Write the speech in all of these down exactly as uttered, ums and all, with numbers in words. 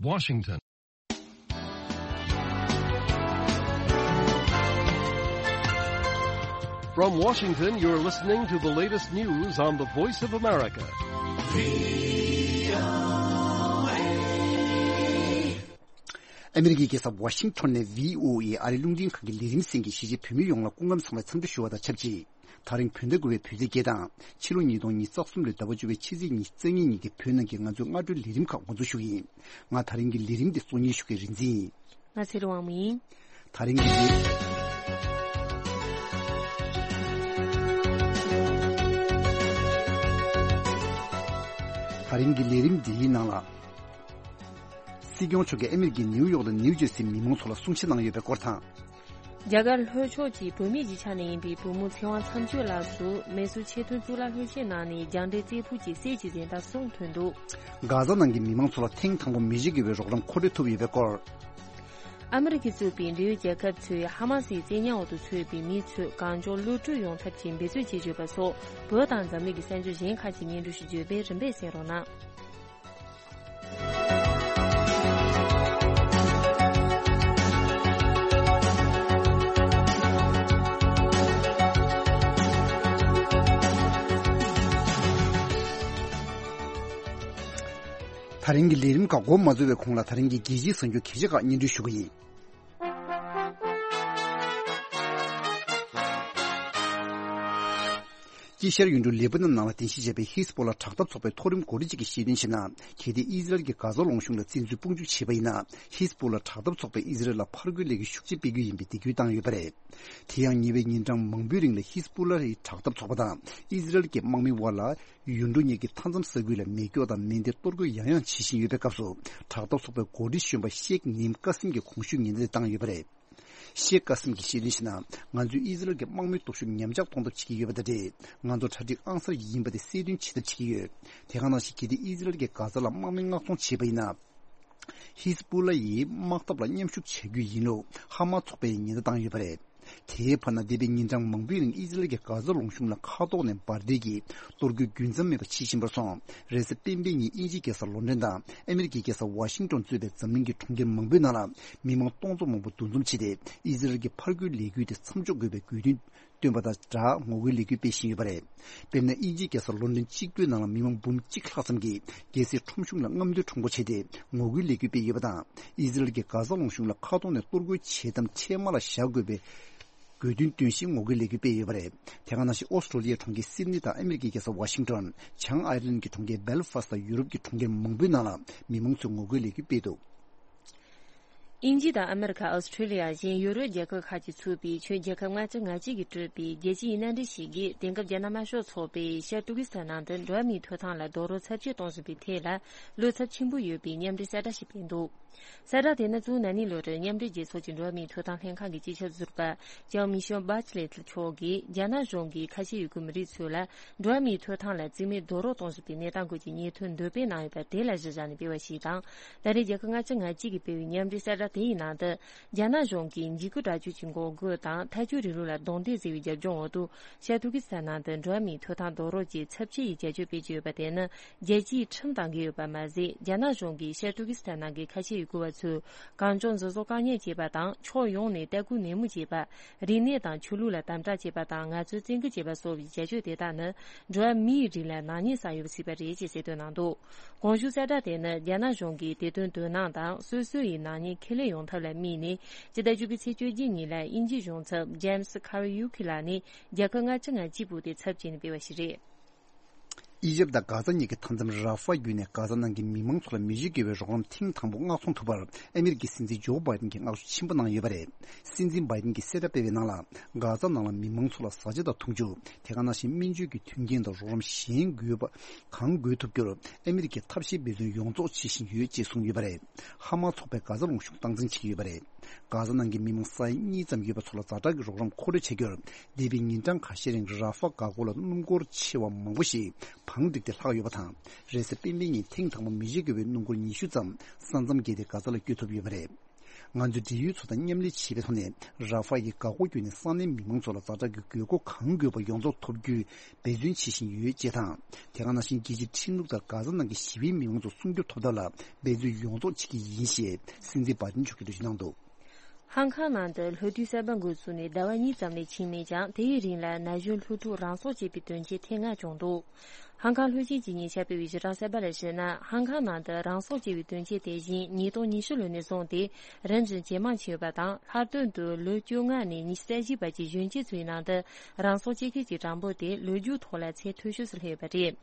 Washington. From Washington, you're listening to the latest news on the Voice of America. ཨ་མི་རི་ཀའི་རྒྱལ་ས་ཝ་ཤིང་ཊོན་ནས་བྷི་ཨོ་ཨེ་ཨ་རིའི་རླུང་འཕྲིན་ཁང་གི་ལས་རིམ་གསན་མཁན་གཞིས་བྱེས་བོད་མི་ཡོངས་ལ་སྐུ་ཁམས་བཟང་བའི་འཚམས་འདྲི་ཞུ་བ་དང་ཆབས་ཅིག་ད་རིང་བོད་ཟླ་དགུ་པའི་བོད་ཚེས་བརྒྱད་དང་ཕྱི་ལོ་ཉིས་སྟོང་ཉི་ཤུ་རྩ་གསུམ་ལོའི་ཟླ་བ་བཅུ་པའི་ཕྱི་ཚེས་ཉི་ཤུ་རྩ་གཉིས་ཉིན་གྱི་བོད་ནང་གི་ང་ཚོའི་སྔ་དྲོའི་ལས་རིམ་ཁག་འགོ་འཛུགས་ཞུ་གི་ཡིན། ང་ད་རིང་གི་ལས་རིམ་འདི་གཙོ་གཉེར་ཞུ་མཁན་རིག་འཛིན་ཡིན། ང་ཚེ་རིང་དབང་མོ་ཡིན། ད་རིང་གི་ལས། ད་རིང་གི་ལས་རིམ་འདིའི་ནང་ལ། སྲིད་སྐྱོང་མཆོག་གིས་ཨ་མི་རི་ཀའི་ནིའུ་ཡོག་དང་ནིའུ་ཇར་སིའི་མི་མང་ཚོ་ལ་གསུང་བཤད་གནང་ཡོད་པའི་སྐོར་དང་། རྒྱ་གར་ལྷོ་ཕྱོགས་ཀྱི་བུད་མེད་ཀྱི་ཆ་ནས་ཡིན་པའི་བུ་མོ་ཚེ་དབང་མཚམས་གཅོད་ལགས་སུ་མེ་སོར་ཆེས་མཐོའི་གཙུག་ལག་སློབ་ཆེན་ནང་ནས་རྒྱང་འདྲེན་རྩེ་ཕུད་ཀྱི་གསེར་གྱི་གཟེངས་རྟགས་གསུམ་ཐོན་འདུག་གྷ་ཛ་ནང་གི་མི་མང་ཚོ་ལ་ཐེངས་དང་པོ་མེ་ལྕེ་བརྒྱུད་པའི་རོགས་རམ་མཁོ་སྤྲོད་ཐུབ་ཡོད་པའི་སྐོར། ཨ་མི་རི་ཀས་གཙོས་པའི་འབྲེལ་ཡོད་རྒྱལ་ཁབ་ཚོས་ཧ་མ་སིའི་བཙན་ཉར་འོག་ཏུ་ཚུད་པའི་མི་ཚོས་གང་མགྱོགས་གློད་གྲོལ་ཡོང་ཐབས་ཀྱི་འབད་རྩོལ་བྱེད་བཞིན་ཡོད་པ་སོགས་བོད་དང་འཛམ་གླིང་གི་གསར་འགྱུར་གཞན་ཁག་ཅིག་སྙན་སྒྲོན་ཞུ་རྒྱུ་ཡོད་པས་རིམ་པས་གསན་རོགས་གནང་། ད་རིང་གི་ལས་རིམ་ཁག་འགོ་མ་འཛུགས་པའི་གོང་ལ་ད་རིང་གི་རྒྱལ་སྤྱིའི་གསར་འགྱུར་གལ་ཆེ་ཁག་སྙན་སྒྲོན་ཞུ་གི་ཡིན། དཀྱིལ་ཤར་ཡུལ་གྲུ་ལེ་པ་ནན་ནང་ལ་རྟེན་གཞི་བྱས་པའི་ཧི་ཟ་པོ་ལ་དྲག་འཐབ་ཚོགས་པའི་མཐོ་རིམ་འགོ་ཁྲིད་ཅིག་གིས་བཤད་དོན་བྱས་ན། གལ་ཏེ་ཨི་ཟི་རལ་གྱིས་གྷ་ཛ་ལུང་གཤོང་ལ་བཙན་འཛུལ་དཔུང་འཇུག་བྱས་པ་ཡིན་ན། ཧི་ཟ་པོ་ལ་དྲག་འཐབ་ཚོགས་པས་ཨི་ཟི་རལ་ལ་ཕར་རྒོལ་ལས་འགུལ་ཤུགས་ཆེ་སྤེལ་རྒྱུ་ཡིན་པའི་འདེད་སྐུལ་བཏང་ཡོད་པ་རེད། དེ་ཡང་ཉེ་བའི་ཉིན་གྲངས་མང་པོའི་རིང་ལ་ཧི་ཟ་པོ་ལ་ཡི་དྲག་འཐབ་ཚོགས་པ་དང་ཨི་ཟི་རལ་གྱི་དམག་མིའི་དབར་ལ། ཡུལ་གྲུ་གཉིས་ཀྱི་མཐའ་མཚམས་ས་ཁུལ་ལ་མེ་སྒྱོགས་དང་མེ་མདས་གཏོར་རྒོལ་ཡང་ཡང་བྱེད་བཞིན་ཡོད་པའི་སྐབས་སུ། དྲག་འཐབ་ཚོགས་པའི་འགོ་ཁྲིད་གཞོན་པ་ཤེག་ནིམ་ཀ་སིམ་གྱིས་གོང་ཞུས་ཉེན་བརྡ་དེ་བཏང་ཡོད་པ་རེད། ཤེག་ཀ་སིམ་གྱིས་བཤད་དོན་བྱས་ན། ང་ཚོས་ཨི་ཟི་རལ་གྱི་དམག་མིའི་སྟོབས་ཤུགས་ཉམས་ཆག་གཏོང་ཐབས་བྱེད་ཀྱི་ཡོད་པ་དང་འབྲེལ། ང་ཚོ་གྲ་སྒྲིག་ཨང་གསར་ཡིན་པ་དེ་གསལ་སྟོན་བྱེད་ཐབས་བྱེད་ཀྱི་ཡོད། དེ་ག་ནང་བཞིན་གལ་ཏེ་ཨི་ཟི་རལ་གྱིས་གྷ་ཛ་ལ་དམག་མི་མངགས་གཏོང་བྱས་པ་ཡིན་ན། ཧི་ཟ་པོ་ལ་ཡི་དམག་འཐབ་ལ་མཉམ་ཞུགས་བྱ་རྒྱུ་ཡིན་ལུགས་ཧ་མ་ཚོགས་པས་ཉེན་བརྡ་བཏང་ཡོད་པ་རེད། དེའི་བར་ན་འདས་པའི་ཉིན་གྲངས་མང་པོའི་རིང་ཨི་ཟི་རལ་གྱིས་གྷ་ཛ་ལུང་གཤོང་ལ་མཁའ་ཐོག་ནས་འབར་མདེལ་གྱིས་གཏོར་རྒོལ་རྒྱུན་མཚམས་མེད་པར་བྱེད་བཞིན་པར་སོང་། རེས་གཟའ་སྤེན་པའི་ཉིན་དབྱིན་ཇིའི་རྒྱལ་ས་ལོན་ཌོན་དང་ཨ་མི་རི་ཀའི་རྒྱལ་ས་ཝ་ཤིང་ཏོན་གཙོས་པའི་འཛམ་གླིང་གི་གྲོང་ཁྱེར་མང་པོའི་ནང་ལ་མི་མང་སྟོང་ཚོ་མང་པོ་འདུ་འཛོམས་བྱས་ཏེ་ཨི་ཟི་རལ་གྱི་ཕར་རྒོལ་ལས་འགུལ་དེ་མཚམས་འཇོག་དགོས་པའི་དགོས་འདུན་བཏོན་པ་དང་སྦྲགས་ངོ་རྒོལ་ལས་འགུལ་སྤེལ་བཞིན་ཡོད་པ་རེད། དཔེར་ན་དབྱིན་ཇིའི་རྒྱལ་ས་ལོན་ཌོན་གཅིག་པུའི་ནང་ལ་མི་མང་འབུམ་གཅིག་ལྷག་ཙམ་གྱིས་རྒྱལ་སའི་ཁྲོམ་གཞུང་ལ་རྔམ་སྟོན་ཁྲོམ་སྐོར་བྱས་ཏེ་ངོ་རྒོལ་ལས་འགུལ་སྤེལ་ཡོད་པ་དང་། ཨི་ཟི་རལ་གྱིས་གྷ་ཛ་ལུང་གཤོང་ལ་མཁའ་ཐོག་ནས་གཏོར་རྒོལ་བྱེད་དམ་ཆད་མ་ལ་བཞག་དགོས་པའི་དགོས་འདུན་བཏོན་བཞིན་ངོ་རྒོལ་ལས་འགུལ་སྤེལ་ཡོད་པ་རེད། དེ་ག་ནང་བཞིན་ཨོ་སི་ཀྲོ་ལི་ཡའི་གྲོང་ཁྱེར་སིད་ནི་དང་ཨ་མི་རི་ཀའི་རྒྱལ་ས་ཝ་ཤིང་ཏོན། བྱང་ཨའི་ལན་གྱི་གྲོང་ཁྱེར་སྦེལ་ཧྥ་སི་ཊི་དང་ཡུ་རོབ་ཀྱི་གྲོང་ཁྱེར་མང་པོའི་ནང་ལ་མི་མང་ཚོས་ངོ་རྒོལ་ལས་འགུལ་སྤེལ་འདུག་དབྱིན་ཇི་དང་ཨ་མེ་རི་ཁ། ཨོ་སི་ཀྲོ་ལི་ཡ་བཞིན་ཡུ་རོབ་རྒྱལ་ཁབ་ཁག་གིས་ཚུགས་པའི་ཁྱོན་རྒྱལ་ཁབ་ལྔ་བཅུ་ང་གཅིག་གིས་གྲུབ་པའི་རྒྱལ་སྤྱིའི་མནའ་འབྲེལ་ཞིག་གིས་དེང་སྐབས་རྒྱ་ནག་དམར་ཤོག་ཚོགས་པའི་ཤར་ཏུར་ཀི་སི་ཐན་ནང་དུ་འགྲོ་བ་མིའི་ཐོབ་ཐང་ལ་རྡོག་རོལ་ཚབས་ཆེ་གཏོང་བཞིན་པའི་ཐད་ལ་བློ་འཚབ་ཆེན་པོ་ཡོད་པའི་མཉམ་འབྲེལ་གསལ་བསྒྲགས་ཤིག་སྤེལ་འདུག་གསལ་བསྒྲགས་དེ་ནི་གཙོ་བོ་ན་ནིང་ལོ་རེར་མཉམ་འབྲེལ་རྒྱལ་ཚོགས་ཀྱི་འགྲོ་བ་མིའི་ཐོབ་ཐང་ལྷན་ཁང་གི་སྤྱི་ཁྱབ་ཟུར་པ་ལྕམ་མི་ཤེལ་བྷ་ཆི་ལེ་ཊི་མཆོག་གིས་རྒྱ་ནག་གཞུང་གིས་ཁ་ཆེ་ཡུལ་གྱི་མི་རིགས་ཚོ་ལ་འགྲོ་བ་མིའི་ཐོབ་ཐང་ལ་རྩིས་མེད་རྡོག་རོལ་གཏོང་བཞིན་པའི་གནས་སྟངས་སྐོར་གྱི་སྙན་ཐོ་འདོན་སྤེལ་གནང་ཡོད་པ་དེ་ལ་གཞི་བཞག་ནས་སྤེལ་བ་ཞིག་དང་། ད་རེས་རྒྱལ་ཁབ་ལྔ་བཅུ་ང་གཅིག་གིས་སྤེལ་བའི་མཉམ་འབྲེལ་གསལ་བསྒྲགས་དེ་ཡི་ནང་དུ། རྒྱ་ནག་གཞུང་གིས་འཇིགས་སྐུལ་དྲག་སྤྱོད་ཀྱི་འགོག་རྒོལ་དང་ཐལ་སྐྱོད་རིང་ལུགས་ལ་རྡུང་རྡེག་བཟོས་པའི་རྒྱབ་ལྗོངས་འོག་ཏུ། ཤར་ཏུར་ཀི་སི་ཐན་ནང་དུ་འགྲོ་བ་མིའི་ཐོབ་ཐང་རྡོག་རོལ་གྱི་ཚབས་ཆེ་ཡི་བྱ་སྤྱོད་སྤེལ་གྱི་ཡོད་པ་དེ་ནི་རྒྱལ་སྤྱིའི་ཁྲིམས་དང་འགལ་ཡོད་པ་མ་ཟད། རྒྱ་ནག་གཞུང་གིས་ཤར་ཏུར་ཀི་སི་ཐན་ནང་གི་ཁ་ཆེ་ཡུལ་སྐོར་བ་ཚོས་གང་བྱུང་འཛིན་བཟུང་བཀག་ཉར་བྱས་པ་དང་། ཕྱོགས་ཡོངས་ནས་ལྟ་སྐུལ་ནན་མོ་བྱས་པ། རིག་གནས་དང་ཆོས་ལུགས་ལ་དམ་དྲག་བྱས་པ་དང་། ང་ཚོའི་བཙན་སྐུལ་བྱས་པ་སོགས་ཀྱི་བྱ་སྤྱོད་དེ་དག་ནི་འགྲོ་བ་མིའི་རིགས་ལ་ནག་ཉེས་བསགས་ཡོད་པ་གཟིགས་པ་རེད་ཅེས་གསལ་སྟོན་གནང་འདུག་གོང་ཞུས་གསལ་བསྒྲགས་དེ་ནི་རྒྱ་ནག་གཞུང་གིས་དེ་དོན་དོ་སྣང་དང་སོ་སོ་ཡི་ནག་ཉེས་ཁས་ལེན་ཡོང་ཐབས་ལ་དམིགས་ནས། སྤྱི་ཟླ་བཅུ་པའི་ཚེས་བཅོ་བརྒྱད་ཉིན་ལ་དབྱིན་ཇིའི་གཞུང་ཚབ་ཇེམ་སི་ཁ་རི་ཡུ་ཁི་ལགས་ནས་རྒྱལ་ཁབ་ལྔ་བཅུ་ང་གཅིག་པོ་དེ་ཚབ་བྱས་ནས་སྤེལ་བ་ཞིག་རེད། ཨི་ཇེབ་དང་གྷ་ཛ་གཉིས་ཀྱི་མཐའ་མཚམས་ར་ཧྥ་བརྒྱུད་ནས་གྷ་ཛ་ནང་གི་མི་མང་ཚོ་ལ་མེ་ལྕེ་བརྒྱུད་པའི་རོགས་རམ་ཐེངས་དང་པོ་མངགས་གཏོང་ཐུབ་པར་ཨ་མི་རི་ཀའི་སྲིད་འཛིན་ཇོ་བྷའི་ཌེན་གྱིས་བསྔགས་བརྗོད་ཆེན་པོ་གནང་ཡོད་པ་རེད། སྲིད་འཛིན་བྷའི་ཌེན་གྱིས་གསལ་བསྒྲགས་སྤེལ་བའི་ནང་ལ། གྷ་ཛ་ནང་ལ་མི་མང་ཚོ་ལ་བཟའ་བཅའ་དང་འཐུང་ཆུ། དེ་ག་ནང་བཞིན་སྨན་བཅོས་ཀྱི་མཐུན་རྐྱེན་དང་རོགས་རམ་གཞན་དགོས་པ་གང་དགོས་ཐུབ་རྒྱུར་ཨ་མི་རི་ཀས་ཐབས་ཤེས་འབད་བརྩོན་ཡོངས་རྫོགས་བྱེད་བཞིན་ཡོད་ཅེས་གསུངས་ཡོད་པ་རེད། ཧ་མ་ཚོགས་པས་གྷ་ཛ་ལུང་གཤོང་སྟངས་འཛིན་བྱེད་ཀྱི་ཡོད་པ་རེད། གྷ་ཛ་ནང་གི་མི་མང་ས་ཡ་གཉིས་ཙམ་ཡོད་པ་ཚོ་ལ་ཛ་དྲག་གི་རོགས་རམ་མཁོ་སྤྲོད་བྱ་རྒྱུར། འདས་པའི་ཉིན་གྲངས་ཁ་ཤས་རིང་ར་ཧྥ་འགག་སྒོ་ལ་སྣུམ་འཁོར་ཆེ་བ་མང་པོ་ཞིག་བང་བསྒྲིགས་ཏེ་ལྷག་ཡོད་པ་དང་། རེས་གཟའ་སྤེན་པའི་ཉིན་ཐེངས་དང་པོ་མེ་ལྕེ་བརྒྱུད་པའི་སྣུམ་འཁོར་ཉི་ཤུ་ཙམ་ས་མཚམས་བརྒལ་ཏེ་གྷ་ཛ་ལ་བསྐྱོད་ཐུབ་ཡོད་པ་རེད། ང་ཚོས་འབྲེལ་ཡོད་ཚོ་དང་མཉམ་ལས་བྱེད་པའི་ཐོག་ནས། ར་ཧྥ་ཡི་འགག་སྒོ་བརྒྱུད་ནས་ས་གནས་མི་མང་ཚོ་ལ་ཛ་དྲག་གི་དགོས་མཁོ་གང་དགོས་པ་ཡོངས་རྫོགས་ཐོབ་རྒྱུའི་འབད་བརྩོན་བྱེད་བཞིན་ཡོད་ཅེས་དང་། དེ་ག་ནང་བཞིན་རྒྱལ་སྤྱིའི་ཁྲིམས་ལུགས་ལྟར་གྷ་ཟ་ནང་གི་ཞི་བའི་མི་མང་ཚོ་སྲུང་སྐྱོབ་ཐོབ་ཐབས་ལ་འབད་བརྩོན་ཡོངས་རྫོགས་བྱེད་ཀྱི་ཡིན་ཞེས་སྲིད་འཛིན་བྷའི་ཏིན་མཆོག་གིས་འགྲེལ་བརྗོད་གནང་འདུག། ཧང་ཀང་ནང་དུ་ལྷོ་རྡུལ་གསར་པ་འགོ་ཚུགས་ནས་ཟླ་བ་གཉིས་ཙམ་ལས་ཕྱིན་མེད་ཀྱང་། དེའི་རིང་ལ་ན་གཞོན་ལྷོ་ཕྲུག་རང་སྲོག་བཅད་པའི་དོན་རྐྱེན་ཐེངས་ལྔ་བྱུང་འདུག། ཧང་ཀང་ལྷོད་ཞེན་གྱི་ཉེ་ཆར་སྤེལ་བའི་ཞི་དྲག་གསར་པ་ལ་གཞིགས་ན། ཧང་ཀང་ནང་དུ་རང་སྲོག་བཅད་པའི་དོན་རྐྱེན་དེ་བཞིན་ཉིས་སྟོང་ཉི་ཤུ་ལོ་ནས་བཟུང་སྟེ་རིམ་བཞིན་ཇེ་མང་ཕྱིན་ཡོད་པ་དང་། ལྷག་དོན་དུ་ལོ་བཅོ་ལྔ་ནས་ཉི་ཤུ་རྩ་བཞི་བར་གྱི་གཞོན་སྐྱེས་ཚོའི་ནང་དུ་རང་སྲོག་བཅད་མཁན་གྱི་གྲངས་འབོར་དེ་ལོ་རྒྱུས་ཐོག་ལ་ཚད་མཐོ་ཤོས་སུ་སླེབས་ཡོད་པ་རེད།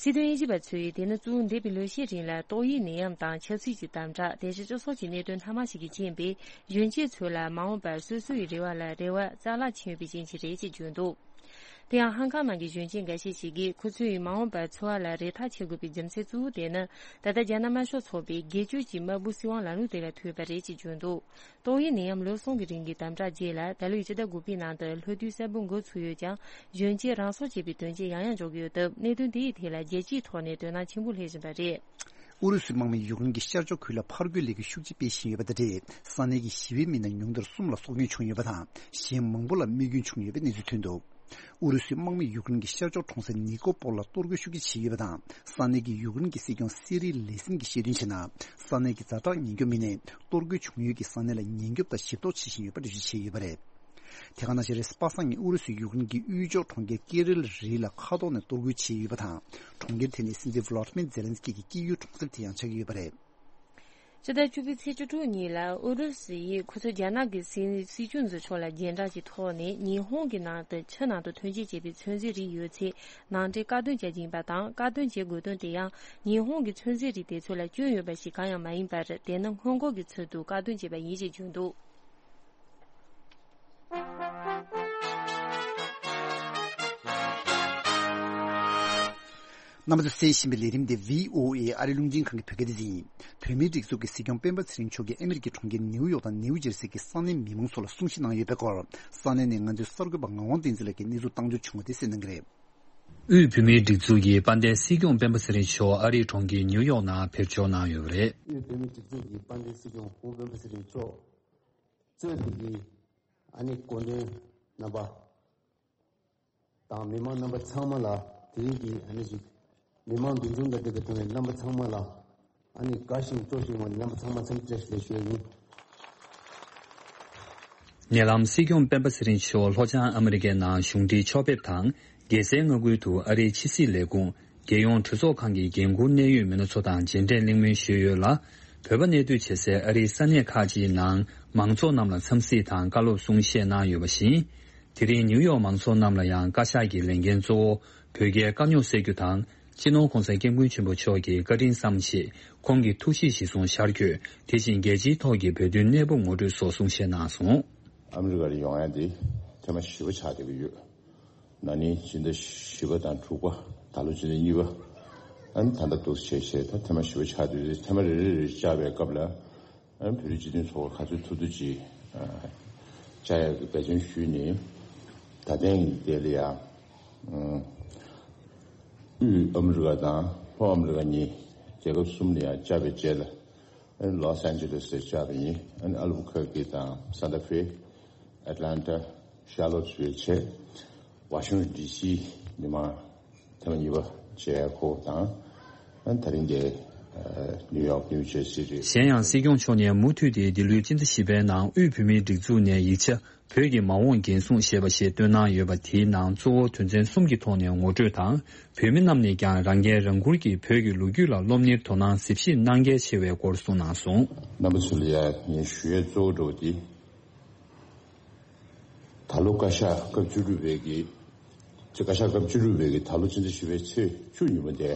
སྲིད་དོན་དབྱེ་ཞིབ་པ་ཚོས། དེ་ནི་གཙོ་བོ་འདས་པའི་ལོ་ཤས་རིང་ལ་ཏོག་དབྱིབས་ནད་ཡམས་དང་ཆབ་སྲིད་ཀྱི་དམ་དྲག་དེ་བཞིན་སྤྱི་ཚོགས་ཀྱི་གནད་དོན་སྣ་མང་ཞིག་གིས་རྐྱེན་པས། གཞོན་སྐྱེས་ཚོ་ལ་མ་འོངས་པར་སོ་སོའི་རེ་བ་ལ་རེ་བ་རྩ་བརླག་ཕྱིན་ཡོད་པའི་རྐྱེན་གྱིས་རེད་ཅེས་བརྗོད་འདུག། དེ་ཡང་ཧང་ཀང་ནང་གི་གཞོན་སྐྱེས་འགའ་ཤས་ཤིག་གིས། ཁོ་ཚོའི་མ་འོངས་པར་འཚོ་བ་ལ་རེ་ཐག་ཆོད་དགོས་པའི་རྒྱུ་མཚན་གཙོ་བོ་དེ་ནི། ད་ལྟ་རྒྱ་ནག་དམར་ཤོག་ཚོགས་པའི་སྒེར་གཅོད་ཀྱི་དམར་པོའི་སྲིད་དབང་ལམ་ལུགས་དེ་ལ་ཐུག་པ་རེད་ཅེས་བརྗོད་འདུག། ཏོག་དབྱིབས་ནད་ཡམས་ལོ་གསུམ་གྱི་རིང་གི་དམ་དྲག་རྗེས་ལ། ད་ལོའི་སྤྱི་ཟླ་དགུ་པའི་ནང་དུ་ལྷོ་རྡུལ་གསར་པ་འགོ་ཚུགས་ཡོད་ཀྱང་། གཞོན་སྐྱེས་རང་སྲོག་བཅད་པའི་དོན་རྐྱེན་ཡང་ཡང་འབྱུང་གི་ཡོད་སྟབས། གནད་དོན་དེའི་ཐད་ལ་རྒྱལ་སྤྱིའི་ཐོག་ནས་དོ་སྣང་ཆེན་པོ་སླེབས་བཞིན་པ་རེད། ཨུ་རུ་སུའི་དམག་མིས་ཡུཀ་རེན་གྱི་ཤར་ཕྱོགས་ཁུལ་ལ་ཕར་རྒོལ་ལས་འགུལ་ཤུགས་ཆེ་སྤེལ་བཞིན་ཡོད་པ་དང་འབྲེལ། ས་གནས་ཀྱི་ཞི་བའི་མི་སྣ་ཉུང་མཐར་གསུམ་ལ་སྲོག་སྐྱོན་བྱུང་ཡོད་པ་དང་། གཞན་མང་པོ་ལ་རྨས་སྐྱོན་བྱུང་ཡོད་པའི་གནས་ཚུལ་ཐོན་འདུག། ཨུ་རུ་སུའི་དམག་མིས་ཡུཀ་རེན་གྱི་ཤར་ཕྱོགས་གྲོང་གསེབ་ནི་ཀོ་པོལ་ལ་གཏོར་རྒོལ་ཤུགས་ཆེ་བྱས་ཡོད་པ་དང་། ས་གནས་ཀྱི་ཡུཀ་རེན་གྱི་སྲིད་སྐྱོང་སེ་རི་ལེ་སིན་གྱིས་བཤད་དོན་བྱས་ན། ས་གནས་ཀྱི་ཛ་དྲག་ཉེན་སྐྱོབ་མི་སྣས་གཏོར་རྒོལ་བྱུང་ཡུལ་གྱི་ས་གནས་ལ་ཉེན་སྐྱོབ་དང་ཞིབ་རྟོག་བྱེད་བཞིན་ཡོད་པ་འགྲེལ་བརྗོད་བྱས་ཡོད་པ་རེད། དེ་ག་ནང་བཞིན་རེས་གཟའ་པ་སངས་ཉིན་ཨུ་རུ་སུས་ཡུཀ་རེན་གྱི་དབུས་ཕྱོགས་གྲོང་ཁྱེར་ཀེ་རིལ་རི་ལ་མཁའ་ཐོག་ནས་གཏོར་རྒོལ་བྱས་ཡོད་པ་དང་། གྲོང་ཁྱེར་དེ་ནི་སྲིད་འཛིན་ཝ་ལོ་ཏི་མིར་ཛེ་ལན་སི་ཀི་གི་སྐྱེས་ཡུལ་གྲོང་གསེབ་དེ་ཡང་ཆགས་ཀྱི་ཡོད་པ་རེད། ཕྱི་ཟླ་བཅུ་པའི་ཚེས་བཅུ་དྲུག་ཉིན་ལ་ཨུ་རུ་སུ་ཡིས་ཁོ་ཚོས་རྒྱ་ནག་གི་སྲིད་སྲིད་སྐྱོང་ཟུར་མཆོག་ལ་སྦྱིན་བདག་གི་ཐོག་ནས་ཉི་ཧོང་གི་ནང་དུ་ཆུ་ནང་དུ་ཐོན་སྐྱེད་བྱས་པའི་ཚོད་འཛིན་རིགས་ཡོད་ཚད་ནང་འདྲེན་བཀག་སྡོམ་བྱ་རྒྱུ་ཡིན་པ་དང་། བཀག་སྡོམ་བྱེད་དགོས་དོན་དེ་ཡང་ཉི་ཧོང་གི་ཚོད་འཛིན་རིགས་དེ་ཚོ་ལ་སྐྱོན་ཡོད་པ་ཞིག་གང་ཡང་མ་ཡིན་པར། དེ་ནི་སྔོན་འགོག་གི་ཚུལ་དུ་བཀག་སྡོམ་བྱས་པ་ཡིན་ཞེས་བརྗོད་འདུག། རྣམ་པ་ཚོས་གསན་བཞིན་པའི་ལས་རིམ་དེ་བྷི་ཨོ་ཨེ་ཨ་རིའི་རླུང་འཕྲིན་ཁང་གི་བོད་སྐད་སྡེ་ཚན་ཡིན། བོད་མིའི་སྒྲིག་འཛུགས་ཀྱི་སྲིད་སྐྱོང་སྤེན་པ་ཚེ་རིང་མཆོག་གིས་ཨ་མི་རི་ཀའི་གྲོང་ཁྱེར་ནེའུ་ཡོག་དང་ནེའུ་ཇར་སི་གི་ས་གནས་མི་མང་ཚོ་ལ་གསུང་བཤད་གནང་ཡོད་པའི་སྐོར། ས་གནས་ནས་ང་ཚོའི་གསར་འགོད་པ་ངག་དབང་བསྟན་འཛིན་ལགས་ཀྱིས་གནས་ཚུལ་བཏང་འབྱོར་བྱུང་བ་དེ་གསན་གནང་གི་རེད། དབུས་བོད་མིའི་སྒྲིག་འཛུགས་ཀྱི་དཔལ་ལྡན་སྲིད་སྐྱོང་སྤེན་པ་ཚེ་རིང་མཆོག་ཨ་རིའི་གྲོང་ཁྱེར་ནེའུ་ཡོག་ནང་ཕེབས་འབྱོར་གནང་ཡོད་པ་རེད། དབུས་བོད་མིའི་སྒྲིག་འཛུགས་ཀྱི་དཔལ་ལྡན་སྲིད་སྐྱོང་སྐུ་ངོ་སྤེན་པ་ཚེ་རིང་མཆོག་གཙོས་པའི་གི་ཨ་ནི་སྐུ་མགྲོན་རྣམ་པ། དང་མི་མང་རྣམ་པ་ཚང་མ་ལ། དེ་རིང་གི་ཨ་ནི་ཞིག་མི་མང་འདུ་འཛོམས་དང་འབྲེལ་བའི་ཐོག་ནས་རྣམ་པ་ཚང་མ་ལ་ཨ་ནི་དགའ་ཞིང་སྤྲོ་ཞིང་བ་རྣམ་པ་ཚང་མ་འཚམས་འདྲི་བཀྲ་ཤིས་བདེ་ལེགས་ཞུ་ཡ་ཡིན། ཉེ་ལམ་སྲིད་སྐྱོང་སྤེན་པ་ཚེ་རིང་མཆོག་ལྷོ་བྱང་ཨ་མི་རི་ཀའི་ནང་གཞུང་འབྲེལ་ཕྱོགས་ཕེབས་དང་། རྒྱལ་སའི་མངའ་ཁུལ་དུ་ཨ་རིའི་ཕྱི་སྲིད་ལས་ཁུངས། རྒྱལ་ཡོངས་གྲོས་ཚོགས་ཁང་གི་འགན་འཁུར་གནད་ཡོད་མི་སྣ་ཚོ་དང་མཇལ་འཕྲད་གླེང་མོལ་ཞུས་ཡོད་ལ། བོད་པ་གནས་སྡོད་བྱེད་སའི་ཨ་རིའི་ས་གནས་ཁག་ཅིག་ནང་མང་ཚོགས་རྣམས་ལ་འཚམས་གཟིགས་དང་བཀའ་སློབ་གསུང་བཤད་གནང་ཡོད་པ་བཞིན། དེ་རིང་ནིའུ་ཡོག་མང་ཚོགས་རྣམས་ལ་ཡང་བཀའ་ཤག་གི་ལས་འགན་གཙོ་བོ་བོད་རྒྱའི་དཀའ་རྙོག་སེལ་རྒྱུ་དང་། སྤྱི་ནོར་༸གོང་ས་༸སྐྱབས་མགོན་ཆེན་པོ་མཆོག་གི་བཀའ་དྲིན་བསམ་ཆེད་ཁོང་གི་ཐུགས་བཞེད་གཞིར་བཟུང་ཤར་བསྐྱོད། དེ་བཞིན་རྒྱལ་སྤྱིའི་ཐོག་གི་བོད་དོན་གནས་བབ་ངོ་སྤྲོད་སོགས་གསུང་བཤད་གནང་སོང་། ཨ་མི་རི་ཀ་ལ་ཡོང་ཡ་འདི་ཐེངས་མ་བཞི་པ་ཆགས་བསྡད་ཀྱི་ཡོད། ན་ནིང་ཕྱི་ཟླ་བཞི་པ་དང་དྲུག་པ། ད་ལོ་ཕྱི་ཟླ་གཉིས་པ། ཨ་ནི་ད་ལྟ་འདུག་བྱས་བྱས་ད་ཐེངས་མ་བཞི་པ་ཆགས་བསྡད་ཡོད། ཐེངས་མ་རེ་རེ་རེ་བཅར་བའི་སྐབས་ལ། ཨ་ནི་བོད་རིགས་སྤྱི་མཐུན་ཚོགས་པ་ག་ཚོད་ཐུབ་ཐུབ་ཅིག་ཨ་བཅར་ཡག་གི་འབད་བརྩོན་ཞུས་ནས། ད་ཐེངས་དེ་ལ་ཡང་། ཨ་དབུས་ཨ་མི་རི་ཀ་དང་ལྷོ་ཨ་མི་རི་ཀ་གཉིས་རྒྱལ་ཁབ་གསུམ་ལ་ཡང་བཅར་བའི་རྗེས་ལ། ཨ་ནི་ལོས་ཨན་ཇེ་ལེས་ལ་བཅར་བ་ཡིན། ཨ་ནི་ཨལ་བུ་ཁེར་ཀི་དང་སན་ཏ་ཧྥེ། ཨེ་ཏི་ལན་ཏ། ཤར་ལོ་ཊི་བྷིལ་བྱས། ཝ་ཤིང་ཊོན་ཌི་སི་མི་མང་ཐེངས་མ་གཉིས་པ་མཇལ་ཁོ་དང་། ཨ་ནི་ད་རིང་དེ་ནིའུ་ཡོག་ནིའུ་ཇར་སི་རེད། གཞན་ཡང་སྲིད་སྐྱོང་མཆོག་ནས་མུ་མཐུད་དེ་འདི་ལོའི་སྤྱི་ཟླ་བཞི་པའི་ནང་དབུས་བོད་མིའི་སྒྲིག་འཛུགས་ནས་ཡིག་ཆ་བོད་ཀྱི་མ་འོངས་འགན་སྲུང་ཞེས་པ་ཞིག་བཏོན་གནང་ཡོད་པ། དེའི་ནང་གཙོ་བོ་དོན་ཚན་གསུམ་གྱི་ཐོག་ནས་ངོ་སྤྲོད་དང་། བོད་མི་རྣམས་ནས་ཀྱང་རང་འགན་རང་འཁུར་གྱིས་བོད་ཀྱི་ལོ་རྒྱུས་ལ་སློབ་གཉེར་དོ་སྣང་གཟིགས་ཞིབ་གནང་གལ་ཆེ་བའི་སྐོར་གསུངས་གནང་སོང་། རྣམ་པ་ཚོ་ལ་ཡང་ངས་ཞུ་ཡས་གཙོ་བོ་འདྲ་བོ་དེ། ད་ལོ་བཀའ་ཤག་སྐབས་བཅུ་དྲུག་པའི་གི། ཚེ་བཀའ་ཤག་སྐབས་བཅུ་དྲུག་པའི་གི་ད་ལོ་ཕྱི་ཟླ་བཞི་པའི་ཚེས་བཅུ་ཉིན་མོ་དེ།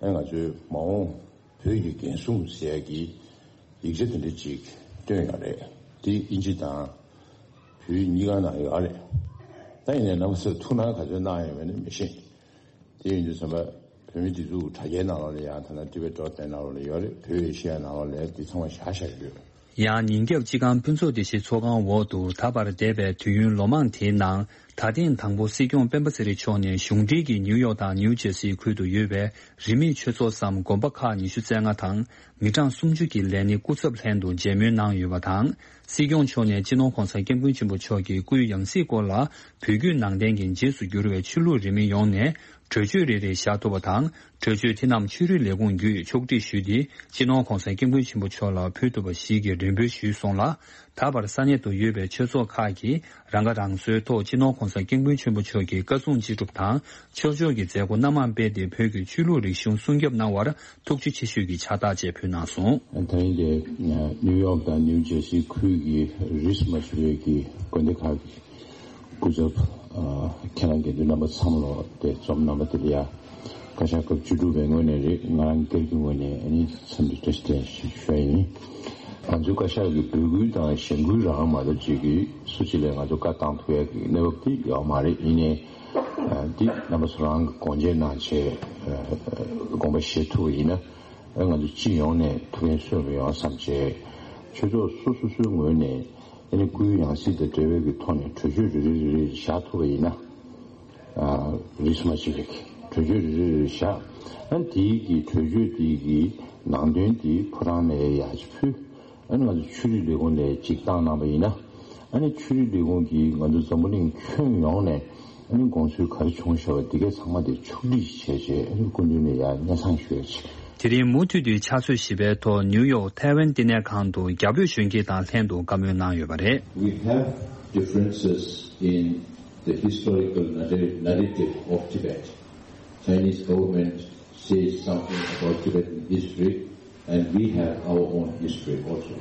ཨ་ང་ཚོའི་མ་འོངས་བོད་ཀྱི་འགན་སྲུང་ཟེར་ཡག་གི་ཡིག་ཆ་དེ་འདྲ་ཅིག་བཏོན་ཡོད་རེད། དེ་དབྱིན་ཇི་དང་བོད་ཡིག་གཉིས་ཀ་ནང་ཡོད་རེད། ད་ཡིན་ནའི་རྣམ་པ་ཚོས་ཐུགས་སྣང་ག་ཚོད་གནང་ཡོད་མེད་ནི་མི་ཤེས། དེ་ཡིན་དུས་ཙམ་པ་བོད་མིའི་སྒྲིག་འཛུགས་ཀྱི་དྲ་རྒྱའི་ནང་ལོགས་ལ་ཡང་ཐ་ན་ཊི་བེ་ཊི་ཌོཊ་ནེཊ་ནང་ལོགས་ལ་ཡོད་རེད། བོད་ཨེ་ཤེ་ཡ་ནང་ལོགས་ལ་འདི་ཚང་མ་བཞག་བཞག་ཡོད། ཡང་ཉིན་རྒྱབ་སྤྱི་ཁང་ཕུན་ཚོགས་བདེ་སྐྱིད་ཚོགས་ཁང་འོག་ཏུ་ད་བར་འདས་པའི་དུས་ཡུན་ལོ་མང་དེའི་ནང་ད་ཐེངས་དང་པོ་སྲིད་སྐྱོང་སྤེན་པ་ཚེ་རིང་མཆོག་ནས་གཞུང་འབྲེལ་གྱི་ནིའུ་ཡོག་དང་ནིའུ་ཇེར་སི་ཁུལ་དུ་ཡོད་པའི་རིས་མེད་ཆོས་ཚོགས་སམ་དགོན་པ་ཁག་ཉི་ཤུ་རྩ་ལྔ་དང་མི་གྲངས་སུམ་ཅུ་གྱི་ལས་སྣེ་སྐུ་ཚབ་ལྷན་དུ་མཇལ་མོལ་གནང་ཡོད་པ་དང་། སྲིད་སྐྱོང་མཆོག་ནས་སྤྱི་ནོར་གོང་ས་སྐྱབས་མགོན་ཆེན་པོ་མཆོག་གི་སྐུའི་ཡང་སྲིད་སྐོར་ལ་བོད་བརྒྱུད་ནང་བསྟན་གྱི་རྗེས་སུ་འགྱུར་བའི་ཆོས་ལུགས་རིས་མེད་ཡོངས་ནས་གྲོས་ཆོད་རེ་རེ་བཞག་ཐུབ་པ་དང་། གྲོས་ཆོད་དེ་རྣམས་ཆོས་རིག་ལས་ཁུངས་བརྒྱུད་ཕྱོགས་སྒྲིག་ཞུས་ཏེ། སྤྱི་ནོར་གོང་ས་སྐྱབས་མགོན་ཆེན་པོ་མཆོག་ལ་ཕུལ་ཐུབ་པ་ཞིག་གི་རེ་འབོད་ཞུས་སོང་ལ། ད་བར་ས་གནས་དུ་ཡོད་པའི་ཆོས་ཚོགས་ཁག་གིས་རང་ཁ་རང་གསོའི་ཐོག་སྤྱི་ནོར་གོང་ས་སྐྱབས་མགོན་ཆེན་པོ་མཆོག་གི་བཀའ་གསུང་ཅི་སྒྲུབ་དང་ཆོས་ཕྱོགས་ཀྱི་མཛད་སྒོ་སྣ་མང་སྤེལ་ཏེ། བོད་ཀྱི་ཆོས་ལུགས་རིག་གཞུང་སྲུང་སྐྱོབ་གནང་བར་ཐུགས་རྗེ་ཆེ་ཞུས་ཀྱི་ཕྱག་རྟགས་བཅས་ཕུལ་གནང་སོང་། དེ་རིང་གི་ནིའུ་ཡོག་དང་ནིའུ་ཇེར་སི་ཁུལ་གྱི་རིས་མ་ཆད་པའི་གི་དགོན་སྡེ་ཁག་གི་སྐུ་ཚབ། ཨ། ཁྱེད་རང་དགེ་འདུན་རྣམ་པ་ཚང་མ་ལོ་དེ་འཛོམས་གནང་བ་དེ་ལ་ཡ། བཀའ་ཤག་སྐབས་བཅུ་དྲུག་པའི་ངོས་ནས་རེད། ང་རང་སྒེར་གྱི་ངོས་ནས་ཨ་ནི་འཚམས་འདྲི་བཀྲ་ཤིས་བདེ་ལེགས་ཞུ་ཡ་ཡིན། ང་ཚོའི་བཀའ་ཤག་གི་འབོད་སྐུལ་དང་གཞེན་སྐུལ་རང་མ་གཏོགས་ཅིག་གིས་སུ་གཅིག་ལ་ང་ཚོ་བཀའ་བཏང་ཐུབ་ཡ་གི་གནས་བབ་དེ་ཡོད་མ་རེད། ཡིན་ནའི་ཨ་འདི་རྣམ་པ་ཚོ་རང་གི་དགོངས་བཞེས་གནང་བྱས། ཨ། དགོངས་པ་བཞེས་ཐུབ་པ་ཡིན་ན། ཨ། ང་ཚོ་སྤྱི་ཡོངས་ནས་ཐུགས་ཕན་གསོས་པ་ཡོང་བསམ་བྱས། ཆོས་ཚོགས་སོ་སོ་སོའི་ངོས་ནས་ཨ་ནི་སྐུའི་ཡང་སྲིད་དང་འབྲེལ་བའི་གི་ཐོག་ནས་གྲོས་ཆོད་རེ་རེ་རེ་རེ་བཞག་ཐུབ་པ་ཡིན་ན། ཨ། རིས་མ་ཆད་པའི་གྲོས་ཆོད་རེ་རེ་རེ་བཞག་ཨ། དེའི་གི་གྲོས་ཆོད་དེའི་གི་ནང་དོན་དེ་ཕོ་བྲང་ནས་ཡར་ཅིག་ཕུལ། ཨ་ནི་ང་ཚོ་ཆོས་རིག་ལས་ཁུངས་ནས་ཅིག་བཏང་གནང་པ་ཡིན་ན། ཨ་ནི་ཆོས་རིག་ལས་ཁུངས་ཀྱིས་ང་ཚོ་འཛམ་བུ་གླིང་ཁྱོན་ཡོངས་ནས་ཨ་ནི་དགོངས་ཚུལ་ག་རེ་བྱུང་བཞག་པ་དེ་གས་ཚང་མ་དེ་ཕྱོགས་སྒྲིག་བྱས་བྱས། ཨ་ནི་སྐུ་མདུན་ནས་ཡར་སྙན་སེང་ཞུ་ཡ་བྱས། དེ་རིང་མུ་མཐུད་དུ་ཕྱག་ཚོད་བཞི་པའི་ཐོག་ནིའུ་ཡོག་ཐའེ་ཝན་བསྟི་གནས་ཁང་དུ་རྒྱ་བོད་གཞོན་སྐྱེས་དང་ལྷན་དུ་བཀའ་མོལ་གནང་ཡོད་པ་རེད། We have differences in the historical narra- narrative of Tibet. Chinese government says something about Tibetan history, and we have our own history also.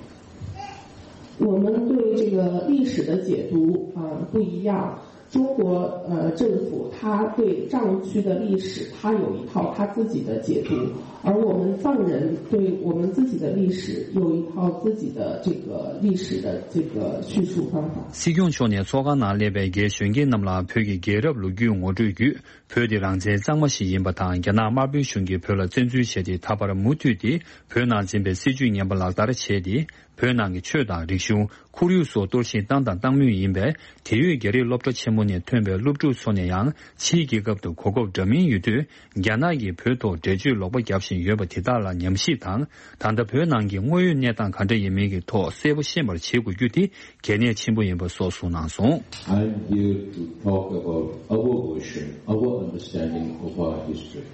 我们对这个历史的解读啊，不一样。中国呃政府它对藏区的历史，它有一套它自己的解读，而我们藏人对我们自己的历史有一套自己的这个历史的这个叙述方法。 སྲིད་སྐྱོང་མཆོག་ནས་ཚོགས་ཁང་ནང་སླེབས་པའི་རྒན་གཞོན་སྐྱེས་རྣམས་ལ་བོད་ཀྱི་རྒྱལ་རབས་ལོ་རྒྱུས་ངོ་སྤྲོད་བརྒྱུད། བོད་དེ་རང་བཙན་གཙང་མ་ཞིག་ཡིན་པ་དང་། རྒྱ་ནག་དམར་པོའི་གཞུང་གིས་བོད་ལ་བཙན་འཛུལ་བྱས་ཏེ། ད་བར་མུ་མཐུད་དེ་བོད་ནང་འཛིན་པའི་སྲིད་བྱུས་ངན་པ་ལག་བསྟར་བྱས་ཏེ། བོད་ནང་གི་ཆོས་དང་རིག་གཞུང་། ཁོར་ཡུག་སོགས་གཏོར་བཤིག་བཏང་དང་བཏང་མུས་ཡིན་པས། དེ་ཡོད་རྒྱ་རིགས་སློབ་གྲྭ་ཆེན་མོ་ནས་ཐོན་པའི་སློབ་ཕྲུག་ཚོ་ནས་ཡང་ཕྱིའི་རྒྱལ་ཁབ་ཏུ་གོ་སྐབས་འདྲ་མིན་ཡོད་དུས། རྒྱ་ནག་གིས་བོད་ཐོག་འགྲེལ་བརྗོད་ལོག་པ་བརྒྱབ་བཞིན་ཡོད་པ་དེ་དག་ལ་ཉམས་ཞིབ་དང་། ད་ལྟ་བོད་ནང་གི་དངོས་ཡོད་གནས་སྟངས་ག་འདྲ་ཡིན་མིན་གྱི་ཐོག་གསལ་པོ་ཤེས་པར་བྱེད་དགོས་རྒྱུ་དེ་གལ་གནད་ཆེན་པོ་ཡིན་པ་སོགས་གསུངས་གནང་སོང་། I'm here to talk about our version, our understanding of our history.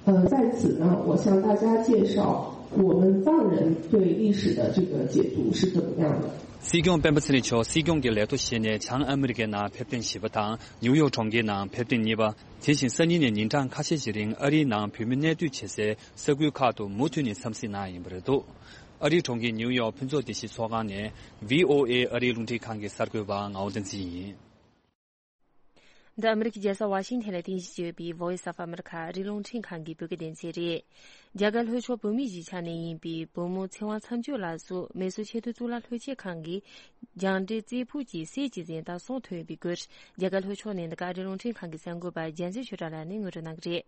呃，在此呢，我向大家介绍我们藏人对历史的这个解读是怎么样的。 སྲིད་སྐྱོང་སྤེན་པ་ཚེ་རིང་མཆོག་སྲིད་སྐྱོང་གི་ལས་ཐོག་བཞེས་ནས་བྱང་ཨ་མི་རི་ཀའི་ནང་ཕེབས་ཐེངས་བཞི་པ་དང་། ནིའུ་ཡོག་གྲོང་ཁྱེར་ནང་ཕེབས་ཐེངས་གཉིས་པ། དེ་བཞིན་སང་ཉིན་ནས་ཉིན་གྲངས་ཁ་ཤས་ཤིག་རིང་ཨ་རིའི་ནང་བོད་མི་གནས་སྡོད་བྱེད་སའི་ས་ཁུལ་ཁག་ཏུ་མུ་མཐུད་ནས་འཚམས་གཟིགས་གནང་ཡིན་པ་རེད་འདུག་ཨ་རིའི་གྲོང་ཁྱེར་ནིའུ་ཡོག་ཕུན་ཚོགས་བདེ་སྐྱིད་ཚོགས་ཁང་ནས་ཝི་ཨོ་ཨེ་ཨ་རིའི་རླུང་འཕྲིན་ཁང་གི་གསར་འགོད་པ་ངག་དབང་བསྟན་འཛིན་ཡིན། འདི་ཨ་མི་རི་ཀའི་རྒྱལ་ས་ཝ་ཤིང་ཐན་ལ་རྟེན་གཞི་བྱས་ཡོད་པའི་Voice of America ཨ་རིའི་རླུང་འཕྲིན་ཁང་གི་བོད་སྐད་སྡེ་ཚན་རེད། རྒྱ་གར་ལྷོ་ཕྱོགས་བོད་མིའི་གཞིས་ཆགས་ནས་ཡིན་པའི་བུ་མོ་ཚེ་དབང་མཚམས་གཅོད་ལགས་སུ་མེ་སོར་ཆེས་མཐོའི་གཙུག་ལག་ལྷོ་ཕྱོགས་ཁང་གིས་རྒྱང་འདྲེན་རྩེ་ཕུད་ཀྱི་གསེར་གྱི་གཟེངས་རྟགས་གསུམ་ཐོབ་ཡོད་པའི་སྐོར། རྒྱ་གར་ལྷོ་ཕྱོགས་ནས་འདི་ག་ཨ་རིའི་རླུང་འཕྲིན་ཁང་གི་གསར་འགོད་པ་རྒྱལ་མཚན་ཆོས་གྲགས་ལགས་ནས་ངོ་སྤྲོད་གནང་གི་རེད།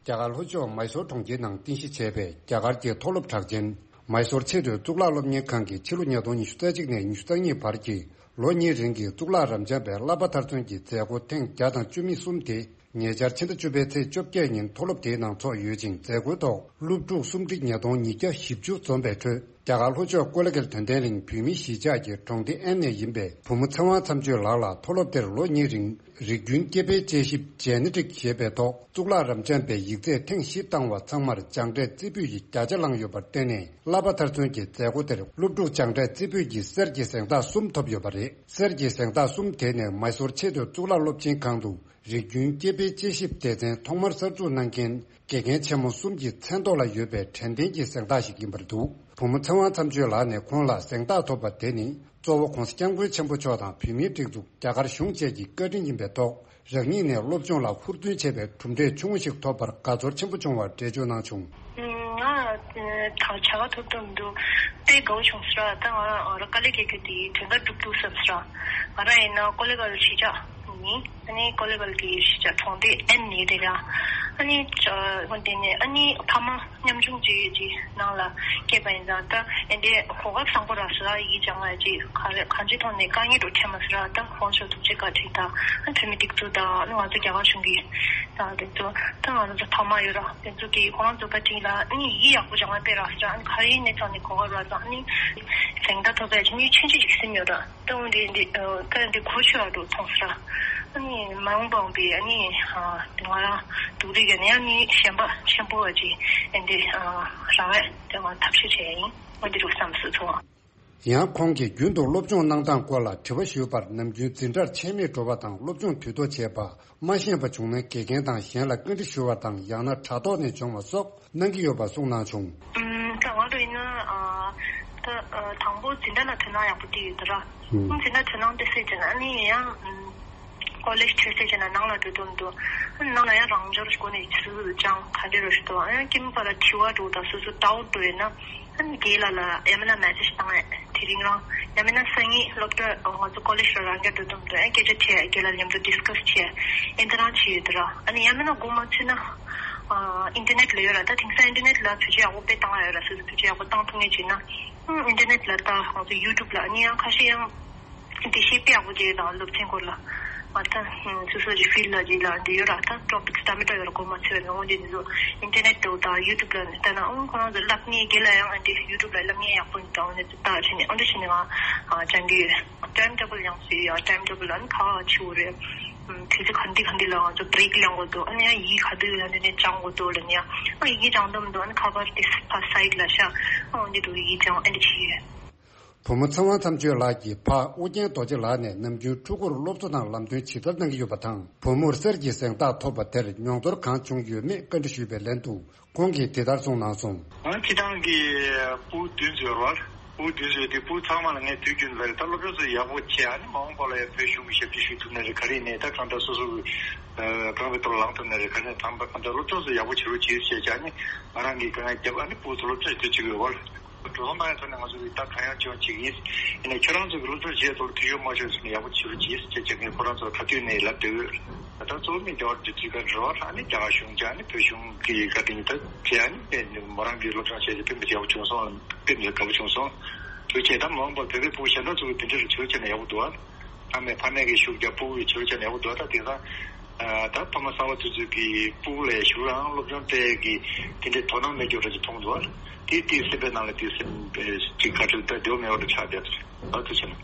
རྒྱ་གར་ལྷོ་ཕྱོགས་མའི་སོར་གྲོང་ཁྱེར་ནང་རྟེན་གཞི་བྱས་པའི་རྒྱ་གར་གྱི་མཐོ་སློབ་གྲགས་ཅན་མའི་སོར་ཆེས་མཐོའི་གཙུག་ལག་སློབ་གཉེར་ཁང་གིས་ཕྱི་ལོ་ཉིས་སྟོང་ཉི་ཤུ་རྩ་གཅིག་ནས་ཉི་ཤུ་རྩ་གཉིས་བར་གྱི་ལོ་གཉིས་རིང་གི་གཙུག་ལག་རབ་འབྱམས་པའི་བསླབ་པ་མཐར་སོན་གྱི་མཛད་སྒོ་ཐེངས་བརྒྱ་དང་བཅུ་གསུམ་དེ་ཉེ་ཆར་ཕྱི་ཟླ་བཅུ་པའི་ཚེས་བཅོ་བརྒྱད་ཉིན་མཐོ་སློབ་དེའི་ནང་ཚོགས་ཡོད་ཅིང་། མཛད་སྒོའི་ཐོག་སློབ་ཕྲུག་སུམ་ཁྲི་ཉིས་སྟོང་ཉིས་བརྒྱ་བཞི་བཅུ་འཛོམས་པའི་ཁྲོད། རྒྱ་གར་ལྷོ་ཕྱོགས་ཀོ་ལེ་གྷལ་དོན་ལྡན་གླིང་བོད་མིའི་གཞིས་ཆགས་ཀྱི་གྲོང་སྡེ་ཨན་ནས་ཡིན་པའི་བུ་མོ་ཚེ་དབང་མཚམས་གཅོད་ལགས་ལ་མཐོ་སློབ་དེར་ལོ་གཉིས་རིང་རིགས་རྒྱུན་སྐྱེ་འཕེལ་དཔྱད་ཞིབ་ཇེ་ནེ་ཊིག་ཞེས་པའི་ཐོག་གཙུག་ལག་རབ་འབྱམས་པའི་ཡིག་ཚད་ཐེངས་བཞི་བཏང་བ་ཚང་མར་སྦྱངས་འབྲས་རྩེ་ཕུད་ཀྱི་བརྒྱ་ཆ་བླངས་ཡོད་པར་བརྟེན་ནས། བསླབ་པ་མཐར་སོན་གྱི་མཛད་སྒོ་དེར་སློབ་ཕྲུག་སྦྱངས་འབྲས་རྩེ་ཕུད་ཀྱི་གསེར་གྱི་གཟེངས་རྟགས་གསུམ་ཐོབ་ཡོད་པ་རེད། གསེར་གྱི་གཟེངས་རྟགས་གསུམ་དེ་ནི་མའི་སོར་ཆེས་མཐོའི་གཙུག་ལག་སློབ་ཆེན་ཁང་དུ་རིགས་རྒྱུན་སྐྱེ་འཕེལ་དཔྱད་ཞིབ་སྡེ་ཚན་ཐོག་མར་གསར་འཛུགས་གནང་མཁན་དགེ་རྒན་ཆེན་མོ་གསུམ་གྱི་མཚན་ཐོག་ལ་ཡོད་པའི་དྲན་རྟེན་གྱི་གཟེངས་རྟགས་ཤིག་ཡིན་པར་འདུག་བུ་མོ་ཚེ་དབང་མཚམས་གཅོད་ལགས་ནས་ཁོང་ལ་གཟེངས་རྟགས་ཐོབ་པ་དེ་ནི་གཙོ་བོ་༧གོང་ས་༧སྐྱབས་མགོན་ཆེན་པོ་མཆོག་དང་བོད་མིའི་སྒྲིག་འཛུགས། རྒྱ་གར་གཞུང་བཅས་ཀྱི་བཀའ་དྲིན་ཡིན་པའི་ཐོག་རང་ཉིད་ནས་སློབ་སྦྱོང་ལ་ཧུར་བརྩོན་བྱས་པའི་གྲུབ་འབྲས་ཆུང་ངུ་ཞིག་ཐོབ་པར་དགའ་ཚོར་ཆེན་པོ་བྱུང་བར་འགྲེལ་བརྗོད་གནང་བྱུང་། ང་ད་བྱ་དགའ་ཐོབ་ཐུབ་མི་འདུག་དཔེ་དགའ་བོ་བྱུང་ཟེར་བ། ད་ང་རང་དཀའ་ལས་རྒྱག་རྒྱུ་དེ་དོན་དག་འགྲུབ་འདུག་བསམ་ཟེར་བ། ང་རང་ཡིན་ན་ཀོ་ལེ་གྷལ་གཞིས་ཆགས་ཡིན། ཨ་ནི་ཀོ་ལེ་གྷལ་གྱི་གཞིས་ཆགས་གྲོང་སྡེ་ཨན་ནས་རེད་ལ། ཨ་ནི་ཨ་འོན་ཏེ་ནས་ཨ་ནི་ཕ་མ་ཉམ་ཆུང་ཅིག་ཅིག་ནང་ལ་སྐྱེས་པ་ཡིན་ཙང་ད་ཨེ་འདྲའི་གོ་སྐབས་བཟང་པོ་རག་སོང་ར། ཡིག་སྦྱང་ཡ་ཅིག་ག་རེ་གང་ཅིའི་ཐོག་ནས་དཀའ་ངལ་འགྲོ་ཐེ་མ་སོང་ར། ད་ཧོན་ཤོ་ཐུག་ཅིག་བཀའ་ཁྲིད་དང་ཨ་འཐུས་མི་སྒྲིག་འཛུགས་དང་ཨ་ནི་ང་ཚོ་རྒྱ་གར་གཞུང་གི་ད་དེ་ཚོ་ད་ང་ཚོ་ཕ་མ་ཡོད་ར། དེ་ཚོ་གི་ཁོ་རང་ཚོ་བཀའ་ཁྲིད་ལ་ཨ་ནི་ཡིག་ཡག་པོ་སྦྱང་ཡ་དཔེ་རག་སོང་ར། ཨ་ནི་ག་རེ་ཡིན་ནས་ཚང་ནས་གོ་སྐབས་རག་ཙང་ཨ་ནི་གཟེངས་རྟགས་ཐོབ་པའི་ཆེ་ཉིད་ཆུང་ཆུང་ཅིག་སིམ་ཡོད་ར། ད་འོན་ཏེ་འདི་ད་འདི་གོ་ཆོད་ཨ་འགྲོ་མཐོང་སོང་ར། ཨ་ནི་མ་འོངས་པ་འོང་པའི་ཨ་ནི་ང་རང་སྡུག་རིག་གི་ནས་ཨ་ནི་ཞེན་པ་ཆེན་པོ་བ་ཅིག་ཨ་འདི་རང་བས་དེ་བ་ཐབས་ཤེས་བྱས་ཡིན། འོན་ཏེ་འགྲོ་བསམ་སོང་ཚོ། ཡང་ཁོང་གིས་རྒྱུན་དུ་སློབ་སྦྱོང་གནང་སྟངས་སྐོར་ལ་དྲི་བ་ཞུས་པར། ནམ་རྒྱུན་འཛིན་གྲྭར་ཆད་མེད་འགྲོ་བ་དང་སློབ་སྦྱོང་དུས་ཐོག་བྱས་པ་མ་ཤེས་པ་བྱུང་ན་དགེ་རྒན་དང་གཞན་ལ་བཀའ་འདྲི་ཞུ་བ་དང་ཡང་ན་དྲ་ཐོག་ནས་སྦྱོང་བ་སོགས་གནང་གི་ཡོད་པ་གསུངས་གནང་བྱུང་། ཨུམ། ད་ང་ཚོ་ཡིན་ན་ཨ་ད་ཨ་དང་པོ་འཛིན་གྲྭ་ལ་དོ་སྣང་ཡག་པོ་སྤྲད་ཡོད་ད་ར། ཨུམ། འཛིན་གྲྭ་དོ་སྣང་སྤྲད་ཚར་རྗེས་ན་ཨ་ནི་ཡང་ཨུམ་ཀོ་ལེཇ་ཁྲིད་ཚར་རྗེས་ན་ནང་ལ་འགྲོ་འདོད་མི་འདུག་ཨ་ནི་ནང་ལ་ཡང་རང་འབྱོར་སྒོ་ནས་སོ་སོ་སྦྱང་ག་འདྲ་རོ་ཞིག་འདུག་ཨ་ཡང་སྐྱེ་དམན་པ་ལ་དྲི་བ་འདྲ་བོ་དང་སོ་སོ་ཌའུཊ་འདྲ་བོ་ཡོད་ན་ཨ་ནི་རྒན་ལགས་ལ་ཡང་མིན་ན་མེ་སེཇ་བཏང་ཡས། དེ་རིང་རང་ཡང་མིན་ན་སང་ཉིན་སློབ་གྲྭ་ང་ཚོ་ཀོ་ལེཇ་ལ་རང་འགན་འགྲོ་འདོད་མི་འདུག་ཨ་སྐད་ཆ་དྲིས་ཡས། རྒན་ལགས་མཉམ་དུ་ཌིས་ཀ་སི་བྱས་ཡས། ཨེ་འདི་རང་བྱས་ཡོད་ད་ར། ཨ་ནི་ཡང་མིན་ན་སྒོ་མ་ཚུད་ན་ཨ་ཨིན་ཊར་ནེཊ་ལ་ཡོད་ར། ད་དེང་སང་ཨིན་ཊར་ནེཊ་ལ་བེད་སྤྱོད་ཡག་པོ་དཔེ་བཏང་ཡ་ཡོད་ར། སོ་སོ་བེད་སྤྱོད་ཡག་པོ་བཏང་ཐུབ་མཁན་ཅིག་ན་ཨ་ཨིན་ཊར་ནེཊ་ལ་ད་ང་ཚོ་ཡུ་ཊུབ་ལ་ཨ་ནི་ཡང་ཁ་ཤས་ཡང་འགྲེལ་བཤད་དཔེ་ཡག་པོ་བྱས་ཡོད་ད་སློབ་ཚན་སྐོར་ལ། ཨ་ད་ཨ་སོ་སོ་གི་ཕིལཌ་ལ་ཅིག་ལ་འདི་ཡོད་ར། ད་ཊོ་པིག་སི་ད་མི་འདྲ་ཡོད་ར། སྒོ་མ་ཚུད་ཡ་ལ་འོ་འདི་ཚོ་ཨིན་ཊར་ནེཊ་དང་ཡུ་ཊུབ་ལ་ལྟ་ན་ཨང་ཁོ་རང་ཚོ་སློབ་གཉེར་རྒན་ལགས་ཡང་ཨ་འདི་ཡུ་ཊུབ་ལ་སློབ་གཉེར་ཡག་པོ་འདུག་འོ་འདི་ཚོ་ལྟ་བྱས་ནས་ཨ་འདྲ་བྱས་ནས་ང་ཨ་སྦྱང་གི་ཡོད། ཊའིམ་ཊེ་བལ་ཡང་བཟོས་ཡོད། ཊའིམ་ཊེ་བལ་ལ་ཨ་ནི་ག་པར་བྱེད་དགོས་རེད། ཨམ་དུས་ཚོད་ག་འདི་ག་འདི་ལ་ང་ཚོ་བྷི་རེག་ལེན་དགོས་འདུག་ཨ་ནི་ཡང་ཡིག་ག་དུས་ཡང་འདི་ནས་སྦྱང་དགོས་འདུག་ལབ་ནས་ཨ་ཡི་གེ་སྦྱང་འདོད་མི་འདུག་ཨ་ནི་ག་པར་དེ་ཕར་སའིཌ་ལ་བཞག་ཨ་འོ་འདི་འདུག་ཡིག་སྦྱང་ཨ་འདི་བྱེད་ཡོད། བུ་མོ་ཚེ་དབང་མཚམས་གཅོད་ལགས་ཀྱི་ཕ་ཨུ་རྒྱན་རྡོ་རྗེ་ལགས་ནས་ནམ་རྒྱུན་ཕྲུ་གུར་སློབ་གསོ་དང་ལམ་སྟོན་ཇི་ལྟར་གནང་གི་ཡོད་པ་དང་། བུ་མོར་གསེར་གྱི་གཟེངས་རྟགས་ཐོབ་པ་དེར་མྱོང་ཚོར་གང་བྱུང་ཡོད་མེད་བཀའ་འདྲི་ཞུས་པའི་ལན་དུ། ཁོང་གིས་དེ་ལྟར་གསུངས་གནང་སོང་། ང་སྤྱིར་བཏང་གི་ཕྲུ་གུ་བདུན་ཙམ་ཡོད་རེད་བ། ཕྲུ་གུ་བདུན་ཙམ་ཡོད་དུས་ཕྲུ་གུ་ཚང་མ་ལ་ངས་དུས་རྒྱུན་ལ་ད་སློབ་གྲྭ་ཚོ་ཡག་པོ་བྱས། ཨ་ནི་མ་འོངས་པ་ལ་ཡང་བོད་གཞུང་གི་ཞབས་ཕྱི་ཞུ་ཐུབ་ན་རེད། ག་རེ་ཡིན་ནའི་ད་གང་ལྟར་སོ་སོ་གི་རྐང་པའི་ཐོག་ལ་ལངས་ཐུབ་ན་རེད། ག་རེ་ཡིན་ནའི་ད་གང་ལྟར་སློབ་གྲྭ་ཚོ་ཡག་པོ་བྱེད་རོགས་གྱིས་ཞེས་བྱས། ཨ་ནི་ང་རང་གིས་དཀའ་ངལ་བརྒྱབ། ཨ་ནི་ཕྲུ་གུ་ཚོ་སློབ་གྲྭ་ཞིག་ཏུ་བཅུག་ཡོད་བ། འགྲོ་སོང་གནང་ཡ་ཐོག་ནས་ང་ཚོ་གིས་ད་གང་ཡང་ཅི་ཡང་བྱེད་ཀྱི་ཡིན། ཡིན་ནའི་ཁྱོད་རང་ཚོ་གི་སློབ་གྲྭ་བྱེད་ཐོག་ལ་འཐུས་ཤོར་མ་བྱུང་ཟེར་ནས་ཡག་པོ་བྱེད་རོགས་གྱིས་ཞེས་བྱས་ངས་ཁོ་རང་ཚོར་ག་དུས་ནས་ལབ་བསྡད་ཡོད། ད་གཙོ་བོ་མི་རྒྱ་གར་འབྲེལ་མཐུད་ཁང་རེད་བ། ཨ་ནི་རྒྱ་གར་གཞུང་བྱས། ཨ་ནི་བོད་གཞུང་གི་བཀའ་དྲིན་གྱིས་ད་བྱས། ཨ་ནི་དཔེ་མོ་རང་གི་སློབ་སྦྱོང་བྱས་ཏེ་དཔེ་མི་ཡག་པོ་བྱུང་སོང་། དཔེ་མི་དགའ་པོ་བྱུང་སོང་། དེ་བྱས་ད་མ་འོངས་པར་བོད་པའི་ཕྲུ་གུ་གཞན་དག་ཚོ་གི་དེ་འདྲ་རུ་བྱེད་རོགས་བྱས་ན་ཡག་པོ་འདུག་ཨ། ཨ་མས་ཕ་མས་ཀྱི་ཤུགས་རྒྱབ། ཕྲུ་གུ་གི་བྱེད་རོགས་བྱས་ན་ཡག་པོ་འདུག་ཨ། ད་དེང་སང་ཨ་ད་ཕ་མ་གསར་པ་དེ་ཚོས་ཀྱི་ཕྲུ་གུ་ལ་ཞུ་རང་སློབ་སྦྱོང་སྤྲད་ཀྱི་དེ་འདྲའི་དོ་སྣང་མེད་རྒྱུ་འདྲ་ཅིག་མཐོང་འདུག་ཨ། དེ་དེའི་སེམས་པའི་ནང་ལ་དེ་སེམས་ཅིག་ག་ཚོད་ད་འདོད་མེད་པ་འདྲ་ཆགས་བསྡད་འདུག་ཨ། ཐུགས་རྗེ་ཆེ་གནང་།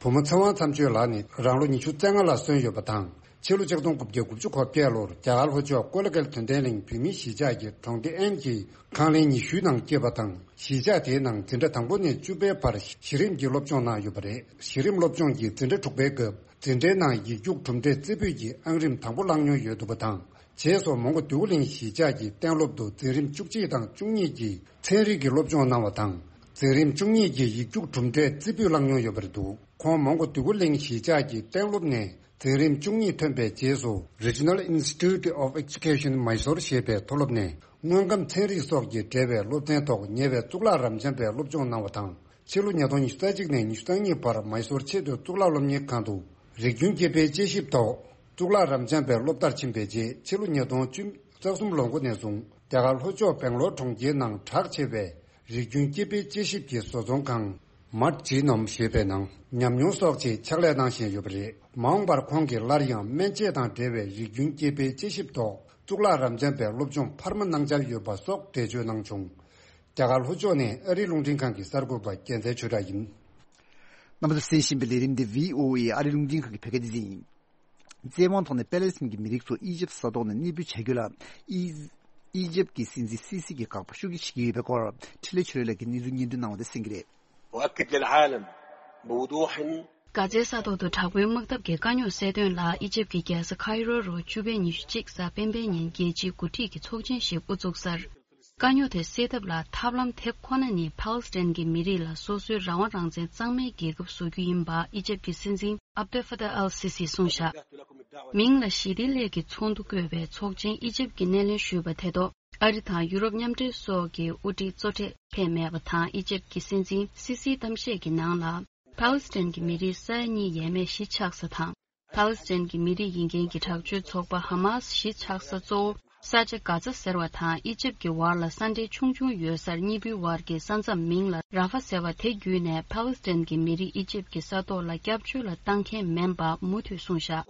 བུ་མོ་ཚེ་དབང་མཚམས་གཅོད་ལགས་ནི་རང་ལོ་ཉི་ཤུ་རྩ་ལྔ་ལ་སོན་ཡོད་པ་དང་། ཕྱི་ལོ་ཆིག་སྟོང་དགུ་བརྒྱ་དགུ་བཅུ་གོ་བརྒྱད་ལོར་རྒྱ་གར་ལྷོ་ཕྱོགས་ཀོ་ལ་གལ་དོན་ལྡན་གླིང་བོད་མིའི་གཞིས་ཆགས་ཀྱི་གྲོང་སྡེ་ཨན་གྱི་ཁང་གླིང་ཉི་ཤུའི་ནང་སྐྱེས་པ་དང་། གཞིས་ཆགས་དེའི་ནང་འཛིན་གྲྭ་དང་པོ་ནས་བཅུ་པའི་བར་གཞི་རིམ་གྱི་སློབ་སྦྱོང་གནང་ཡོད་པ་རེད། གཞི་རིམ་སློབ་སྦྱོང་གི་འཛིན་གྲྭ་དྲུག་པའི་སྐབས་འཛིན་གྲྭའི་ནང་ཡིག་རྒྱུགས་གྲུབ་འབྲས་རྩེ་ཕུད་ཀྱི་ཨང་རིམ་དང་པོ་བླངས་མྱོང་ཡོད་འདུག་པ་དང་། རྗེས་སུ་མོན་གྷོ་འདོད་རྒུ་གླིང་གཞིས་ཆགས་ཀྱི་གཏན་སློབ་ཏུ་འཛིན་རིམ་བཅུ་གཅིག་དང་བཅུ་གཉིས་ཀྱི་ཚན་རིག་གི་སློབ་སྦྱོང་གནང་བ་དང་། འཛིན་རིམ་བཅུ་གཉིས་ཀྱི་ཡིག་རྒྱུགས་གྲུབ་འབྲས་རྩེ་ཕུད་བླངས་མྱོང་ཡོད་པ་རེད་འདུག་ཁོང་མོན་གྷོ་འདོད་རྒུ་གླིང་གཞིས་ཆགས་ཀྱི་གཏན་སློབ་ནས་འཛིན་རིམ་བཅུ་གཉིས་ཐོན་པའི་རྗེས་སུ་Regional Institute of Education Mysore ཞེས་པའི་མཐོ་སློབ་ནས་དངོས་ཁམས་ཚན་རིག་སོགས་ཀྱིས་འབྲེལ་བའི་སློབ་ཚན་ཐོག་ཉེ་བའི་གཙུག་ལག་རབ་འབྱམས་པའི་སློབ་སྦྱོང་གནང་བ་དང་། ཕྱི་ལོ་ཉིས་སྟོང་ཉི་ཤུ་རྩ་གཅིག་ནས་ཉི་ཤུ་རྩ་གཉིས་བར་མཱི་སོར་ཆེས་མཐོའི་གཙུག་ལག་སློབ་གཉེར་ཁང་དུ་རིགས་རྒྱུན་སྐྱེས་དཔལ་དཔྱད་ཞིབ་ཐོག་གཙུག་ལག་རབ་འབྱམས་པའི་སློབ་མཐར་ཕྱིན་པའི་རྗེས། ཕྱི་ལོ་ཉིས་སྟོང་བཅུ་གསུམ་ལོ་འགོ་ནས་བཟུང་རྒྱ་གར་ལྷོ་ཕྱོགས་སྦེང་ལོར་གྲོང་ཁྱེར་ནང་གྲགས་ཆེ་བའི་རིགས་རྒྱུན་སྐྱེས་དཔལ་དཔྱད་ཞིབ་ཀྱི་བཟོ་ཚོང་ཁང་མཱཊ་ཇི་ནོམ་ཞེས་པའི་ནང་ཉམས་མྱོང་སོགས་ཀྱི་ཕྱག་ལས་གནང་བཞིན་ཡོད་པ་རེད། མ་འོངས་པར་ཁོང་གིས་སླར་ཡང་སྨན་དཔྱད་དང་འབྲེལ་བའི་རིགས་རྒྱུན་སྐྱེས་དཔལ་དཔྱད་ཞིབ་ཐོག་གཙུག་ལག་རབ་འབྱམས་པའི་སློབ་སྦྱོང་འཕར་མ་གནང་འཆར་ཡོད་པ་སོགས་འགྲེལ་བརྗོད་གནང་བྱུང་། རྒྱ་གར་ལྷོ་ཕྱོགས་ནས་ཨ་རིའི་རླུང་འཕྲིན་ཁང་གི་གསར་འགོད་པ་རྒྱལ་མཚན་ཆོས་གྲགས་ཡིན། རྣམ་པ་ཚོས་གསན་བཞིན་པའི་ལས་རིམ་འདི་བྷི་ཨོ་ཨེ་ཨ་རིའི་རླུང་འཕྲིན་ཁང་གི་བོད་སྐད་སྡེ་ཚན་ཡིན། བཙན་དབང་ཐོག་ནས་པེ་ལེ་སི་ཐན་གྱི་མི་རིགས་ཚོ་ཨི་ཇེབ་ས་ཐོག་ནས་གནས་སྤོས་བྱ་རྒྱུ་ལ་ཨི་ཨི་ཇེབ་ཀྱི་སྲིད་འཛིན་སི་སི་གྱིས་དགག་པ་ཤུགས་ཆེ་བྱེད་ཀྱི་ཡོད་པའི་སྐོར། འཕྲིན་ལས་ཆོས་སྒྲོན་ལགས་ཀྱིས་གནས་ཚུལ་སྙན་སྒྲོན་གནང་བ་དེ་གསན་གྱི་རེད། وأكد للعالم بوضوح. གྷ་ཛའི་ས་ཐོག་ཏུ་དྲག་པོའི་དམག་འཐབ་ཀྱི་དཀའ་རྙོག་སེལ་དོན་ལ་ཨི་ཇེབ་ཀྱི་རྒྱལ་ས་ཁའི་རོ་རུ་བཅུ་པའི་ཉི་ཤུ་གཅིག་གཟའ་སྤེན་པའི་ཉིན་རྒྱལ་སྤྱིའི་འགོ་ཁྲིད་ཀྱི་ཚོགས་ཆེན་ཞིག་དབུ་བཙུགས་ཚར། དཀའ་རྙོག་དེ་སེལ་ཐབས་ལ་ཐབས་ལམ་དེ་ཁོ་ན་ནི་ཕཱ་ལེ་སི་ཐན་གྱི་མི་རིགས་ལ་སོ་སོའི་རང་དབང་རང་བཙན་གཙང་མའི་རྒྱལ་ཁབ་བཟོ་རྒྱུ་ཡིན་པ་ཨི་ཇེབ་ཀྱི་སྲིད་འཛིན་ཨབ་དེལ་ཕ་ཏཱ་ཨལ་སི་སིས་གསུངས་བཞག་མིང་ལ་ཞི་བདེ་སླད་ཀྱི་ཚོགས་འདུ་བསྐོས་པའི་ཚོགས་ཆེན་ཨི་ཇེབ་ཀྱིས་སྣེ་ལེན་ཞུས་པ་དེ་ཐོག་ཨ་རི་དང་ཡུ་རོབ་མཉམ་འབྲེལ་སོགས་ཀྱི་དབུ་ཁྲིད་གཙོ་གྲས་ཕེབས་མེད་པ་དང་། ཨི་ཇེབ་ཀྱི་སྲིད་འཛིན་སི་སིའི་གཏམ་བཤད་ཀྱི་ནང་ལ། ཕཱ་ལེ་སི་ཐན་གྱི་མི་རིགས་ས་ཡ་གཉིས་ཡས་མས་གཞིས་ཆགས་ས་དང་། ཕཱ་ལེ་སི་ཐན་གྱི་མི་རིགས་ཡིན་མཁན་གྱི་དྲག་སྤྱོད་ཚོགས་པ་ཧ་མཱ་སི་གཞིས་ཆགས་ས་གཙོ་བོ་ ས་ཆ་གྷ་ཛ་ཟེར་བ་དང་ཨི་ཇིབ་ཀྱི་བར་ལ་ས་འབྲེལ་ཆུང་ཆུང་ཡོད་སར་གཉིས་པོའི་བར་གྱི་ས་མཚམས་མིང་ལ་ར་ཧྥ་ཟེར་བ་དེ་བརྒྱུད་ནས་ཕཱ་ལེ་སི་ཐན་གྱི་མི་རིགས་ཨི་ཇིབ་ཀྱི་ས་ཐོག་ལ་སྐྱབས་བཅོལ་ལ་བཏང་མཁན་མིན་པ་མུ་མཐུད་གསུངས་བཞག་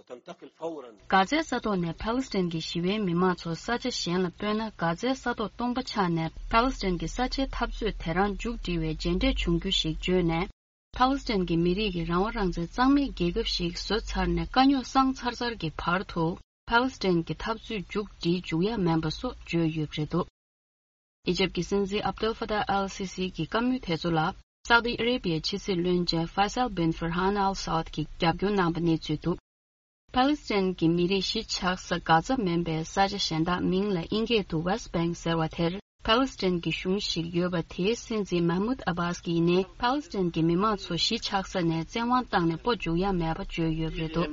གྷ་ཛའི་ས་ཐོག་ནས་ཕཱ་ལེ་སི་ཐན་གྱི་ཞི་བའི་མི་མང་ཚོ་ས་ཆ་གཞན་ལ་སྤོས་ན། གྷ་ཛའི་ས་ཐོག་སྟོང་པ་ཆགས་ནས་ཕཱ་ལེ་སི་ཐན་གྱི་ས་ཆའི་འཐབ་རྩོད་དེ་རང་མཇུག་སྒྲིལ་བའི་རྗེས་འབྲས་བྱུང་རྒྱུ་ཞིག་བརྗོད་ནས། ཕཱ་ལེ་སི་ཐན་གྱི་མི་རིགས་ཀྱི་རང་དབང་རང་བཙན་གཙང་མའི་རྒྱལ་ཁབ་ཞིག་བཟོས་ཚར་ནས་དཀའ་རྙོག་སངས་ཚར་ཚར་གྱི་བར་དུ། ཕཱ་ལེ་སི་ཐན་གྱི་འཐབ་རྩོད་མཇུག་སྒྲིལ་འཇུག་ཡ་མིན་པ་སོགས་བརྗོད་ཡོད་པ་རེད་འདུག་ཨི་ཇིབ་ཀྱི་སྲིད་འཛིན་ཨབ་ཏུལ་ཧྥ་ཏཱ་ཨལ་སི་སི་གྱི་བཀའ་མོལ་དེ་ཚོ་ལ། སཱ་ཨུ་ཏི་ཨ་རེ་བྷི་ཡའི་ཕྱི་སྲིད་བློན་ཆེན་ཧྥ་སལ་བིན་ཧྥར་ཧན་ཨལ་སཱ་ཨུད་ཀྱིས་རྒྱབ་སྐྱོར་གནང་པ་གནས་ཚུལ་འདུག་ཕཱ་ལེ་སི་ཐན་གྱི་མི་རིགས་གཞིས་ཆགས་ས་གྷ་ཛ་མིན་པའི་ས་ཆ་གཞན་དག་མིང་ལ་དབྱིན་སྐད་དུ་West Bank ཟེར་བ་དེར་ཕཱ་ལེ་སི་ཐན་གྱི་གཞུང་ཞིག་ཡོད་པ་དེའི་སྲིད་འཛིན་མཱ་མུད་ཨ་བྷཱས་ཀྱིས་ནི་ཕཱ་ལེ་སི་ཐན་གྱི་མི་མང་ཚོ་གཞིས་ཆགས་ས་ནས་བཙན་དབང་བཏང་ནས་སྤོ་འཇུག་ཡ་མེད་པ་བརྗོད་ཡོད་པ་རེད་འདུག་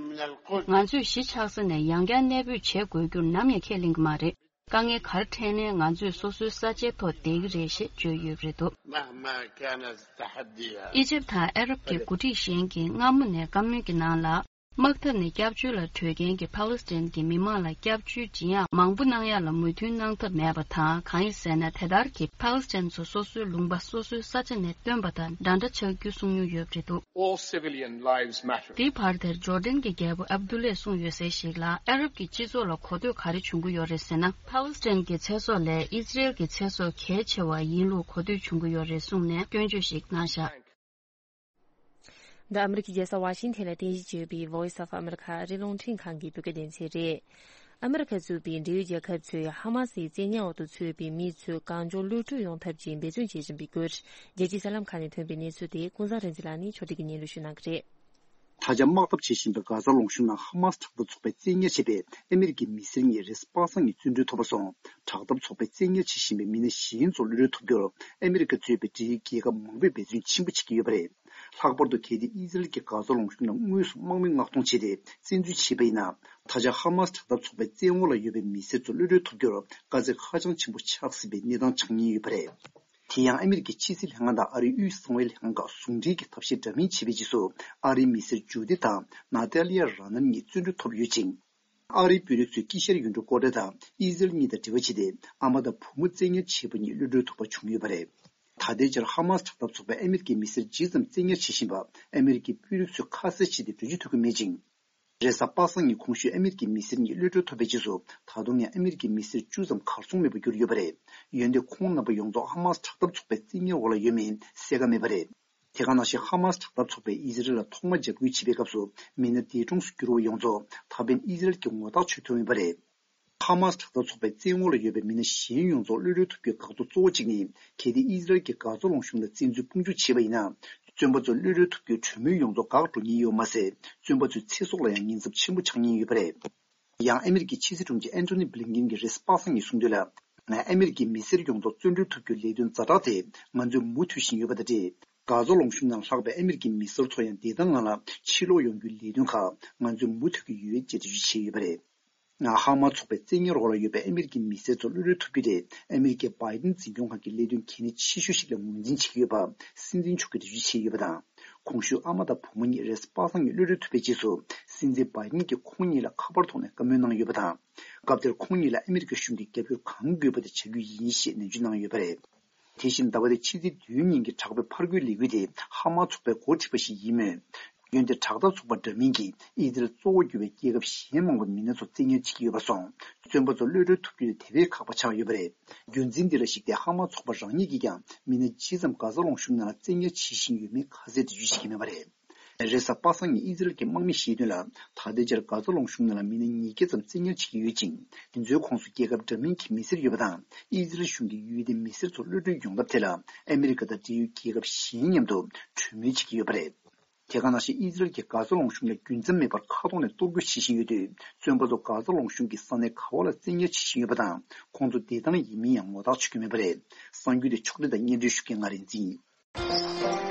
ང་ཚོས་གཞིས་ཆགས་ས་ནས་ཡང་བསྐྱར་གནས་སྤོས་བྱེད་དགོས་རྒྱུར་ནམ་ཡང་ཁས་ལེན་གྱི་མ་རེད། དཀའ་ངལ་ག་རེ་འཕྲད་ནའི་ང་ཚོས་སོ་སོའི་ས་ཆའི་ཐོག་བསྡད་ཀྱི་རེད་ཞེས་བརྗོད་ཡོད་པ་རེད་འདུག་ཨི་ཇིབ་དང་ཨ་རབ་ཀྱི་འགོ་ཁྲིད་གཞན་གྱིས་སྔ་མོ་ནས་བཀའ་མོལ་གྱི་ནང་ལ། དམག་འཐབ་ནས་སྐྱབས་བཅོལ་ལ་བྲོས་མཁན་གྱི་ཕཱ་ལེ་སི་ཐན་གྱི་མི་མང་ལ་སྐྱབས་བཅོལ་སྦྱིན་ཡག་མང་པོ་གནང་ཡག་ལ་མོས་མཐུན་གནང་ཐབས་མེད་པ་དང་། གང་ཡིན་ཟེར་ན། དེ་ལྟར་གྱི་ཕཱ་ལེ་སི་ཐན་ཚོ་སོ་སོའི་ལུང་པ་སོ་སོའི་ས་ཆ་ནས་བཏོན་པ་དང་འདྲ་འདྲ་ཆགས་རྒྱུ་གསུང་མྱོང་ཡོད་པ་རེད་འདུག All civilian lives matter. དེའི་བར་དེར་ཇོར་ཌན་གྱི་རྒྱལ་པོ་ཨབ་དུ་ལས་གསུངས་ཡོད་གསལ་ཞིག་ལ། ཨ་རབ་ཀྱི་སྤྱི་ཚོགས་ལ་གོ་ཐོས་ག་རེ་བྱུང་གི་ཡོད་རེད་ཟེར་ན། ཕཱ་ལེ་སི་ཐན་གྱི་ཚེ་སྲོག་ལས་ཨི་ཟི་རེལ་གྱི་ཚེ་སྲོག་གལ་ཆེ་བ་ཡིན་ལུགས་གོ་ཐོས་བྱུང་གི་ཡོད་རེད་གསུངས་ནས་སྐྱོན་བརྗོད་ཞིག་གནང་བཞག་འདི་ཨ་མི་རི་ཀའི་རྒྱལ་ས་ཝ་ཤིང་ཐན་ལ་རྟེན་གཞི་བྱས་པའི་Voice of America ཨ་རིའི་རླུང་འཕྲིན་ཁང་གི་བོད་སྐད་སྡེ་ཚན་རེད། ཨ་མི་རི་ཁ་གཙོས་པའི་འབྲེལ་ཡོད་རྒྱལ་ཁབ་ཚོས་ཧ་མ་སིའི་བཙན་ཉར་འོག་ཏུ་ཚུད་པའི་མི་ཚོའི་གང་མགྱོགས་གློད་གྲོལ་ཡོང་ཐབས་ཀྱི་འབད་བརྩོན་བྱེད་བཞིན་པའི་སྐོར། རྒྱལ་སྤྱིའི་གསར་ལམ་ཁག་ནས་ཐོན་པའི་གནས་ཚུལ་དེ་ཀུན་བཟང་རིག་འཛིན་ལགས་ནས་ཕྱོགས་སྒྲིག་གིས་སྙན་སྒྲོན་ཞུ་གནང་གི་རེད། ད་ཆ་དམག་འཐབ་བྱེད་བཞིན་པའི་གྷ་ཛ་ལུང་གཤོང་ནང་ཧ་མ་སི་དྲག་འཐབ་ཚོགས་པས་བཙན་ཉར་བྱས་པའི་ཨ་མི་རི་ཀའི་མི་སེར་གཉིས་རེས་གཟའ་པ་སངས་ཉིན་བཙོན་གྲོལ་ཐོབ་པ་སོང་། དྲག་འཐབ་ཚོགས་པས་བཙན་ཉར་བྱེད་བཞིན་པའི་མི་སྣ་གཞན་ཚོ་གློད་གྲོལ་ཐུབ་རྒྱུར་ཨ་མི་རི་ཀ་གཙོས་པའི་འབྲེལ་ཡོད་རྒྱལ་ཁབ་མང་པོས་འབད་བརྩོན་ཆེན་པོ་བྱེད་ཀྱི་ཡོད་པ་རེད། ལྷག་པར་དུ་གལ་ཏེ་ཨི་ཟི་རལ་གྱིས་གྷ་ཛ་ལུང་གཤོང་ནང་དངོས་སུ་དམག་མི་མངགས་གཏོང་བྱས་ཏེ་བཙན་འཛུལ་བྱས་པ་ཡིན་ན། ད་ཆ་ཧ་མ་སི་དྲག་འཐབ་ཚོགས་པའི་བཙན་འོག་ལ་ཡོད་པའི་མི་སེར་ཚོ་གློད་གྲོལ་ཐུབ་རྒྱུར་དཀའ་ཚེགས་ཧ་ཅང་ཆེན་པོ་ཆགས་སྲིད་པའི་གནས་སྟངས་ཆགས་ཉེན་ཡོད་པ་རེད། དེ་ཡང་ཨ་མི་རི་ཀའི་ཕྱི་སྲིད་ལྷན་ཁང་དང་ཨ་རིའི་དབུས་གསང་བའི་ལྷན་ཁང་ཁག་ཟུང་འབྲེལ་གྱིས་ཐབས་ཤེས་འདྲ་མིན་བྱས་པའི་རྗེས་སུ། ཨ་རིའི་མི་སེར་ཇུ་ཏི་དང་ན་ཏཱ་ལི་ཡ་ར་ནན་གཉིས་བཙོན་གྲོལ་ཐོབ་ཡོད་ཅིང་། ཨ་རིའི་དཔོན་རིགས་ཚོས་དཀྱིལ་ཤར་ཡུལ་གྲུ་ཀོ་ཊ་དང་ཨི་ཟི་རལ་གཉིས་དང་འབྲེལ་བ་བྱས་ཏེ། ཨ་མ་དང་བུ་མོ་བཙན་ཉར་བྱས་པ་གཉིས་གློད་གྲོལ་ཐུབ་པ་བྱུང་ཡོད་པ་རེད། ད་ལྟའི་ཆར་ཧ་མ་སི་དྲག་འཐབ་ཚོགས་པས་ཨ་མི་རི་ཀའི་མི་སེར་ཇི་ཙམ་བཙན་ཉར་བྱེད་བཞིན་པ་ཨ་མི་རི་ཀའི་དཔོན་རིགས་ཚོས་ཁ་གསལ་བྱས་ཏེ་འགྲེལ་བརྗོད་ཐུབ་ཀྱི་མེད་ཅིང་། རེས་གཟའ་པ་སངས་ཉིན་གོང་ཞུས་ཨ་མི་རི་ཀའི་མི་སེར་གཉིས་གློད་གྲོལ་ཐོབ་པའི་རྗེས་སུ། ད་དུང་ཡང་ཨ་མི་རི་ཀའི་མི་སེར་བཅུ་ཙམ་གར་སོང་མེད་པར་གྱུར་ཡོད་པ་རེད། འོན་ཏེ་ཁོང་རྣམ་པ་ཡོངས་རྫོགས་ཧ་མ་སི་དྲག་འཐབ་ཚོགས་པའི་བཙན་ཉར་འོག་ལ་ཡོད་མིན་གསལ་ཁ་མེད་པ་རེད། དེ་ག་ནང་བཞིན་ཧ་མ་སི་དྲག་འཐབ་ཚོགས་པས་ཨི་ཟི་རལ་ལ་ཐོག་མ་འཇབ་རྒོལ་བྱེད་པའི་སྐབས་སུ་མི་སྣ་འདས་གྲོངས་སུ་གྱུར་བ་ཡོངས་རྫོགས་ད་ཕན་ཨི་ཟི་རལ་གྱིས་ངོ་རྟགས་ཆོད་ཐུབ་མེད་པ་རེད། ཧ་མ་སི་དྲག་འཐབ་ཚོགས་པའི་བཙན་འོག་ལ་ཡོད་པའི་མི་སྣ་གཞན་ཡོངས་རྫོགས་གློད་གྲོལ་ཐུབ་རྒྱུའི་འགག་རྩ་གཙོ་བོ་གཅིག་ནི། གལ་ཏེ་ཨི་ཟི་རལ་གྱིས་གྷ་ཛ་ལུང་གཤོང་ལ་བཙན་འཛུལ་དཔུང་འཇུག་བྱས་པ་ཡིན་ན། བཙོན་པ་ཚོ་གློད་གྲོལ་ཐུབ་རྒྱུའི་གྲོས་མོལ་ཡོངས་རྫོགས་འགག་འགྲོ་ཉེན་ཡོད་མ་ཟད། བཙོན་པ་ཚོའི་ཚེ་སྲོག་ལ་ཡང་ཉེན་ཚབས་ཆེན་པོ་ཆགས་ཉེན་ཡོད་པ་རེད། ཡང་ཨ་མི་རི་ཀའི་ཕྱི་སྲིད་དྲུང་ཆེ་ཨན་ཐོ་ནི་བྷི་ལིན་ཀིན་གྱིས་རེས་གཟའ་པ་སངས་ཉིན་གསུངས་དོན་ལ། ང་ཨ་མི་རི་ཀའི་མི་སེར་ཡོངས་རྫོགས་བཙོན་གྲོལ་ཐུབ་རྒྱུའི་ལས་དོན་ཛ་དྲག་དེ་ང་ཚོས་མུ་མཐུད་བཞིན་ཡོད་པ་དང་འབྲེལ། གྷ་ཛ་ལུང་གཤོང་ནང་ལྷག་པའི་ཨ་མི་རི་ཀའི་མི་སེར་ཚོ་ཡང་བདེ་ཐང་ངང་ལ་ཕྱིར་ལོག་ཡོང་རྒྱུའི་ལས་དོན་ཁག་ང་ཚོས་མུ་མཐུད་ཀྱི་ཡོད་ཅེས་འགྲེལ་བརྗོད་བྱས་ཡོད་པ་རེད། ང་ཧ་མ་ཚོགས་པའི་བཙན་ཉར་འོག་ལ་ཡོད་པའི་ཨ་མི་རི་ཀའི་མི་སེར་ཚོ་གློད་གྲོལ་ཐུབ་རྒྱུ་དེ་ཨ་མི་རི་ཀའི་བྷའི་ཏིན་འཛིན་སྐྱོང་ཁང་གི་ལས་དོན་གལ་གནད་ཆེ་ཤོས་ཤིག་ལ་ངོས་འཛིན་བྱེད་ཀྱི་ཡོད་པ་སྲིད་འཛིན་མཆོག་གིས་འགྲེལ་བརྗོད་བྱས་ཡོད་པ་དང་། གོང་ཞུས་ཨ་མ་དང་བུ་མོ་གཉིས་རེས་གཟའ་པ་སངས་ཉིན་གློད་གྲོལ་ཐུབ་པའི་རྗེས་སུ། སྲིད་འཛིན་བྷའི་ཏིན་གྱིས་ཁོང་གཉིས་ལ་ཁ་པར་ཐོག་ནས་བཀའ་མོལ་གནང་ཡོད་པ་དང་། སྐབས་དེར་ཁོང་གཉིས་ལ་ཨ་མི་རི་ཀ་གཞུང་གིས་རྒྱབ་སྐྱོར་གང་དགོས་པ་དེ་བྱ་རྒྱུ་ཡིན་ཞེས་ནན་བརྗོད་གནང་ཡོད་པ་རེད། དེ་བཞིན་ཟླ་བ་འདིའི་ཕྱི་ཚེས་བདུན་ཉིན་གྱི་དྲག་པོའི་ཕར་རྒོལ་ལས་འགུལ་དེ་ཧ་མ་ཚོགས་པས་འགོ་ཁྲིད་པ་ཞིག་ཡིན་མོད། འོན་ཏེ་དྲག་འཐབ་ཚོགས་པ་འདྲ་མིན་གྱིས་ཨི་ཟི་རལ་གཙོ་བོར་གྱུར་པའི་རྒྱལ་ཁབ་གཞན་མང་པོར་མི་སྣ་ཚོ་བཙན་ཉར་བྱེད་ཀྱི་ཡོད་པར་སོང་། བཙོན་པ་ཚོ་གློད་གྲོལ་ཐུབ་རྒྱུ་དེ་དེ་བས་ཁག་པ་ཆགས་ཡོད་པ་རེད། རྒྱུ་མཚན་འདི་ལ་གཞིགས་ཏེ་ཧ་མ་ཚོགས་པ་རང་ཉིད་ཀྱིས་ཀྱང་མི་སྣ་ཇི་ཙམ་གྷ་ཛ་ལུང་གཤོང་ནང་ལ་བཙན་ཉར་བྱེད་བཞིན་ཡོད་མེད་ཁ་གསལ་འགྲེལ་བརྗོད་བྱེད་ཀྱི་མེད་པ་རེད། རེས་གཟའ་པ་སངས་ཉིན་ཨི་ཟི་རལ་གྱི་དམག་མིས་བཤད་དོན་ལ། ད་ལྟའི་ཆར་གྷ་ཛ་ལུང་གཤོང་ནང་ལ་མི་སྣ་ཉིས་བརྒྱ་ཙམ་བཙན་ཉར་བྱེད་ཀྱི་ཡོད་ཅིང་། དེ་ཚོའི་ཁོངས་སུ་རྒྱལ་ཁབ་འདྲ་མིན་གྱི་མི་སེར་ཡོད་པ་དང་། ཨི་ཟི་རལ་གཞུང་གིས་ཡུལ་དེའི་མི་སེར་ཚོ་གློད་གྲོལ་ཡོང་ཐབས་ཐད་ལ་ཨ་མི་རི་ཀ་དང་འབྲེལ་ཡོད་རྒྱལ་ཁབ་གཞན་མཉམ་དུ་གྲོས་མོལ་བྱེད་ཀྱི་ཡོད་པ་རེད། དེ་ག་ནང་བཞིན་ཨི་ཟི་རལ་གྱིས་གྷ་ཛ་ལུང་གཤོང་ལ་རྒྱུན་ཆད་མེད་པར་མཁའ་ཐོག་ནས་གཏོར་རྒོལ་བྱེད་བཞིན་ཡོད་དུས། བཙོན་པ་ཚོ་གྷ་ཛ་ལུང་གཤོང་གི་ས་གནས་ག་བ་ལ་བཙན་ཉར་བྱེད་བཞིན་ཡོད་པ་དང་། ཁོང་ཚོ་བདེ་ཐང་ཡིན་མིན་ཡང་ངོ་ཐག་ཆོད་ཀྱི་མེད་པ་རེད། གསར་འགྱུར་དེ་ཕྱོགས་སྒྲིག་དང་སྙན་སྒྲོན་ཞུ་མཁན་ང་རིག་འཛིན་ཡིན།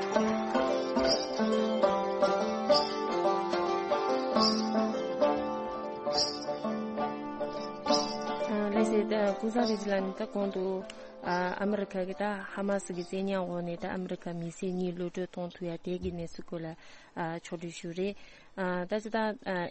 ལགས་སོ། ད་ཀུན་བཟང་རིག་འཛིན་ལགས་ནས་ད་གོང་དུ་ཨ་མི་རི་ཁ་གི་ད་ཧ་མ་སི་གི་བཙན་ཉར་འོག་ནས་ད་ཨ་མི་རི་ཁ་མི་སེར་གཉིས་གློད་གྲོལ་གཏོང་ཐུབ་ཡ་དེ་གི་གནས་ཚུལ་སྐོར་ལ་ཨ་ཕྱོགས་སྒྲིག་ཞུ་རེད། ཨ་ད་ཅི་ད་ཨ་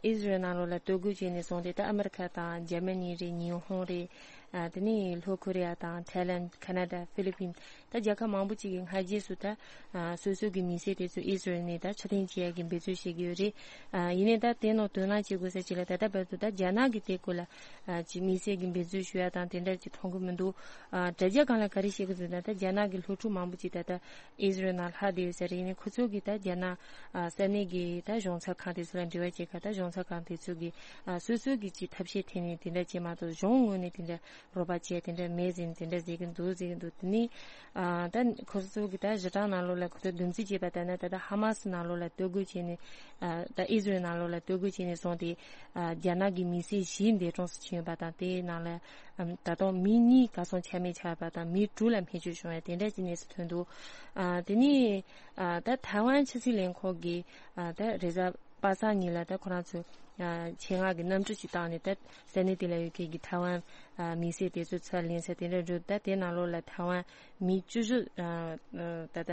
ཨི་ཟི་རལ་ནང་ལོགས་ལ་ལྟོ་གོས་བྱས་ནས་བཟུང་སྟེ། ད་ཨ་མི་རི་ཁ་དང་འཇར་མ་ནི་རེད། ཉི་ཧོང་རེད། ཨ་དེ་ནས་ལྷོ་ཁོ་རེ་ཡ་དང་ཐའི་ལན། ཁ་ན་ཌ། ཧྥི་ལི་པིན། ད་རྒྱལ་ཁབ་མང་པོ་ཅིག་གིས་སྔ་རྗེས་སུ་ད་ཨ་སོ་སོ་གི་མི་སེར་དེ་ཚོ་ཨི་ཟི་རལ་ནས་ད་ཕྱིར་འཐེན་བྱེད་ཡ་གི་འབད་རྩོལ་བྱེད་ཀྱི་ཡོད་རེད། ཨ་ཡིན་ནའི་ད་དེ་ནང་དོ་སྣང་བྱེད་དགོས་ས་ཅིག་ལ། ད་ལྟ་བར་དུ་ད་རྒྱ་ནག་གི་དེ་སྐོར་ལ་ཨ་ཅིག་མི་སེར་གྱི་འབད་རྩོལ་ཞུ་ཡ་དང་དེ་འདྲ་ཅིག་མཐོང་གི་མི་འདུག། ཨ་དྲ་རྒྱ་སྒང་ལ་ག་རེ་བཤད་ཀྱི་འདུག་ན། ད་རྒྱ་ནག་གི་སློབ་ཕྲུག་མང་པོ་ཅིག་ད་ལྟ་ཨི་ཟི་རལ་ནང་ལྷག་བསྡད་ཡོད་ས་རེད། ཡིན་ནའི་ཁོ་ཚོ་གིས་ད་རྒྱ་ནག་ཨ་ས་གནས་ཀྱི་ད་གཞུང་ཚབ་ཁང་དེ་ཚོ་ལ་འབྲེལ་བ་བྱེད་ཁ། ད་གཞུང་ཚབ་ཁང་དེ་ཚོ་གིས་ཨ་སོ་སོ་གིས་ཅིག་ཐབས་ཤེས་འཐེན་ནས་དེ་འདྲ་བྱས་མ་གཏོགས། གཞུང་ངོས་ནས་དེ་འདྲ་རོགས་པ་བྱས་དེ་འདྲ་མེད་ཟེར་ནས་དེ་འདྲ་ཟེར་གྱི་འདུག། ཟེར་གྱི་འདུག། དེ་ནས་ཨ་ད་ཁོ་ཚོ་གིས་ད་གཞི་གྲངས་ནང་ལོགས་ལ་ཁོ་ཚོ་བསྡོམས་རྩིས་བྱས་པ་ལྟར་ན། ད་ལྟ་ཧ་མ་སི་ནང་ལོགས་ལ་ལྟོ་གོས་བྱས་ནས། ཨ་ད་ཨི་ཟི་རལ་ནང་ལོགས་ལ་ལྟོ་གོས་བྱས་ནས་བཟུང་སྟེ། ཨ་རྒྱ་ནག་གི་མི་སེར་བཞི་འདས་གྲོངས་སུ་ཕྱིན་ཡོད་པ་དང་། དེའི་ནང་ལ་ཨམ་ད་དུང་མི་གཉིས་གར་སོང་ཆ་མེད་ཆགས་པ་དང་། མི་དྲུག་ལ་སྨན་བཅོས་བྱུང་བ་དེ་འདྲ་གྱི་གནས་ཚུལ་ཐོན་འདུག། ཨ་དེ་ནས་ཨ་ད་ཐའེ་ཝན་ཆབ་སྲིད་ལས་ཁུངས་ཀྱི་ཨ་ད་རེས་གཟའ་པ་སངས་ཉིན་ལ་ད་ཁོ་རང་ཚོས་ཨ་ཆེད་མངགས་ཀྱི་གནམ་གྲུ་ཞིག་བཏང་ནས། ད་ས་གནས་དེ་ལ་ཡོད་མཁན་གྱི་ཐའེ་ཝན་ཨ་མི་སེར་དེ་ཚོ་ཚུར་ལེན་ས་དེ་འདྲ་འགྲོ། ད་དེ་ནང་ལོགས་ལ་ཐའེ་ཝན་མི་བཅུ་བཞི་ཨ་ཨ་ད་ལྟ་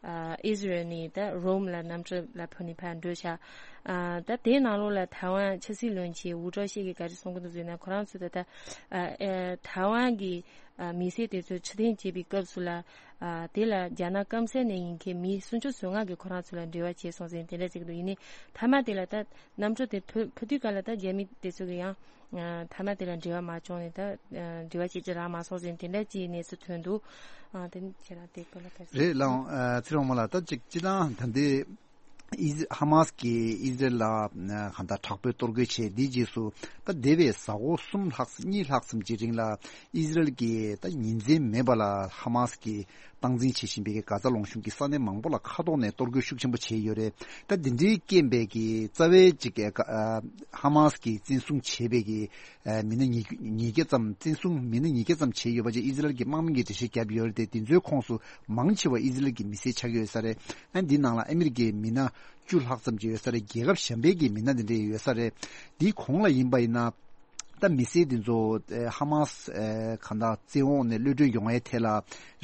ཨ་ཨི་ཟི་རལ་ནས་ད་རོམ་ལ་གནམ་གྲུ་ལ་ཕུད་ནས་ཕར་འགྲོ་ཤག། ཨ་ད་དེའི་ནང་ལོགས་ལ་ཐའེ་ཝན་ཆབ་སྲིད་བློན་ཆེན་ཝུ་ཀྲོ་ཤི་གིས་ག་རེ་གསུང་གི་འདུག་ཟེར་ན། ཁོ་རང་ཚོ་ད་ལྟ་ཨ་ཨ་ཐའེ་ཝན་གྱི་ཨ་མི་སེར་དེ་ཚོ་ཕྱིར་འཐེན་བྱེད་པའི་སྐབས་སུ་ལ། ཨ་དེ་ལ་རྒྱ་ནག་སྐམ་ས་ནས་ཡིན་མཁན་མི་སུམ་ཅུ་སོ་ལྔ་གིས་ཁོ་རང་ཚོ་ལ་འབྲེལ་བ་བྱས་སོང་ཟེར་དེ་འདྲ་ཟེར་གྱི་འདུག། ཡིན་ནའི་མཐའ་མ་དེ་ལ་ད་གནམ་གྲུ་དེ་ཕུ་ཕུ་དུས་ག་ལ་ད་རྒྱ་མི་དེ་ཚོ་གིས་ཡང་ཨ་མཐའ་མ་དེ་ལ་འབྲེལ་བ་མ་བྱུང་ནས། ད་ཨ་འབྲེལ་བ་བྱེད་རྒྱུ་རག་མ་སོང་ཟེར་དེ་འདྲ་ཅིག་གནས་ཚུལ་ཐོན་འདུག། ཨ་དེ་ནི་ཁྱེད་རང་དེ་སྐོར་ལ་ག་རེ། རེད་ལགས། ཨ་ཚེ་རིང་དབང་མོ་ལགས། ད་ཅིག་སྤྱིར་བཏང་ད་ལྟའི་ཨི་ཧ་མ་སི་གིས་ཨི་ཟི་རལ་ལ་ཨ་གང་ལྟར་དྲག་པོའི་གཏོར་རྒོལ་བྱས། དེའི་རྗེས་སུ་ད་འདས་པའི་གཟའ་འཁོར་གསུམ་ལྷག་གཉིས་ལྷག་ཙམ་གྱི་རིང་ལ་ཨི་ཟི་རལ་གྱིས་ད་ཉིན་མཚན་མེད་པ་ལ་ཧ་མ་སི་གིས་སྟངས་འཛིན་བྱེད་བཞིན་པའི་གྷ་ཛ་ལུང་གཤོང་གི་ས་གནས་མང་པོ་ལ་མཁའ་ཐོག་ནས་གཏོར་རྒོལ་ཤུགས་ཆེན་པོ་བྱས་ཡོད་རེད། ད་འདི་འདྲའི་རྐྱེན་པས་ཀྱི་རྩ་བའི་ཅིག་ཨ་ཧ་མ་སི་གིས་བཙན་བཟུང་བྱས་པའི་གི་ཨ་མི་སྣ་ཉིས་ཉིས་བརྒྱ་ཙམ། བཙན་བཟུང་མི་སྣ་ཉིས་བརྒྱ་ཙམ་བྱས་ཡོད་པ་ཅིག་ཨི་ཟི་རལ་གྱི་དམག་མི་གིས་འགྲེལ་བཤད་བརྒྱབ་ཡོད་རེད་དེ། དེ་ཚོའི་ཁོངས་སུ་མང་ཆེ་བ་ཨི་ཟི་རལ་གྱི་མི་སེར་ཆགས་ཀྱི་ཡོད་ས་རེད། ཨ་འདི་ནང་ལ་ཨ་མི་རི་ཀའི་མི་སྣ་བཅུ་ལྷག་ཙམ་ཅིག་ཡོད་ས་རེད། རྒྱལ་ཁབ་གཞན་པའི་གི་མི་སྣ་དེ་འདྲ་ཡོད་ས་རེད། དེའི་གོང་ལ་ཡིན་པ་ཡིན་ན། ད་མི་སེར་དེ་ཚོ་ཨ་ཧ་མ་སི་ཨ་གང་ལྟར་བཙན་འོག་ནས་གློད་གྲོལ་ཡོང་ཡའི་ཐད་ལ་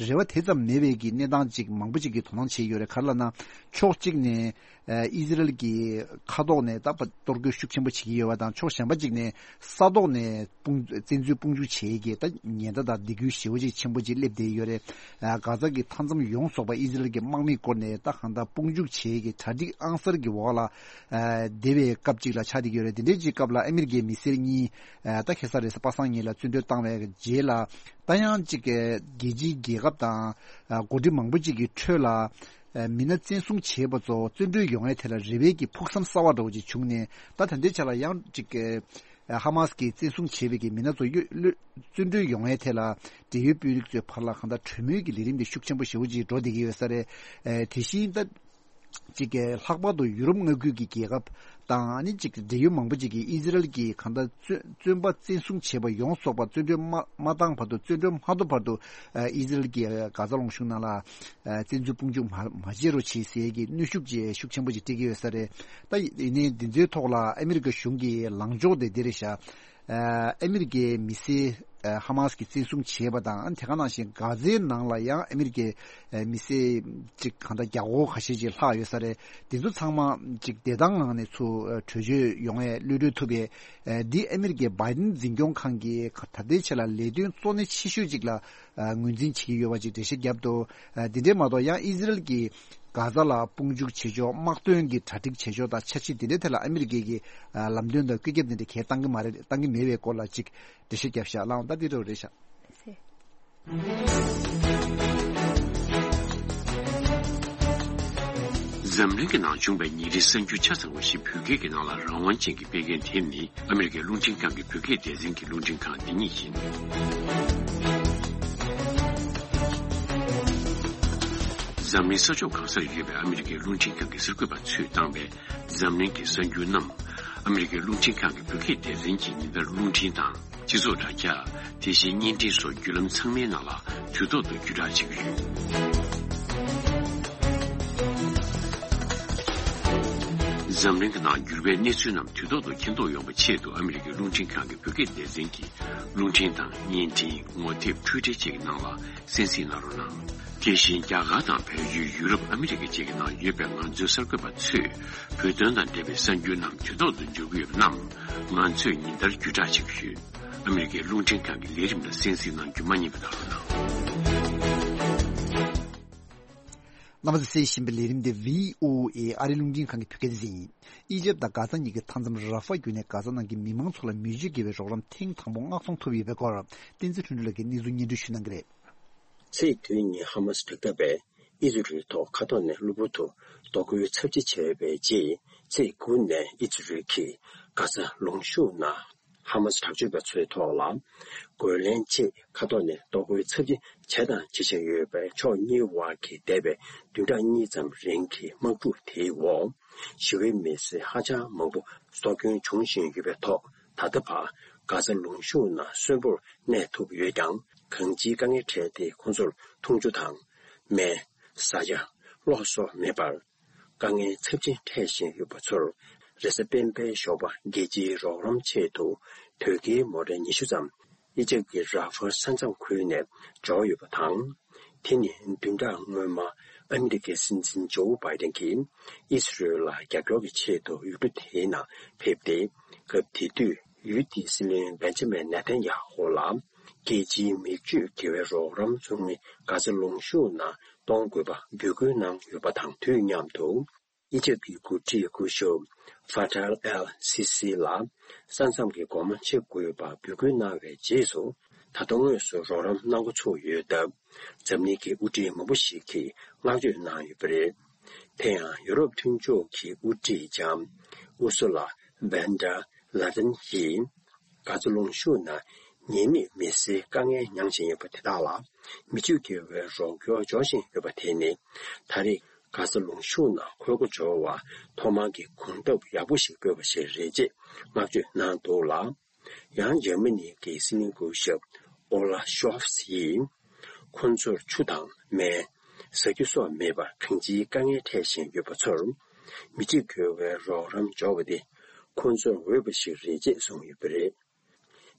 རེ་བ་དེ་ཙམ་མེད་པའི་གི་གནས་སྟངས་ཅིག་མང་པོ་ཅིག་གིས་དོ་སྣང་བྱས་ཡོད་རེད། ག་རེ་ལབ་ན། ཕྱོགས་གཅིག་ནས་ཨ་ཨི་ཟི་རལ་གྱི་མཁའ་ཐོག་ནས་ད་གཏོར་རྒོལ་ཤུགས་ཆེན་པོ་བྱེད་ཀྱི་ཡོད་པ་དང་། ཕྱོགས་གཞན་པ་ཅིག་ནས་ས་ཐོག་ནས་དཔུང་བཙན་འཛུལ་དཔུང་འཇུག་བྱེད་ཀྱི་ད་ཉེན་བརྡ་དང་སྡིགས་སྐུལ་ཞེ་པོ་ཅིག་ཆེན་པོ་ཅིག་སླེབས་བསྡད་ཡོད་རེད། ཨ་གྷ་ཛ་གི་མཐའ་མཚམས་ཡོངས་རྫོགས་པ་ཨི་ཟི་རལ་གྱི་དམག་མིས་བསྐོར་ནས་ད་གང་ལྟར་དཔུང་འཇུག་བྱེད་ཀྱི་གྲ་སྒྲིག་ཨང་གསར་གྱི་འོག་ལ་ཨ་བསྡད་པའི་སྐབས་ཅིག་ལ་ཆགས་བསྡད་ཀྱི་ཡོད་རེད། དེ་འདྲའི་ཅིག་སྐབས་ལ་ཨ་མི་རི་ཀའི་མི་སེར་གཉིས་ཨ་ད་ཁ་སང་རེས་གཟའ་པ་སངས་ཉིན་ལ་བཙོན་གྲོལ་བཏང་བའི་རྗེས་ལ། ད་ཡང་ཅིག་རྒྱལ་སྤྱིའི་རྒྱལ་ཁབ་དང་ཨ་འགོ་ཁྲིད་མང་པོ་ཅིག་གི་ཁྲོད་ལ་ཨ་མི་སྣ་བཙན་བཟུང་བྱས་པ་ཚོ་བཙོན་གྲོལ་ཡོང་ཡའི་ཐད་ལ་རེ་བའི་གི་ཕུགས་བསམ་གསར་བ་འདྲ་བོ་ཅིག་བྱུང་ནས། ད་ད་ལྟའི་ཆ་ལ་ཡང་ཅིག་ཨ་ཧ་མ་སི་གིས་བཙན་བཟུང་བྱས་པའི་གི་མི་སྣ་ཚོ་གཡོ་གློད་བཙོན་གྲོལ་ཡོང་ཡའི་ཐད་ལ་འབྲེལ་ཡོད་དཔོན་རིགས་ཚོའི་བར་ལ་གང་ལྟར་གྲོས་མོལ་གྱི་ལས་རིམ་དེ་ཤུགས་ཆེན་པོ་ཞེ་པོ་ཅིག་འགྲོ་བསྡད་ཀྱི་ཡོད་ས་རེད། ཨ་དེ་བཞིན་ད་ཅིག་ལྷག་པར་དུ་ཡུ་རོབ་མངའ་ཁུལ་གྱི་རྒྱལ་ཁབ་དང་། ཨ་ནི་ཅིག་འབྲེལ་ཡོད་མང་པོ་ཅིག་གིས་ཨི་ཟི་རལ་གྱིས་གང་ལྟར་བཙོན་བཙོན་པ་བཙན་བཟུང་བྱས་པ་ཡོངས་རྫོགས་པ་བཙོན་གྲོལ་མ་མ་བཏང་བར་དུ། བཙོན་གྲོལ་མ་ཐོབ་བར་དུ་ཨ་ཨི་ཟི་རལ་གྱིས་གྷ་ཛ་ལུང་གཤོང་ནང་ལ་ཨ་བཙན་འཛུལ་དཔུང་འཇུག་མ་མ་བྱེད་རོགས་བྱེད་ཟེར་གྱི་གནོན་ཤུགས་ཅིག་ཤུགས་ཆེན་པོ་ཅིག་སྤྲད་ཀྱི་ཡོད་ས་རེད། ད་ཡིན་ནའི་འདི་ཚོའི་ཐོག་ལ་ཨ་མི་རི་ཀ་གཞུང་གི་ལངས་ཕྱོགས་དེ་འདི་རེད་ཤག། ཨ་ཨ་མི་རི་ཀའི་མི་སེར་ཨ་ཧ་མ་སི་གིས་བཙན་བཟུང་བྱས་པ་དང་། ཨ་ནི་དེ་ག་ནང་བཞིན་གྷ་ཛའི་ནང་ལ་ཡང་ཨ་མི་རི་ཀའི་ཨ་མི་སེར་ཅིག་གང་ལྟར་བརྒྱ་སྐོར་ཁ་ཤས་ཅིག་ལྷག་ཡོད་ས་རེད། དེ་ཚོ་ཚང་མ་ཅིག་བདེ་ཐང་ངང་ནས་ཚུར་ཨ་བྲོས་བྱོལ་ཡོང་ཡས་གློད་གྲོལ་ཐུབ་པའི་ཨ་འདི་ཨ་མི་རི་ཀའི་བྷའི་ཌེན་འཛིན་སྐྱོང་ཁང་གིས་ད་ལྟའི་ཆ་ལ་ལས་དོན་གཙོ་གནད་ཆེ་ཤོས་ཅིག་ལ་ཨ་ངོས་འཛིན་བྱེད་ཀྱི་ཡོད་པ་ཅིག་འགྲེལ་བཤད་བརྒྱབ་འདུག། ཨ་འདི་འདྲས་མ་གཏོགས་ཡང་ཨི་ཟི་རལ་གྱིས་གྷ་ཛ་ལ་དཔུང་འཇུག་བྱེད་ཕྱོགས། དམག་དོན་གྱི་གྲ་སྒྲིག་བྱེད་ཕྱོགས་དང་འཆར་གཞི་འདི་འདྲའི་ཐད་ལ་ཨ་མི་རི་ཀས་ཀྱི་ཨ་ལམ་སྟོན་དང་བཀོད་ཁྱབ་འདི་འདྲ་གང་ཡང་བཏང་གི་མ་རེད། བཏང་གི་མེད་པའི་སྐོར་ལ་ཅིག་འགྲེལ་བཤད་བརྒྱབ་ཤག། ལགས་འོང་། ད་འདི་འདྲ་རེད་ཤག། འཛམ་གླིང་གི་ནང་བྱུང་བའི་ཉིན་རེའི་གསར་འགྱུར་ཆ་ཚང་བ་ཞིག་བོད་སྐད་ཀྱི་ནང་ལ་རང་དབང་ཅན་གྱིས་སྤེལ་མཁན་དེ་ནི་ཨ་མི་རི་ཀའི་རླུང་འཕྲིན་ཁང་གི་བོད་སྐད་སྡེ་ཚན་གྱི་རླུང་འཕྲིན་ཁང་འདི་ཉིད་ཡིན། འཛམ་གླིང་ས་ཕྱོགས་གང་སར་ཡོད་པའི་ཨ་མི་རི་ཀའི་རླུང་འཕྲིན་ཁང་གི་གསར་འགོད་པ་ཚོས་བཏང་བའི་འཛམ་གླིང་གི་གསར་འགྱུར་རྣམས། ཨ་མི་རི་ཀའི་རླུང་འཕྲིན་ཁང་གི་བོད་སྐད་སྡེ་ཚན་གྱིས་ཉིན་ལྟར་རླུང་འཕྲིན་དང་། སྤྱི་ཚོགས་དྲ་རྒྱ། དེ་བཞིན་བརྙན་འཕྲིན་སོགས་བརྒྱུད་ལམ་ཚང་མའི་ནང་ལ་དུས་ཐོག་ཏུ་བརྒྱུད་བསྒྲགས་བྱེད་ཀྱི་ཡོད། འཛམ་གླིང་གི་ནང་འགྱུར་བའི་གནས་ཚུལ་རྣམས་དུས་ཐོག་ཏུ་མཁྱེན་རྟོགས་ཡོང་བའི་ཆེད་དུ། ཨ་མི་རི་ཀའི་རླུང་འཕྲིན་ཁང་གི་བོད་སྐད་སྡེ་ཚན་གྱིས་རླུང་འཕྲིན་དང་བརྙན་འཕྲིན། ངོ་དེབ། འཕྲུལ་འཕྲིན་བཅས་ཀྱི་ནང་ལ་གསན་གཟིགས་གནང་རོགས་གནང་། དེ་བཞིན་རྒྱ་གར་དང་བལ་ཡུལ། ཡུ་རོབ། ཨ་མི་རི་ཀ་བཅས་ཀྱི་ནང་ཡོད་པའི་ང་ཚོའི་གསར་འགོད་པ་ཚོས་བོད་དོན་དང་འབྲེལ་བའི་གསར་འགྱུར་རྣམས་དུས་ཐོག་ཏུ་འབྱོར་གྱི་ཡོད་པ་རྣམས་ང་ཚོས་ཉིན་ལྟར་བརྒྱུད་བསྒྲགས་བྱེད་ཀྱི་ཡོད། ཨ་མི་རི་ཀའི་རླུང་འཕྲིན་ཁང་གི་ལས་རིམ་ལ་གསན་གཟིགས་གནང་རྒྱུ་མ་བསྙེལ་བ་དང་། རྣམ་པ་ཚོས་གསན་བཞིན་པའི་ལས་རིམ་འདི་བྷི་ཨོ་ཨེ་ཨ་རིའི་རླུང་འཕྲིན་ཁང་གི་བོད་སྐད་སྡེ་ཚན་ཡིན། ཨི་ཇེབ་དང་གྷ་ས་གཉིས་ཀྱི་མཐའ་མཚམས་ར་ཧྥ་བརྒྱུད་ནས་གྷ་ས་ནང་གི་མི་མང་ཚོ་ལ་མི་སྤྱོད་དགེ་བའི་རོགས་རམ་ཐེངས་དང་པོ་མངགས་གཏོང་ཐུབ་ཡོད་པའི་སྐོར། བསྟན་འཛིན་ལྷུན་གྲུབ་ལགས་ཀྱིས་གནས་ཚུལ་སྙན་སྒྲོན་ཞུ་གནང་གི་རེད། ཚེས་བདུན་ཉིན་ཧ་མ་སི་དྲག་འཐབ་པས་ཨི་ཟི་རལ་ཐོག་མཁའ་ཐོག་ནས་གློ་བུར་དུ་གཏོར་རྒོལ་ཚབས་ཆེ་བྱས་པའི་རྗེས། ཚེས་དགུ་ནས་ཨི་ཟི་རལ་གྱིས་གྷ་ས་ལུང་གཤོང་ནང་ཧ་མ་སི་དྲག་སྤྱོད་པ་ཚོའི་ཐོག་ལ་རྒོལ་ལན་ཆེད་མཁའ་ཐོག་ནས་གཏོར་རྒོལ་ཚབས་ཆེ་བྱས་དང་བྱེད་བཞིན་ཡོད་པའི་ཕྱོགས་གཉིས་དབར་གྱི་འདས་པའི་བདུན་ཕྲག་གཉིས་ཙམ་རིང་གི་དམག་འཁྲུག་དེའི་འོག་ཞི་བའི་མི་སེར་ཧ་ཅང་མང་པོ་སྲོག་སྐྱོན་བྱུང་བཞིན་ཡོད་པའི་ཐོག་ད་ལྟ་བར་གྷ་ས་ལུང་གཤོང་ནང་གསོན་པོར་གནས་ཐུབ་ཡོད་ཀྱང་། གང་ཅིའི་དཀའ་ངལ་འཕྲད་དེ་ཁོང་ཚོར་འཐུང་ཆུ་དང་། སྨན། ཟ་ཆས། གློག་སོགས་མེད་པར་དཀའ་ངལ་ཚབས་ཆེན་འཕྲད་བཞིན་ཡོད་པ་ཚོར། རེས་གཟའ་སྤེན་པའི་ཞོགས་པ་རྒྱལ་སྤྱིའི་རོགས་རམ་ཆེད་དུ་དོས་སྐྱེལ་མོ་ཊ་ཉི་ཤུ་ཙམ་ཨི་ཇེབ་ཀྱི་ར་ཧྥ་ས་མཚམས་ཁུལ་ནས་འབྱོར་ཡོད་པ་དང་། དེ་ནི་བདུན་ཕྲག་སྔོན་མ་ཨ་མི་རི་ཀའི་སྲིད་འཛིན་ཇོ་བྷའི་ཏན་གྱིས་ཨི་སི་རེལ་ལ་རྒྱབ་སྐྱོར་གྱི་ཆེད་དུ་ཡུལ་གྲུ་དེའི་ནང་ཕེབས་ཏེ། སྐབས་དེ་དུས་ཡུལ་དེའི་སྲིད་བློན་བེན་ཇ་མིན་ནེ་ཐན་ཡ་ཧོ་ལ་རྒྱལ་སྤྱིའི་མི་སྤྱོད་དགེ་བའི་རོགས་རམ་ཚོགས་མི་གྷ་ས་ལུང་གཤོང་ནང་གཏོང་དགོས་པ་འབོད་སྐུལ་གནང་ཡོད་པ་དང་དུས་མཉམ་དུ། ཨི་ཇེབ་ཀྱི་འགོ་ཁྲིད་སྐུ་ཞབས་ཧྥ་ཐལ་ཨེལ་སི་སི་ལ་ས་མཚམས་ཀྱི་སྒོ་མོ་ཕྱེ་དགོས་པ་འབོད་སྐུལ་གནང་བའི་རྗེས་སུ། ད་དུང་དངོས་སུ་རོགས་རམ་གནང་འགོ་ཚུགས་ཡོད་སྟབས། འཛམ་གླིང་གི་དབུ་ཁྲིད་མང་པོ་ཞིག་གིས་བསྔགས་བརྗོད་གནང་ཡོད་པ་རེད། དེ་ཡང་ཡུ་རོབ་མཐུན་ཕྱོགས་ཀྱི་དབུ་ཁྲིད་ལྕམ་ཨུ་སུ་ལ་ཝན་ཌར་ལ་ཡེན་ཡིས། གྷ་ཛ་ལུང་གཤོང་ནང་ཉེས་མེད་མི་སེར་དཀའ་ངལ་མྱངས་བཞིན་ཡོད་པ་དེ་དག་ལ་མི་སྤྱོད་དགེ་བའི་རོགས་སྐྱོར་འབྱོར་བཞིན་ཡོད་པ་དེ་ནི། ད་རེས་གྷ་ཛ་ལུང་གཤོང་ནང་ཁོལ་རྒོལ་འབྱོར་བར་ཐོག་མར་གྱི་གོམ་སྟབས་ཡག་པོ་ཞིག་སྤོས་པ་ཞིག་རེད་ཅེས་བསྔགས་བརྗོད་གནང་འདུག་ལ། ཡང་འཇར་མ་ནི་གི་སྲིད་བློན་སྐུ་ཞབས་ཨོ་ལ་ཤོབ་སི་ཡིས། ཁོང་ཚོར་ཆུ་དང་སྨན། ཟ་རྒྱུ་སོགས་མེད་པར་གང་ཅིའི་དཀའ་ངལ་འཕྲད་བཞིན་ཡོད་པ་ཚོར། མི་སྤྱོད་དགེ་བའི་རོགས་རམ་འབྱོར་བ་དེ་ཁོང་ཚོར་འོས་པ་ཞིག་རེད་ཅེས་གསུངས་ཡོད་པ་རེད།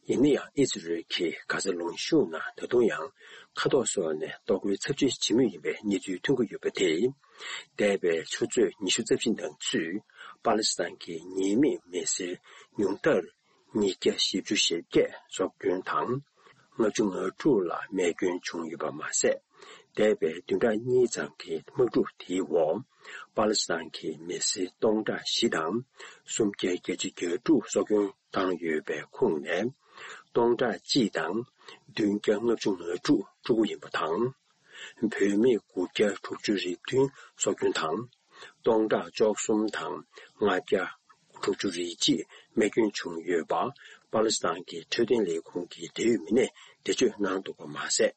ཡིན་ན་ཡང་ཨི་ཟི་རེལ་གྱིས་གྷ་ཟ་ལུང་གཤོང་ནང་ད་དུང་ཡང་མཁའ་ཐོག་སོགས་ནས་གཏོར་རྒོལ་ཚབས་ཆེ་བྱེད་མུས་ཡིན་པའི་གནས་ཚུལ་ཐོན་གྱི་ཡོད་པ་དེས། འདས་པའི་ཆུ་ཚོད་ཉི་ཤུ་རྩ་བཞི་ནང་ཚུད་པ་ལི་སི་ཐན་གྱི་ཉེས་མེད་མི་སེར་ཉུང་མཐར་ཉིས་བརྒྱ་བཞི་བཅུ་ཞེ་བརྒྱད་སྲོག་སྐྱོན་དང་། ལྔ་བཅུ་ང་དྲུག་ལ་རྨས་སྐྱོན་བྱུང་ཡོད་པ་མ་ཟད། འདས་པའི་བདུན་ཕྲག་གཉིས་ཙམ་གྱི་དམག་འཁྲུག་དེའི་འོག་པ་ལི་སི་ཐན་གྱི་མི་སེར་སྟོང་ཕྲག་བཞི་དང་སུམ་བརྒྱ་བརྒྱད་ཅུ་གྱ་དྲུག་སྲོག་སྐྱོན་བཏང་ཡོད་པའི་ཁོངས་ནས། སྟོང་ཕྲག་གཅིག་དང་བདུན་བརྒྱ་ལྔ་བཅུ་ང་དྲུག་ཕྲུ་གུ་ཡིན་པ་དང་། བུད་མེད་དགུ་བརྒྱ་དྲུག་ཅུ་རེ་བདུན་སྲོག་སྐྱོན་དང་། སྟོང་ཕྲག་བཅུ་གསུམ་དང་ལྔ་བརྒྱ་དྲུག་ཅུ་རེ་གཅིག་རྨས་སྐྱོན་བྱུང་ཡོད་པ་པ་ལི་སི་ཐན་གྱི་འཕྲོད་བསྟེན་ལས་ཁུངས་ཀྱི་འབྲེལ་ཡོད་མི་སྣས་འགྲེལ་བརྗོད་གནང་འདུག་པ་མ་ཟད།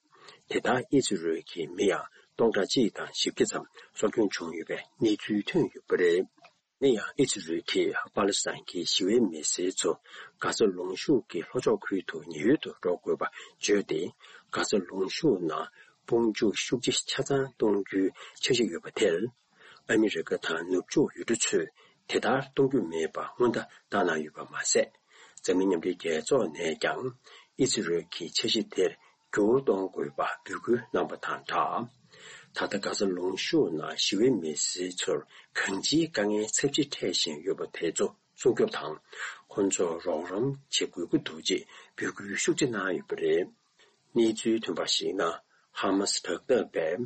དེ་ལྟར་ཨི་ཟི་རེལ་གྱི་མི་ཡང་སྟོང་ཕྲག་གཅིག་དང་བཞི་བརྒྱ་ཙམ་སྲོག་སྐྱོན་བྱུང་ཡོད་པའི་གནས་ཚུལ་ཐོན་ཡོད་པ་རེད། ཡིན་ན་ཡང་ཨི་ཟི་རེལ་གྱིས་པ་ལི་སི་ཐན་གྱི་ཞི་བའི་མི་སེར་ཚོ་གྷ་ཟ་ལུང་གཤོང་གི་ལྷོ་ཕྱོགས་ཁུལ་དུ་ཉེན་གཡོལ་དུ་འགྲོ་དགོས་པ་བརྗོད་དེ། གྷ་ཟ་ལུང་གཤོང་ནང་དཔུང་འཇུག་ཤུགས་ཆེ་ཆ་ཚང་གཏོང་རྒྱུའི་འཆར་གཞི་ཡོད་པ་དེར། ཨ་མི་རི་ཀ་དང་ནུབ་ཕྱོགས་ཡུལ་གྲུ་ཚོས་དེ་ལྟར་གཏོང་རྒྱུ་མེད་པ་སྔོན་བརྡ་བཏང་གནང་ཡོད་པ་མ་ཟད། འཛམ་གླིང་མཉམ་འབྲེལ་རྒྱལ་ཚོགས་ནས་ཀྱང་ཨི་ཟི་རེལ་གྱི་འཆར་གཞི་དེར་འགྱུར་གཏོང་དགོས་པ་འབོད་སྐུལ་གནང་པ་དང་སྦྲགས། ད་ལྟ་གྷ་ཟ་ལུང་གཤོང་ནང་ཞི་བའི་མི་སེར་ཚོར་གང་ཅིའི་དཀའ་ངལ་ཚབས་ཆེ་འཕྲད་བཞིན་ཡོད་པ་དེ་ཚོ་སྲུང་སྐྱོབ་དང་། ཁོང་ཚོར་རོགས་རམ་བྱེད་དགོས་ཀྱི་འདུག་ཅེས་འབོད་སྐུལ་ཤུགས་ཆེ་གནང་ཡོད་པ་རེད། གནས་ཚུལ་ཐོན་པར་གཞིགས་ན། ཧ་མ་སི་དྲག་འཐབ་པས་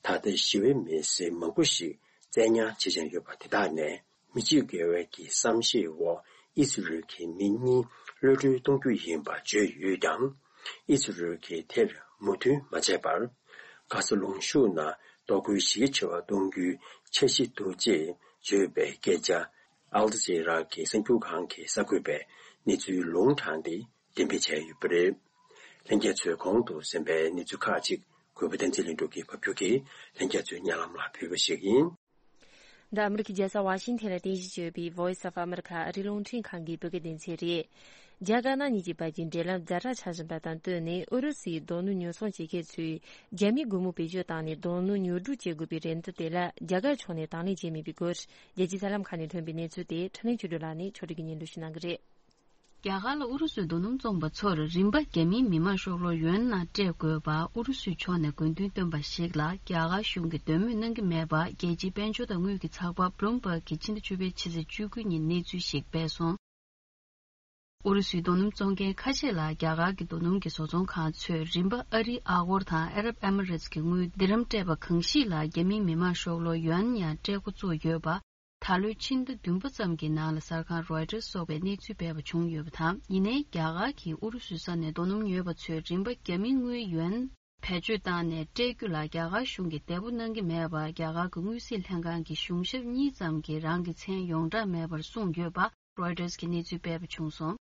ད་ལྟ་ཞི་བའི་མི་སེར་མང་པོ་ཞིག་བཙན་ཉར་བྱེད་བཞིན་ཡོད་པ་དེ་དག་ནས། མི་སྤྱོད་དགེ་བའི་གི་བསམ་ཤེས་འོག་ཨི་སི་རེལ་གྱི་མི་གཉིས་གློད་གྲོལ་གཏོང་རྒྱུ་ཡིན་པ་བརྗོད་ཡོད་ཀྱང་། ཨི་སི་རེལ་གྱིས་དེར་མོས་མཐུན་མ་བྱས་པར། གྷ་ས་ལུང་གཤོང་ནང་གཏོར་རྒོལ་གཞི་རྒྱ་ཆེ་བ་གཏོང་རྒྱུའི་འཆར་གཞི་འདུག་ཅེས་བརྗོད་པའི་སྐད་ཆ། ཨལ་ཇི་ར་གི་གསར་འགྱུར་ཁང་གི་གསར་འགོད་པས་གནས་ཚུལ་ལུང་དྲངས་ཏེ་འགྲེམས་སྤེལ་བྱས་ཡོད་པ་རེད། ལྷན་རྒྱས་ཚོས་གོང་དུ་གསན་པའི་གནས་ཚུལ་ཁག་ཅིག་གུས་པ་བསྟན་འཛིན་ལྷུན་གྲུབ་ཀྱིས་ཕབ་སྒྱུར་གྱིས་ལྷན་རྒྱས་ཚོའི་སྙན་ལམ་ལ་ཕུལ་བ་ཞིག་ཡིན། འདི་ཨ་མི་རི་ཀའི་རྒྱལ་ས་ཝ་ཤིང་ཐན་ལ་རྟེན་གཞི་བྱས་ཡོད་པའི་Voice of America ཨ་རིའི་རླུང་འཕྲིན་ཁང་གི་བོད་སྐད་སྡེ་ཚན་རེད། རྒྱ་དཀར་ནག་གཉིས་ཀྱི་བར་གྱི་འབྲེལ་ལམ་ཛ་དྲག་ཆགས་བཞིན་པ་དང་བསྟུན་ནས། ཨུ་རུ་སུའི་རྡོ་སྣུམ་ཉོ་ཚོང་བྱེད་མཁན་ཚོས་རྒྱ་མིའི་སྒོར་མོ་བེད་སྤྱོད་བཏང་ནས་རྡོ་སྣུམ་ཉོ་སྒྲུག་བྱེད་དགོས་པའི་རེ་འདུན་དེ་ལ་རྒྱ་གར་ཕྱོགས་ནས་དང་ལེན་བྱས་མེད་པའི་སྐོར། རྒྱལ་སྤྱིའི་གསར་ལམ་ཁག་ནས་ཐོན་པའི་གནས་ཚུལ་དེ་འཕྲིན་ལས་ཆོས་སྒྲོན་ལགས་ནས་ཕྱོགས་སྒྲིག་གིས་སྙན་སྒྲོན་ཞུ་གནང་གི་རེད། རྒྱ་གར་ལ་ཨུ་རུ་སུའི་རྡོ་སྣུམ་བཙོངས་པ་ཚོར་རིན་པ་རྒྱ་མིའི་མི་དམངས་ཤོག་ལོར་ཡུའན་ནང་སྤྲད་དགོས་པ་ཨུ་རུ་སུའི་ཕྱོགས་ནས་དགོས་འདུན་བཏོན་པ་ཞིག་ལ་རྒྱ་གར་གཞུང་གིས་འདོད་མོས་གནང་གི་མེད་པ། རྒྱལ་སྤྱིའི་དཔལ་འབྱོར་དང་དངུལ་གྱི་ཚགས་པར་Bloomberg གིས་ཕྱི་ཟླ་བཅུ་པའི་ཕྱི་ཚེས་བཅུ་དགུ་ཉིན་གནས་ཚུལ་ཞིག་སྤེལ་སོང་། ཨུ་རུ་སུའི་རྡོ་སྣུམ་བཙོང་མཁན་ཁ་ཤས་ལ་རྒྱ་གར་གྱི་རྡོ་སྣུམ་གྱི་བཟོ་ཚོང་ཁང་ཚོས་རིན་པ་ཨ་རིའི་ཨ་སྒོར་དང་ཨ་རབ་ཨེ་མི་རེ་ཊི་ཀྱི་དངུལ་དིར་ཧམ་སྤྲད་པ་གང་ཞིག་ལ་རྒྱ་མིའི་མི་དམངས་ཤོག་ལོར་ཡུའན་ཡང་སྤྲད་འགོ་བཙུགས་ཡོད་པ། ད་ལོའི་ཕྱི་ཟླ་བདུན་པ་ཙམ་གྱི་ནང་ལ་གསར་ཁང་Reuters་སོགས་པས་གནས་ཚུལ་སྤེལ་བ་བྱུང་ཡོད་པ་དང་། ཡིན་ནའི་རྒྱ་གར་གྱིས་ཨུ་རུ་སུའི་ས་ནས་རྡོ་སྣུམ་ཉོས་པ་ཚོས་རིན་པ་རྒྱ་མིའི་དངུལ་ཡུའན་བེད་སྤྱོད་བཏང་ནས་སྤྲད་རྒྱུ་ལ་རྒྱ་གར་གཞུང་གིས་བདེ་པོ་གནང་གི་མེད་པར་རྒྱ་གར་གྱི་དངུལ་རྩིས་ལྷན་ཁང་གི་གཞུང་ཞབས་གཉིས་ཙམ་གྱིས་རང་གི་མཚན་ཡོངས་གྲགས་མེད་པར་གསུངས་ཡོད་པ་Reuters་གིས་གནས་ཚུལ་སྤེལ་བ་བྱུང་སོང་།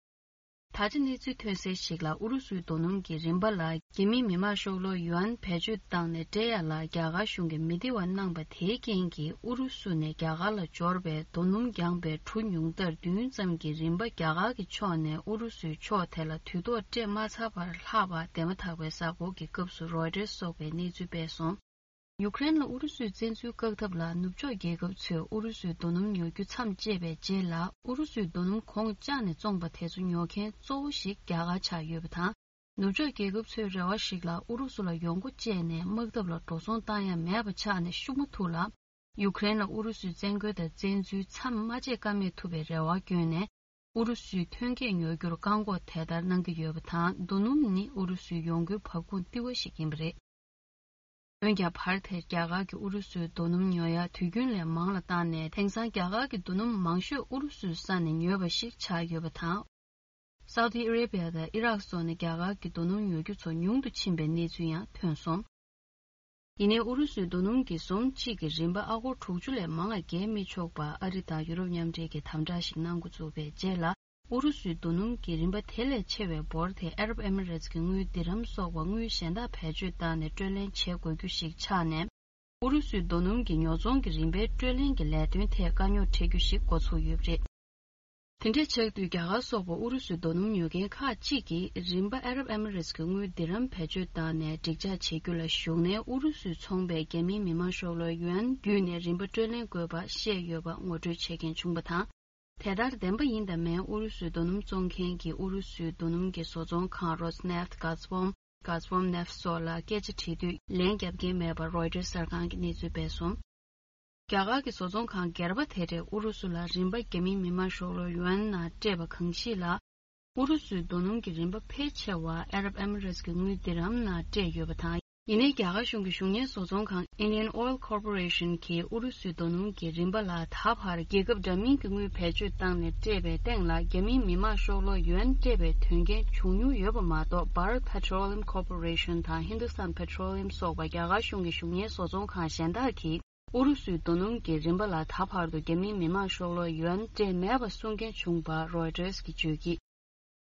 ད་ཆ་གནས་ཚུལ་ཐོན་གསལ་ཞིག་ལ་ཨུ་རུ་སུའི་རྡོ་སྣུམ་གྱི་རིན་པ་ལ་རྒྱ་མིའི་མི་དམངས་ཤོག་ལོར་ཡུའན་བེད་སྤྱོད་བཏང་ནས་སྤྲད་ཡ་ལ་རྒྱ་གར་གཞུང་གིས་མི་བདེ་བ་གནང་པ་དེའི་རྐྱེན་གྱིས་ཨུ་རུ་སུ་ནས་རྒྱ་གར་ལ་འབྱོར་བའི་རྡོ་སྣུམ་རྒྱང་པའི་གྲུ་ཉུང་མཐར་བདུན་ཙམ་གྱི་རིན་པ་རྒྱ་གར་གྱི་ཕྱོགས་ནས་ཨུ་རུ་སུའི་ཕྱོགས་དེ་ལ་དུས་ཐོག་སྤྲད་མ་ཚར་བར་ལྷག་པ་འདས་མ་ཐག་པའི་གཟའ་འཁོར་གྱི་སྐབས་སུ་Reuters་སོགས་པས་གནས་ཚུལ་སྤེལ་སོང་། ཡུཀ་རེན་ལ་ཨུ་རུ་སུའི་བཙན་འཛུལ་བཀག་ཐབས་ལ་ནུབ་ཕྱོགས་རྒྱལ་ཁབ་ཚོས་ཨུ་རུ་སུའི་རྡོ་སྣུམ་ཉོ་རྒྱུ་མཚམས་བཅད་པའི་རྗེས་ལ་ཨུ་རུ་སུའི་རྡོ་སྣུམ་གོང་བཅག་ནས་བཙོངས་པ་དེ་ཚོ་ཉོ་མཁན་གཙོ་བོ་ཞིག་རྒྱ་གར་ཆགས་ཡོད་པ་དང་། ནུབ་ཕྱོགས་རྒྱལ་ཁབ་ཚོའི་རེ་བ་ཞིག་ལ་ཨུ་རུ་སུ་ལ་ཡོང་སྒོ་བཅད་ནས་དམག་འཐབ་ལ་འགྲོ་སོང་བཏང་ཡ་མེད་པ་ཆགས་ནས་ཤུགས་མ་ཐུག་ལ། ཡུཀ་རེན་ལ་ཨུ་རུ་སུའི་བཙན་རྒོལ་དང་བཙན་འཛུལ་མཚམས་མ་བཅད་ཀ་མེད་ཐུབ་པའི་རེ་བ་བསྐྱོན་ནས། ཨུ་རུ་སུའི་ཐོན་སྐྱེད་ཉོ་རྒྱུར་བཀག་འགོག་དེ་ལྟར་གནང་གི་ཡོད་པ་དང་། རྡོ་སྣུམ་ནི་ཨུ་རུ་སུའི་ཡོང་སྒོའི་འབབ་ཁུངས་ལྟེ་བ་ཞིག་ཡིན་པ་རེད། འོན་ཀྱང་བར་དེར་རྒྱ་གར་གྱིས་ཨུ་རུ་སུའི་རྡོ་སྣུམ་ཉོ་ཡ་དུས་རྒྱུན་ལས་མང་ལ་བཏང་ནས། དེང་སང་རྒྱ་གར་གྱི་རྡོ་སྣུམ་མང་ཤོས་ཨུ་རུ་སུའི་ས་ནས་ཉོས་པ་ཞིག་ཆགས་ཡོད་པ་དང་། སའུ་ཏི་ཨ་རེ་བྷི་ཡ་དང་ཨི་རག་སོགས་ནས་རྒྱ་གར་གྱི་རྡོ་སྣུམ་ཉོ་རྒྱུ་ཚོ་ཉུང་དུ་ཕྱིན་པའི་གནས་ཚུལ་ཡང་ཐོན་སོང་། ཡིན་ནའི་ཨུ་རུ་སུའི་རྡོ་སྣུམ་གྱི་ཟོམ་གཅིག་གི་རིན་པ་ཨ་སྒོར་དྲུག་ཅུ་ལས་མང་བ་བརྒལ་མི་ཆོག་པ་ཨ་རི་དང་ཡུ་རོབ་མཉམ་འབྲེལ་གྱིས་དམ་དྲག་ཞིག་གནང་འགོ་བཙུགས་པའི་རྗེས་ལ། ཨུ་རུ་སུའི་རྡོ་སྣུམ་གྱི་རིན་པ་དེ་ལས་ཆེ་བའི་འབོར་དེ་ཨ་རབ་ཨེ་མི་རེ་ཊི་ཀྱི་དངུལ་དིར་ཧམ་སོགས་པ་དངུལ་གཞན་དག་བེད་སྤྱོད་བཏང་ནས་སྤྲོད་ལེན་བྱེད་དགོས་རྒྱུ་ཞིག་ཆགས་ནས། ཨུ་རུ་སུའི་རྡོ་སྣུམ་གྱི་ཉོ་ཚོང་གི་རིན་པའི་སྤྲོད་ལེན་གྱི་ལས་དོན་ཐད་དཀའ་རྙོག་འཕྲད་རྒྱུ་ཞིག་འགོ་ཚུགས་ཡོད་པ་རེད། དེ་འདྲ་ཆགས་དུས་རྒྱ་གར་སོགས་པ་ཨུ་རུ་སུའི་རྡོ་སྣུམ་ཉོ་མཁན་ཁག་ཅིག་གིས་རིན་པ་ཨ་རབ་ཨེ་མི་རེ་ཊི་ཀྱི་དངུལ་དིར་ཧམ་བེད་སྤྱོད་བཏང་ནས་འགྲིག་འཇགས་བྱེད་རྒྱུ་ལ་ཞུགས་ནས། ཨུ་རུ་སུས་ཚོང་པའི་རྒྱ་མིའི་མི་དམངས་ཤོག་ལོར་ཡུའན་བརྒྱུད་ནས་རིན་པ་སྤྲོད་ལེན་དགོས་པ་བཤད་ཡོད་པ་ངོ་སྤྲོད་བྱེད་མཁན་བྱུང་བ་དང་། དེ་ལྟར་བདེན་པ་ཡིན་དང་མིན་ཨུ་རུ་སུའི་རྡོ་སྣུམ་བཙོང་མཁན་གྱིས་ཨུ་རུ་སུའི་རྡོ་སྣུམ་གྱི་བཟོ་ཚོང་ཁང་Rosneft, Gazprom, Gazpromneft སོགས་ལ་སྐད་ཆ་དྲིས་དུས་ལན་བརྒྱབ་མཁན་མེད་པར་Reuters་གསར་ཁང་གིས་གནས་ཚུལ་སྤེལ་སོང་། རྒྱ་གར་གྱི་བཟོ་ཚོང་ཁང་སྒེར་པ་དེ་རེས་ཨུ་རུ་སུ་ལ་རིན་པ་རྒྱ་མིའི་མི་དམངས་ཤོག་ལོར་ཡུའན་ནང་སྤྲད་པ་གང་ཞིག་ལ། ཨུ་རུ་སུའི་རྡོ་སྣུམ་གྱི་རིན་པ་ཕལ་ཆེ་བ་ཨ་རབ་ཨེ་མི་རེ་ཊི་ཀྱི་དངུལ་དིར་ཧམ་ནང་སྤྲད་ཡོད་པ་དང་། ཡིན་ནའི་རྒྱ་གར་གཞུང་གི་གཞུང་གཉེར་བཟོ་ཚོང་ཁང་Indian Oil Corporation གིས་ཨུ་རུ་སུའི་རྡོ་སྣུམ་གྱི་རིན་པ་ལ་ད་བར་རྒྱལ་ཁབ་འདྲ་མིན་གྱི་དངུལ་བེད་སྤྱོད་བཏང་ནས་སྤྲད་པའི་སྟེང་ལ། རྒྱ་མིའི་མི་དམངས་ཤོག་ལོར་ཡུའན་སྤྲད་པའི་དོན་རྐྱེན་བྱུང་མྱོང་ཡོད་པ་མ་གཏོགས། Bharat Petroleum Corporation དང་Hindustan Petroleum སོགས་པ་རྒྱ་གར་གཞུང་གི་གཞུང་གཉེར་བཟོ་ཚོང་ཁང་གཞན་དག་གིས་ཨུ་རུ་སུའི་རྡོ་སྣུམ་གྱི་རིན་པ་ལ་ད་བར་དུ་རྒྱ་མིའི་མི་དམངས་ཤོག་ལོར་ཡུའན་སྤྲད་མེད་པ་གསུང་མཁན་བྱུང་བ་Reuters གིས་བརྗོད་ཀྱིས།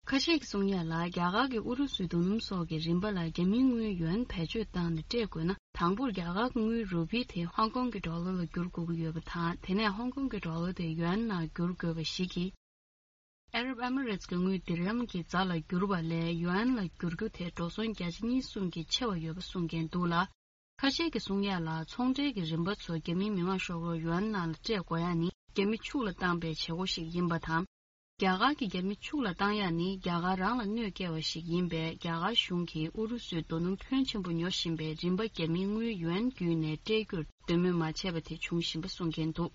ཁ་ཤས་ཀྱིས་གསུང་ཡ་ལ། རྒྱ་གར་གྱིས་ཨུ་རུ་སུའི་རྡོ་སྣུམ་སོགས་ཀྱི་རིན་པ་ལ་རྒྱ་མིའི་དངུལ་ཡུའན་བེད་སྤྱོད་བཏང་ནས་སྤྲད་དགོས་ན། དང་པོར་རྒྱ་གར་གྱི་དངུལ་རུ་པི་དེ་ཧོང་ཀོང་གི་ཌོ་ལར་ལ་བསྒྱུར་དགོས་ཀྱི་ཡོད་པ་དང་། དེ་ནས་ཧོང་ཀོང་གི་ཌོ་ལར་དེ་ཡུའན་ནང་བསྒྱུར་དགོས་པ་ཞིག་གིས། ཨ་རབ་ཨེ་མི་རེ་ཊི་ཀྱི་དངུལ་དིར་ཧམ་གྱི་རྫ་ལ་བསྒྱུར་བ་ལས་ཡུའན་ལ་བསྒྱུར་རྒྱུ་དེ་འགྲོ་སོང་བརྒྱ་ཆ་གཉིས་གསུམ་གྱིས་ཆེ་བ་ཡོད་པ་གསུང་མཁན་འདུག་ལ། ཁ་ཤས་ཀྱིས་གསུང་ཡ་ལ། ཚོང་འབྲེལ་གྱི་རིན་པ་ཚོ་རྒྱ་མིའི་མི་དམངས་ཤོག་ལོར་ཡུའན་ནང་ལ་སྤྲད་དགོས་ཡ་ནི་རྒྱ་མི་ཕྱུག་ལ་བཏང་པའི་བྱེད་སྒོ་ཞིག་ཡིན་པ་དང་། རྒྱ་གར་གྱིས་རྒྱ་མི་ཕྱུག་ལ་བཏང་ཡ་ནི་རྒྱ་གར་རང་ལ་གནོད་སྐྱེལ་བ་ཞིག་ཡིན་པས། རྒྱ་གར་གཞུང་གིས་ཨུ་རུ་སུའི་རྡོ་སྣུམ་ཕོན་ཆེན་པོ་ཉོ་བཞིན་པའི་རིན་པ་རྒྱ་མིའི་དངུལ་ཡུའན་བརྒྱུད་ནས་སྤྲད་རྒྱུར་འདོད་མོས་མ་བྱས་པ་དེ་འབྱུང་བཞིན་པ་གསུང་མཁན་འདུག་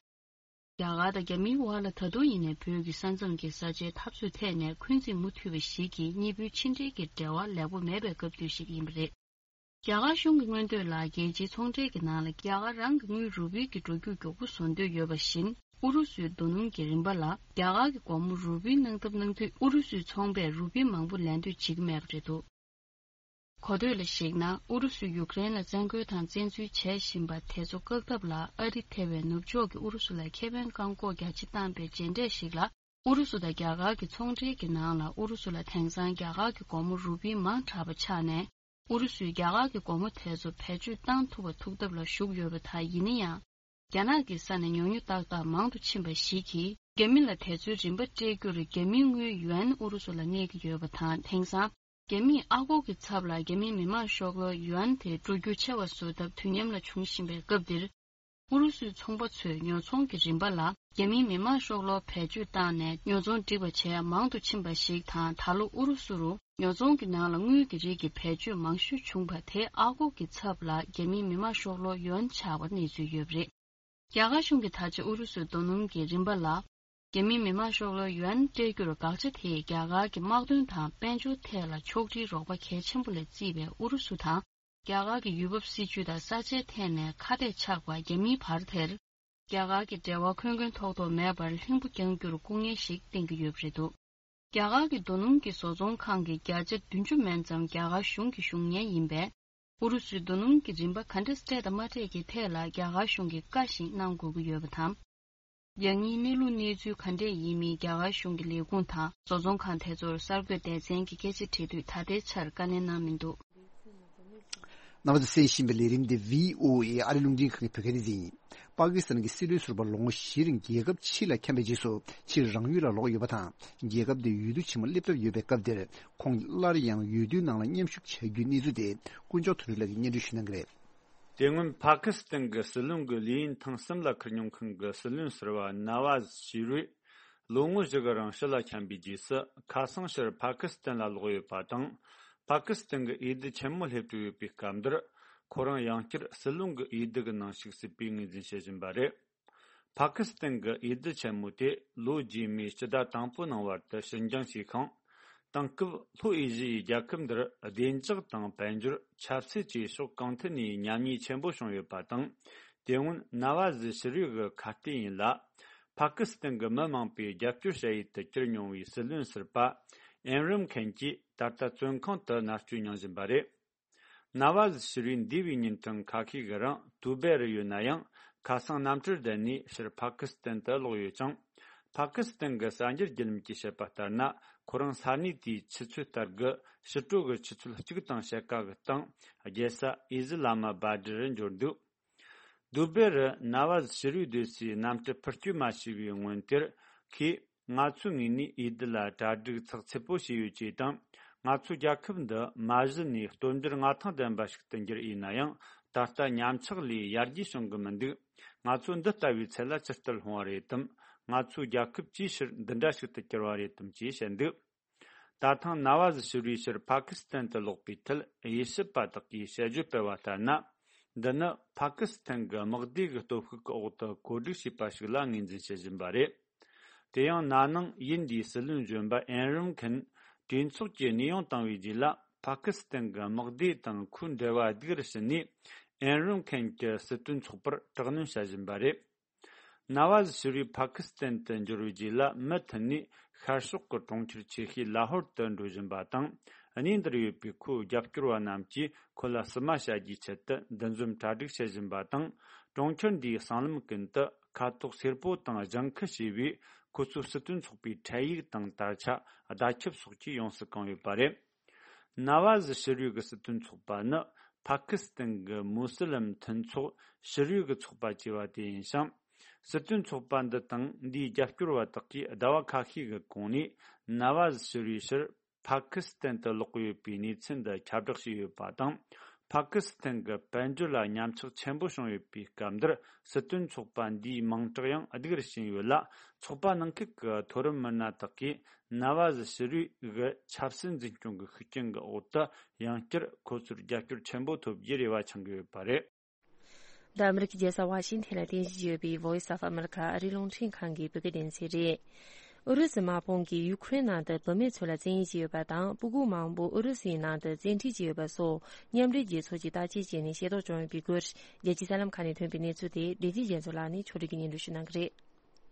རྒྱ་གར་དང་རྒྱ་མིའི་བར་ལ་ད་དུང་ཡིན་ནའི་བོད་ཀྱི་ས་མཚམས་ཀྱི་ས་ཆའི་འཐབ་རྩོད་ཐད་ནས་འཁོན་འཛིན་མུ་མཐུད་པ་ཞིག་གིས་གཉིས་པོའི་ཕྱི་འབྲེལ་གྱི་འབྲེལ་བ་ལེགས་པོ་མེད་པའི་སྐབས་དུས་ཤིག་ཡིན་པ་རེད། རྒྱ་གར་གཞུང་གི་མངོན་འདོད་ལ། རྒྱལ་སྤྱིའི་ཚོང་འབྲེལ་གྱི་ནང་ལ་རྒྱ་གར་རང་གི་དངུལ་རུ་པི་གི་འགྲོ་རྒྱུག་མགྱོགས་པོ་བཟོ་འདོད་ཡོད་པ་བཞིན། ཨུ་རུ་སུའི་རྡོ་སྣུམ་གྱི་རིན་པ་ལ་རྒྱ་གར་གྱི་སྒོར་མོ་རུ་པི་གནང་ཐབས་གནང་དུས། ཨུ་རུ་སུའི་ཚོང་པས་རུ་པི་མང་པོ་ལེན་འདོད་བྱེད་ཀྱི་མེད་པ་རེད་འདུག་གོ་ཐོས་ལ་གཞིགས་ན། ཨུ་རུ་སུས་ཡུཀ་རེན་ལ་བཙན་རྒོལ་དང་བཙན་འཛུལ་བྱས་བཞིན་པ་དེ་ཚོ་བཀག་ཐབས་ལ། ཨ་རི་ཐེ་བའི་ནུབ་ཕྱོགས་ཀྱིས་ཨུ་རུ་སུ་ལ་ཁེ་ཕན་བཀག་འགོག་རྒྱ་ཆེ་བཏང་པའི་རྗེས་འབྲས་ཤིག་ལ། ཨུ་རུ་སུ་དང་རྒྱ་གར་གྱི་ཚོང་འབྲེལ་གྱི་ནང་ལ། ཨུ་རུ་སུ་ལ་དེང་སང་རྒྱ་གར་གྱི་སྒོར་མོ་རུ་པི་མང་དྲགས་པ་ཆགས་ནས། ཨུ་རུ་སུས་རྒྱ་གར་གྱི་སྒོར་མོ་དེ་ཚོ་བེད་སྤྱོད་བཏང་ཐུབ་པ་ཐུག་ཐབས་ལ་ཞུགས་ཡོད་པ་དང་། ཡིན་ན་ཡང་། རྒྱ་ནག་གི་ས་ནས་ཉོ་ཉོ་ཏག་ཏག་མང་དུ་ཕྱིན་པ་ཞིག་གིས། རྒྱ་མི་ལ་དེ་ཚོའི་རིན་པ་སྤྲད་རྒྱུར་རྒྱ་མིའི་དངུལ་ཡུའན་ཨུ་རུ་སུ་ལ་གནས་ཀྱི་ཡོད་པ་དང་། དེང་སང་རྒྱ་མིས་ཨ་སྒོར་གྱི་ཚབ་ལ་རྒྱ་མིའི་མི་དམངས་ཤོག་ལོར་ཡུའན་དེ་འགྲོ་རྒྱུག་ཆེ་བ་བཟོ་ཐབས་དུས་མཉམ་ལ་འབྱུང་བཞིན་པའི་སྐབས་འདིར། ཨུ་རུ་སུའི་ཚོང་པ་ཚོས་ཉོ་ཚོང་གི་རིན་པ་ལ་རྒྱ་མིའི་མི་དམངས་ཤོག་ལོར་བེད་སྤྱོད་བཏང་ནས་ཉོ་ཚོང་སྒྲིག་པ་བྱས་མང་དུ་ཕྱིན་པ་ཞིག་དང་། ད་ལོ་ཨུ་རུ་སུ་རུ་ཉོ་ཚོང་གི་ནང་ལ་དངུལ་གྱི་རིགས་ཀྱི་བེད་སྤྱོད་མང་ཤོས་བྱུང་བ་དེ་ཨ་སྒོར་གྱི་ཚབ་ལ་རྒྱ་མིའི་མི་དམངས་ཤོག་ལོར་ཡོན་ཆགས་པ་གནས་ཚུལ་ཡོད་པ་རེད། རྒྱ་གར་གཞུང་གིས་ད་ཆ་ཨུ་རུ་སུའི་རྡོ་སྣུམ་གྱི་རིན་པ་ལ་རྒྱ་མིའི་མི་དམངས་ཤོག་ལོར་ཡོན་སྤྲད་རྒྱུར་དགག་བྱ་དེས་རྒྱ་གར་གྱི་དམག་དོན་དང་དཔལ་འབྱོར་ཐད་ལ་ཕྱོགས་སྒྲིག་རོགས་པ་གལ་ཆེན་པོ་ལས་བརྩིས་པའི་ཨུ་རུ་སུ་དང་། རྒྱ་གར་གྱི་ཡུལ་བབ་སྲིད་ཇུས་དང་ས་ཆའི་ཐད་ནས་ཁ་གཏད་ཆགས་པ་རྒྱ་མིའི་བར་དེར། རྒྱ་གར་གྱི་འབྲེལ་བ་འཁོན་འཁོན་ཐོག་ཐོག་མེད་པར་ལྷིང་པོ་བསྐྱང་རྒྱུར་སྐུ་ངལ་ཞིག་བསྟན་གྱི་ཡོད་པ་རེད་འདུག་རྒྱ་གར་གྱི་རྡོ་སྣུམ་གྱི་བཟོ་ཚོང་ཁང་གི་བརྒྱ་ཆ་བདུན་ཅུ་མན་ཙམ་རྒྱ་གར་གཞུང་གི་བཞུགས་གཉེར་ཡིན་པས། ཨུ་རུ་སུའི་རྡོ་སྣུམ་གྱི་རིན་པ་ག་འདྲ་སྤྲད་དང་མ་སྤྲད་ཀྱི་ཐད་ལ་རྒྱ་གར་གཞུང་གིས་བཀའ་ཞིག་གནང་དགོས་ཀྱི་ཡོད་པ་དང་། རྒྱ་དངུལ་གནས་ལུགས་གནས་ཚུལ་ག་འདྲས་ཡིན་མིན་རྒྱ་གར་གཞུང་གི་ལས་ཁུངས་དང་བཟོ་ཚོང་ཁང་དེ་ཚོར་གསར་འགོད་སྡེ་ཚན་གྱིས་སྐད་ཆ་དྲིས་དུས་ད་ལྟའི་ཆར་བཀའ་ལན་གནང་མི་འདུག་རྣམ་པ་ཚོས་གསན་བཞིན་པའི་ལས་རིམ་འདི་བྷི་ཨོ་ཨེ་ཨ་རི་རླུང་འཕྲིན་ཁང་གི་བོད་སྐད་སྡེ་ཚན་ཡིན། པ་ཀི་སི་ཐན་གྱི་སྲིད་བློན་ཟུར་པ་ལོ་ངོ་བཞིའི་རིང་རྒྱལ་ཁབ་ཕྱི་ལ་འཁྱམས་པའི་རྗེས་སུ་ཕྱིར་རང་ཡུལ་ལ་ལོག་ཡོད་པ་དང་། རྒྱལ་ཁབ་འདིར་འོས་བསྡུ་ཆེན་མོ་སླེབས་གྲབས་ཡོད་པའི་སྐབས་འདིར། ཁོང་གིས་སླར་ཡང་འོས་བསྡུའི་ནང་ལ་མཉམ་ཞུགས་བྱ་རྒྱུའི་གནས་ཚུལ་དེ་དཀོན་མཆོག་དོན་གྲུབ་ལགས་ཀྱིས་སྙན་སྒྲོན་ཞུ་གནང་གི་རེད། དེ་སྔོན་ཕ་ཁི་སི་ཐན་གྱི་སྲིད་བློན་གྱི་ལས་ཡུན་ཐེངས་གསུམ་ལ་ཁུར་མྱོང་མཁན་གྱི་སྲིད་བློན་ཟུར་པ་ན་ཝཱ་ཟི་ཤི་རུས་ལོ་ངོ་བཞི་གི་རིང་ཕྱི་ལ་འཁྱམས་པའི་རྗེས་སུ་ཁ་སང་ཕྱིར་ཕ་ཁི་སི་ཐན་ལ་ལོག་ཡོད་པ་དང་། ཕ་ཁི་སི་ཐན་གྱི་འོས་བསྡུ་ཆེན་མོ་སླེབས་གྲབས་ཡོད་པའི་སྐབས་འདིར། ཁོ་རང་ཡང་བསྐྱར་སྲིད་བློན་གྱི་འོས་བསྡུ་གི་ནང་ཞུགས་སྲིད་པའི་ངོས་འཛིན་བྱེད་བཞིན་པ་རེད། ཕ་ཁི་སི་ཐན་གྱི་འོས་བསྡུ་ཆེན་མོ་དེ་ལོ་རྗེས་མའི་སྤྱི་ཟླ་དང་པོའི་ནང་བར་དུ་ཕྱིར་འགྱངས་བྱས་ཤིང་། དེང་སྐབས་ལྷོ་ཨེ་ཤི་ཡའི་རྒྱལ་ཁབ་འདིར་བདེ་འཇགས་དང་དཔལ་འབྱོར། ཆབ་སྲིད་བཅས་ཕྱོགས་གང་ཐད་ནས་ཉམས་ཉེས་ཆེན་པོ་བྱུང་ཡོད་པ་དང་། དེ་སྔོན་ན་ཝཱ་ཟི་ཤི་རུས་ཀྱི་ཁ་གཏད་ཡིན་ལ། ཕ་ཁི་སི་ཐན་གྱི་མི་མང་པོས་རྒྱབ་སྐྱོར་བྱ་ཡུལ་དུ་གྱུར་མྱོང་བའི་སྲིད་བློན་ཟུར་པ་ཨིམ་རན་ཁན་གྱིས་ད་ལྟ་བཙོན་ཁང་དུ་མནར་གཅོད་མྱོང་བཞིན་པ་རེད། ན་ཝཱ་ཟི་ཤི་རུས་འདས་པའི་ཉིན་ཐེངས་ཁ་ཤས་ཀྱི་རིང་ཏུ་བེ་རུ་ཡོད་ན་ཡང་། ཁ་སང་གནམ་གྲུར་བསྡད་ནས་ཕྱིར་ཕ་ཁི་སི་ཐན་དུ་ལོག་ཡོད་ཅིང་། ཕ་ཁི་སི་ཐན་གྱི་གསར་འགྱུར་བརྒྱུད་ལམ་གྱིས་བཤད་པ་ལྟར་ན། ཁོ་རང་ས་གནས་དེའི་ཆུ་ཚོད་ལྟར་གྱི་ཕྱི་དྲོ་གི་ཆུ་ཚོད་གཅིག་དང་ཕྱེད་ཀ་གི་སྟེང་རྒྱལ་ས་ཨི་སི་ལ་མ་བྷ་དི་རུ་འབྱོར་འདུག་ཏུ་བེ་རུ་ན་ཝཱ་ཟི་ཤི་རུས་སྡོད་སའི་གནམ་གྲུ་འཕུར་སྐྱོད་མ་བྱས་པའི་སྔོན་དེར། ཁོས། ང་ཚོའི་ངོས་ནས་འོས་བསྡུ་ལ་གྲ་སྒྲིག་ཚགས་ཚུད་པོ་བྱས་ཡོད་ཅེས་དང་། ང་ཚོའི་རྒྱལ་ཁབ་འདི་མ་གཞི་ནས་སྟོབས་འབྱོར་མངའ་ཐང་ལྡན་པ་ཞིག་ཏུ་འགྱུར་ཡིན་ན་ཡང་། ད་ལྟ་ཉམས་ཆག་ལས་ཡར་རྒྱས་བྱུང་གི་མི་འདུག་ང་ཚོ་འདི་ལྟ་བུའི་ཚད་ལ་ཇི་ལྟར་ལྷུང་བ་རེད་དམ། ང་ཚོའི་རྒྱལ་ཁབ་ཅིའི་ཕྱིར་འདི་འདྲ་ཞིག་ཏུ་གྱུར་བ་རེད་དམ་ཅེས་བཤད་འདུག་ད་ཐེངས་ན་ཝཱ་ཟི་ཤི་རུས་ཕྱིར་ཕ་ཁི་སི་ཐན་དུ་ལོག་པའི་ཐད། དབྱེ་ཞིབ་པ་དག་གིས་དཔྱད་བརྗོད་སྤེལ་བ་ལྟར་ན། འདི་ནི་ཕ་ཁི་སི་ཐན་གྱི་དམག་སྡེ་གི་སྟོབས་ཤུགས་ཀྱི་འོག་ཏུ་བཀོད་སྒྲིག་བྱས་པ་ཞིག་ལ་ངོས་འཛིན་བྱེད་བཞིན་པ་རེད། དེ་ཡང་ན་ནིང་དབྱིན་ཇིའི་སྲིད་བློན་གཞོན་པ་ཨིམ་རན་ཁན་གྲོས་ཚོགས་ཀྱི་གནས་དབྱུང་བཏང་བའི་རྗེས་ལ། ཕ་ཁི་སི་ཐན་གྱི་དམག་སྡེ་དང་ཁོའི་འབྲེལ་བ་སྡུག་རུ་ཕྱིན་ནས། ཨིམ་རན་ཁན་གྱི་སྲིད་དོན་ཚོགས་པར་དྲག་གནོན་བྱ་བཞིན་པ་རེད། ན་ཝཱ་ཟི་ཤི་རུས་ཕ་ཁི་སི་ཐན་དུ་འབྱོར་བའི་རྗེས་ལ། མུ་མཐུད་ནས་ཤར་ཕྱོགས་ཀྱི་གྲོང་ཁྱེར་ཆེ་ཤོས་ལ་ཧོར་དུ་འགྲོ་བཞིན་པ་དང་། གནས་འདིར་ཡོད་པའི་ཁོའི་རྒྱབ་སྐྱོར་བ་རྣམས་ཀྱིས་ཁོ་ལ་བསུ་མ་བྱ་རྒྱུའི་ཆེད་དུ་འདུ་འཛོམས་གྲ་སྒྲིག་བྱེད་བཞིན་པ་དང་། གྲོང་ཁྱེར་འདིའི་སྲང་ལམ་ཀུན་ཏུ་ཁ་དོག་སེར་པོ་དང་ལྗང་ཁུ་ཞེས་པའི་ཁོ་ཚོའི་སྲིད་དོན་ཚོགས་པའི་འཕྲེད་ཡིག་དང་དར་ཆ། བརྡ་ཁྱབ་སོགས་ཀྱིས་ཡོངས་སུ་གང་ཡོད་པ་རེད། ན་ཝཱ་ཟི་ཤི་རུས་ཀྱི་སྲིད་དོན་ཚོགས་པ་ནི། ཕ་ཁི་སི་ཐན་གྱི་མུ་སི་ལིམ་མཐུན་ཚོགས་ཤི་རུས་ཀྱི་ཚོགས་པ་ཅེས་པ་དེ་ཡིན་ཞིང་། སྲིད་དོན་ཚོགས་པ་འདི་དང་འདིའི་རྒྱབ་སྐྱོར་བ་དག་གིས་ཟླ་བ་ཁ་ཤས་ཀྱི་གོང་ནས། ན་ཝཱ་ཟི་ཤི་རུས་ཕྱིར་ཕ་ཁི་སི་ཐན་དུ་ལོག་གི་ཡོད་པའི་གནས་ཚུལ་འདི་ཁྱབ་བསྒྲགས་བྱས་ཡོད་པ་དང་། ཕ་ཁི་སི་ཐན་གྱི་དཔལ་འབྱོར་ལ་ཉམས་ཆག་ཆེན་པོ་བྱུང་ཡོད་པའི་སྐབས་འདིར། སྲིད་དོན་ཚོགས་པ་འདིའི་མིང་གྲགས་ཡང་སྡུག་རུ་ཕྱིན་ཡོད་ལ། ཚོགས་པ་ནང་ཁུལ་གྱི་མཐོ་རིམ་མི་སྣ་དག་གིས། ན་ཝཱ་ཟི་ཤི་རུས་ཀྱི་ཆབ་སྲིད་འཛིན་སྐྱོང་གི་ཤུགས་རྐྱེན་གྱི་འོག་ཏུ། ཡང་བསྐྱར་ཁོ་ཚོར་རྒྱབ་སྐྱོར་ཆེན་པོ་ཐོབ་རྒྱུའི་རེ་བ་འཆང་གི་ཡོད་པ་རེད། འདི་ཨ་མི་རི་ཀའི་རྒྱལ་ས་ཝ་ཤིང་ཐན་ལ་རྟེན་གཞི་ཡོད་པའི་Voice of America ཨ་རིའི་རླུང་འཕྲིན་ཁང་གི་བོད་སྐད་སྡེ་ཚན་རེད། ཨུ་རུ་སུའི་དམག་དཔུང་གིས་ཡུ་ཁུ་རེན་ནང་དུ་བུད་མེད་ཚོ་ལ་བཙན་གཡེམ་བྱས་ཡོད་པ་དང་། སྤུ་གུ་མང་པོ་ཨུ་རུ་སུའི་ནང་དུ་བཙན་ཁྲིད་བྱས་ཡོད་པ་སོགས། མཉམ་འབྲེལ་རྒྱལ་ཚོགས་ཀྱིས་བརྟག་དཔྱད་བྱས་ནས་ཤེས་རྟོགས་བྱུང་ཡོད་པའི་སྐོར། རྒྱལ་སྤྱིའི་གསར་ལམ་ཁག་ནས་ཐོན་པའི་གནས་ཚུལ་དེ། བདེ་སྐྱིད་རྒྱ་མཚོ་ལགས་ནས་ཕྱོགས་སྒྲིག་གིས་སྙན་སྒྲོན་ཞུ་གནང་གི་རེད།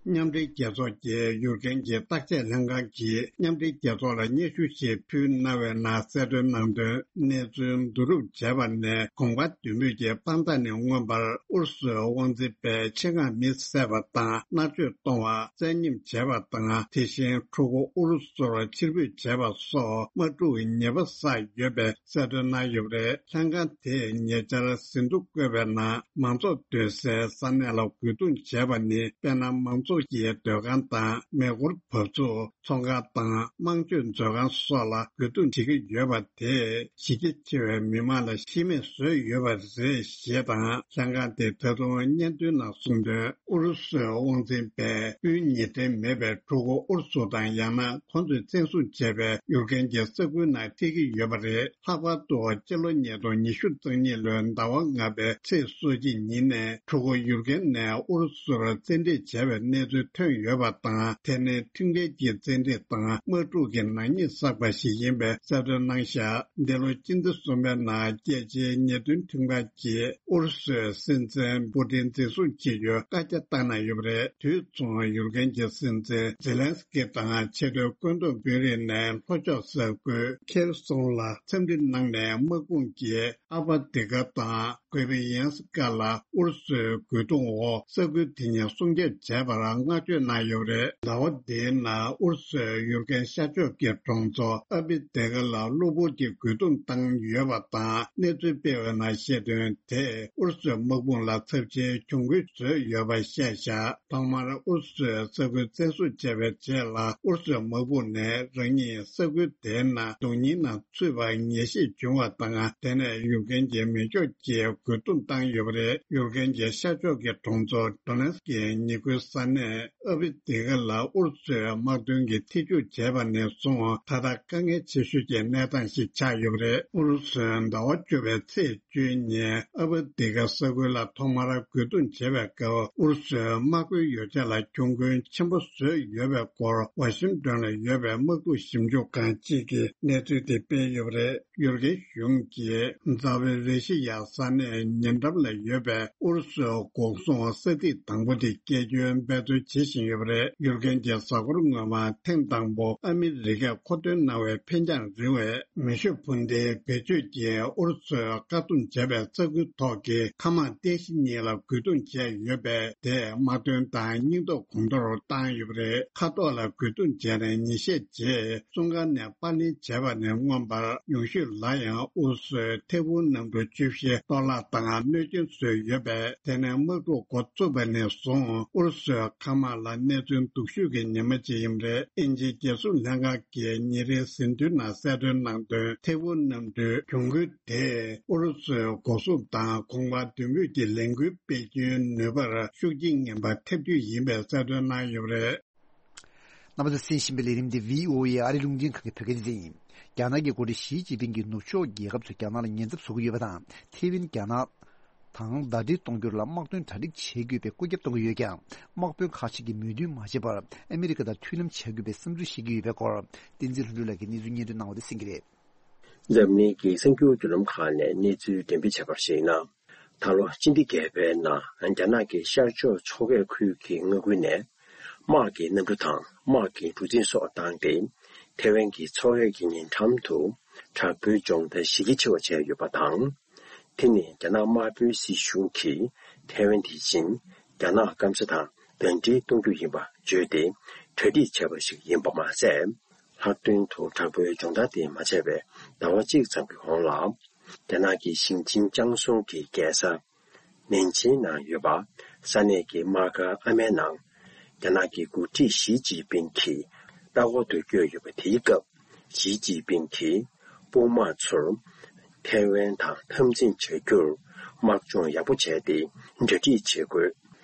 མཉམ་འབྲེལ་རྒྱལ་ཚོགས་ཀྱི་ཡུ་ཀེན་གྱི་བརྟག་དཔྱད་ལྷན་ཁང་གིས་མཉམ་འབྲེལ་རྒྱལ་ཚོགས་ལ་སྙན་ཞུ་ཞིག་ཕུལ་གནང་བའི་ནང་གསལ་སྟོན་གནང་དོན། གནས་ཚུལ་བསྡུ་རུབ་བྱས་པ་ནས། གོམ་ཁ་བསྡུས་མོལ་གྱི་དཔང་རྟགས་ནས། མངོན་པར་ཨུ་རུ་སུའི་དབང་འཛིན་པས་ཆེད་མངགས་མི་བསད་པ་དང་། མནར་གཅོད་གཏོང་བ། བཙན་ཉམས་བྱས་པ་དང་། དེ་བཞིན་ཕྲུ་གུ་ཨུ་རུ་སུར་ཕྱིར་འབུད་བྱས་པ་སོགས་དམག་འཁྲུག་གི་ཉེས་པ་བསགས་ཡོད་པའི་གསལ་སྟོན་གནང་ཡོད་པ་རེད། ལྷན་ཁང་དེས་ཉེ་ཆར་ཟིན་ཐོ་བཀོད་པའི་ནང་། མང་ཚོགས་སྡོད་སའི་ས་གནས་ལ་རྒོལ་རྡུང་བྱས་པ་ནི། དཔེར་ན། མང་ཚོགས་ ཚོགས་ཀྱི་སྡོད་ཁང་དང་མེ་འཁོར་བབས་ཚུགས། ཚོང་ཁང་དང་དམངས་སྤྱོད་མཛོད་ཁང་སོགས་ལ་རྒོལ་རྡུང་བྱེད་ཀྱི་ཡོད་པ་དེས་གཞི་རྒྱ་ཆེ་བའི་མི་མང་ལ་ཤི་རྨས་བཟོས་ཡོད་པ་རེད་ཞེས་དང་། ལྷན་ཁང་དེས་ད་དུང་སྙན་ཐོའི་ནང་གསུངས་དོན། ཨུ་རུ་སུའི་དབང་འཛིན་པས་དབུས་ཉེ་འབྲེལ་མེད་པའི་ཕྲུ་གུ་ཨུ་རུ་སུ་དང་ཡང་ན་ཁོང་ཚོས་བཙན་བཟུང་བྱས་པའི་ཡུར་ཀན་གྱི་ས་ཁུལ་ནང་སྤྲད་ཀྱི་ཡོད་པ་རེད། ལྷག་པར་དུ་སྤྱི་ལོ་ཉིས་སྟོང་ཉི་ཤུ་རྩ་གཉིས་ལོའི་ཟླ་བ་ལྔ་པའི་ཚེས་སོ་གཅིག་ཉིན་ནས་ཕྲུ་གུ་ཡུར་ཀན་ནས་ཨུ་རུ་སུར་བཙན་ཁྲིད་བྱས་པའི་གནས་ཚུལ་ཐོན་ཡོད་པ་དང་། དེ་ནི་ཁྲིམས་འགལ་གྱི་བཙན་ཁྲིད་དང་དམག་འཁྲུག་གི་ནག་ཉེས་བསགས་པ་ཞིག་ཡིན་པའི་གསལ་སྟོན་གནང་བཞག་འདི་ལོ་སྤྱི་ཟླ་གསུམ་པའི་ནང་རྒྱལ་སྤྱིའི་ཉེས་དོན་ཁྲིམས་ཁང་གིས་ཨུ་རུ་སུའི་སྲིད་འཛིན་པུ་ཏིན་འཛིན་བཟུང་བྱེད་རྒྱུའི་བཀའ་རྒྱ་བཏང་གནང་ཡོད་པ་རེད། དུས་མཚུངས་ཡུར་ཀན་གྱི་སྲིད་འཛིན་ཛེ་ལན་སི་ཀི་དང་ཆེས་མཐོའི་བཀོད་འདོམས་དཔོན་རིགས་ནས་ལྷོ་ཕྱོགས་ས་ཁུལ་ཁེར་སོང་ལ་འཚམས་འདྲི་གནང་ནས། དམག་དཔུང་གིས་ཨ་བ་དི་ཀ་དང་གོ་པི་ཡན་སི་ཀ་ལ་ཨུ་རུ་སུའི་རྒོལ་རྡུང་འོག་ས་ཁུལ་དེ་གཉིས་སྲུང་སྐྱོབ་བྱས་པར་བསྔགས་བརྗོད་གནང་ཡོད་པ་རེད། ཟླ་བ་འདིའི་ནང་ཨུ་རུ་སུས་ཡུར་ཀན་ཤར་ཕྱོགས་ཀྱི་གྲོང་ཚོ་ཨ་བི་དི་ཀ་ལ་གློ་བུར་གྱི་རྒོལ་རྡུང་བཏང་ཡོད་པ་དང་། གནས་ཚུལ་སྤེལ་བའི་ནང་བཤད་དོན། དེས་ཨུ་རུ་སུའི་དམག་དཔུང་ལ་ཚབས་ཆེའི་གྱོང་གུན་བཟོས་ཡོད་པ་བཤད་བཞག་ཐོག་མར་ཨུ་རུ་སུས་ས་ཁུལ་བཙན་བཟུང་བྱས་པའི་རྗེས་ལ། ཨུ་རུ་སུའི་དམག་དཔུང་ནས་རང་ཉིད་ས་ཁུལ་དེའི་ནང་རྡུང་རྙིང་ནང་ཚུད་པར་ངེས་ཤེས་བྱུང་བ་དང་། དེ་ནས་ཡུར་ཀན་གྱི་མེ་སྒྱོགས་ཀྱིས་རྒོལ་རྡུང་བཏང་ཡོད་པ་རེད། ཡུར་ཀན་གྱི་ཤར་ཕྱོགས་ཀྱི་གྲོང་ཚོ་ཌོ་ནེ་སི་ཀི་ཉེ་ཁུལ་ས་གནས་ཨ་བི་དི་ཀ་ལ་ཨུ་རུ་སུའི་དམག་དོན་གྱིས་ཐེ་ཇུས་བྱས་པ་ནས་བཟུང་། ད་ལྟ་དཀའ་ངལ་ཆེ་ཤོས་ཀྱི་གནས་སྟངས་ཤིག་ཆགས་ཡོད་པ་རེད། ཨུ་རུ་སུས་ཟླ་བ་བཅུ་པའི་ཚེས་བཅུའི་ཉིན་ཨ་བ་དི་ཀ་ས་ཁུལ་ལ་ཐོག་མར་རྒོལ་རྡུང་བྱས་པའི་སྐབས། ཨུ་རུ་སུའི་དམག་དཔོན་ཡོ་ཆས་ལ་གྱོང་གུན་ཆེན་པོ་བཟོས་ཡོད་པའི་སྐོར་ཝ་ཤིང་ཏོན་ལ་ཡོད་པའི་དམག་འཁྲུག་ཞིབ་འཇུག་ཁང་གཅིག་གིས་གནས་ཚུལ་དེ་སྤེལ་ཡོད་པ་རེད། ཡུར་ཀན་གཞུང་གིས་ཛ་པོ་རི་ཞི་ཡ་ས་གནས་ཉེ་འགྲམ་ལ་ཡོད་པའི་ཨུ་རུ་སུའི་འགོག་སྲུང་ས་ཐིག་དང་པོ་དེ་བསྐྱར་བཅོས་འབད་རྩོལ་བྱེད་བཞིན་ཡོད་པ་རེད། ཡུར་ཀན་གྱི་གཟའ་འཁོར་སྔོན་མ་ཐེངས་དང་པོ་ཨ་མི་རི་ཀས་མཁོ་འདོན་གནང་བའི་འཕེན་རྒྱང་རིང་བའི་མེ་ཤུགས་འཕུར་མདེལ་བེད་སྤྱོད་ཀྱིས་ཨུ་རུ་སུས་བཀག་སྡོམ་བྱས་པའི་ས་ཁུལ་ཐོག་གི་མཁའ་དམག་རྟེན་གཞི་གཉིས་ལ་རྒོལ་རྡུང་བྱས་ཡོད་པས། དེས་དམག་དོན་དང་སྙིང་སྟོབས་གོང་མཐོར་བཏང་ཡོད་པ་རེད། མཁའ་ཐོག་ལ་རྒོལ་རྡུང་བྱས་ནས་ཉིན་ཤས་རྗེས་བཙོན་ཁང་ནས་པར་ལེན་བྱས་པ་ནས་མངོན་པར་ཉུང་ཤོས་ལ་ཡང་ཨུ་རུ་སུས་ཐེར་འབུམ་གནམ་གྲུ་བཅུ་བཞི་གཏོར་བརླག་དང་གནོད་སྐྱོན་བཟོས་ཡོད་པས། དེ་ནས་དམག་འཁྲུག་འགོ་བཙུགས་པ་ནས་བཟུང་ཨུ་རུ་སུས་མཁའ་དམག་ལ་གནས་ཚུལ་སྡུག་ཤོས་ཀྱི་ཉི་མ་གཅིག་ཡིན་པ་རེད། དབྱིན་ཇིའི་རྒྱལ་སྲུང་ལྷན་ཁང་གིས་ཉིན་རེའི་ཟིན་ཐོའི་ནང་གསལ་སྟོན་གནང་དོན། ཐེར་འབུམ་གནམ་གྲུའི་གྱོང་གུན་དེས་ཨུ་རུ་སུའི་འགོག་སྲུང་དང་གོང་འཕེལ་མདུན་སྤོས་ཀྱི་ལས་འགུལ་སྤེལ་རྒྱུའི་ནུས་པར་ཤུགས་རྐྱེན་ངན་པ་ཐེབས་རྒྱུ་ཡིན་པའི་གསལ་སྟོན་གནང་ཡོད་པ་རེད། རྣམ་པ་ཚོས་གསན་བཞིན་པའི་ལས་རིམ་འདི་བྷི་ཨོ་ཨེ་ཨ་རི་རླུང་འཕྲིན་ཁང་གི་བོད་སྐད་སྡེ་ཚན་ཡིན། རྒྱ་ནག་གི་འགོ་ཁྲིད་ཞི་ཅིན་ཕིང་གིས་ནུབ་ཕྱོགས་རྒྱལ་ཁབ་ཚོས་རྒྱ་ནག་ལ་ཉེན་ཚབས་བཟོ་གི་ཡོད་པ་དང་། ཐེ་ཝན་རྒྱ་ནག་དང་ཟླ་སྒྲིལ་གཏོང་རྒྱུར་ལ་དམག་དོན་གྲ་སྒྲིག་བྱེད་དགོས་པའི་སྐུལ་ཁྱབ་གཏོང་གི་ཡོད་ཀྱང་། དམག་དཔོན་ཁག་ཅིག་གིས་མོས་མཐུན་མ་བྱས་པར་ཨ་མི་རི་ཀ་དང་མཐུན་ལམ་བྱ་དགོས་པའི་བསམ་ཚུལ་བཤད་ཀྱི་ཡོད་པའི་སྐོར། བསྟན་འཛིན་ལྷུན་གྲུབ་ལགས་ཀྱིས་གནས་ཚུལ་སྙན་སྒྲོན་གནང་བ་དེ་གསན་གྱི་རེད། འཛམ་གླིང་གི་གསར་འགྱུར་བརྒྱུད་ལམ་ཁག་ནས་གནས་ཚུལ་འགྲེམས་སྤེལ་བྱས་པར་གཞིགས་ན། ད་ལོ་སྤྱི་ཟླ་བརྒྱད་པའི་ནང་རྒྱ་ནག་གི་ཤར་ཕྱོགས་ཕྱོགས་འགག་ཁུལ་གྱི་མངའ་ཁུལ་ནས། དམག་གི་གནམ་གྲུ་དང་དམག་གི་གྲུ་གཟིངས་སོགས་བཏང་སྟེ། ཐེ་ཝན་གྱི་ཚོང་ལས་ཀྱི་ཉེ་འགྲམ་དུ་དྲག་པོའི་སྦྱོང་བརྡར་གཞི་རྒྱ་ཆེ་བ་བྱས་ཡོད་པ་དང་། དེ་ནི་རྒྱ་ནག་དམར་པོའི་སྲིད་གཞུང་གིས་ཐེ་ཝན་དེ་བཞིན་རྒྱ་ནག་སྐམ་ས་དང་ཟླ་སྒྲིལ་གཏོང་རྒྱུ་ཡིན་པ་བརྗོད་དེ་གྲ་སྒྲིག་བྱས་པ་ཞིག་ཡིན་པ་མ་ཟད། ལྷག་དོན་དུ་དྲག་པོའི་སྦྱོང་བརྡར་དེ་མ་བྱས་པའི་ཟླ་བ་གཅིག་ཙམ་གྱི་གོང་ལ། རྒྱ་ནག་གི་ཞིང་ཆེན་ཅང་སུའུ་གི་རྒྱལ་ས་ནན་ཅིང་ནང་ཡོད་པ་ས་གནས་ཀྱི་དམག་སྒར་ཨ་མའི་ནང་། རྒྱ་ནག་གི་འགོ་ཁྲིད་ཞི་ཅིན་ཕིང་གིས་ལྟ་སྐོར་དུ་བསྐྱོད་ཡོད་པ་དེའི་སྐབས། ཞི་ཅིན་ཕིང་གིས་དཔུང་དམག་ཚོར་ཐའེ་ཝན་དང་འཐབ་འཛིང་བྱ་རྒྱུར་དམག་སྦྱོང་ཡག་པོ་བྱས་ཏེ་གྲ་སྒྲིག་བྱེད་དགོས།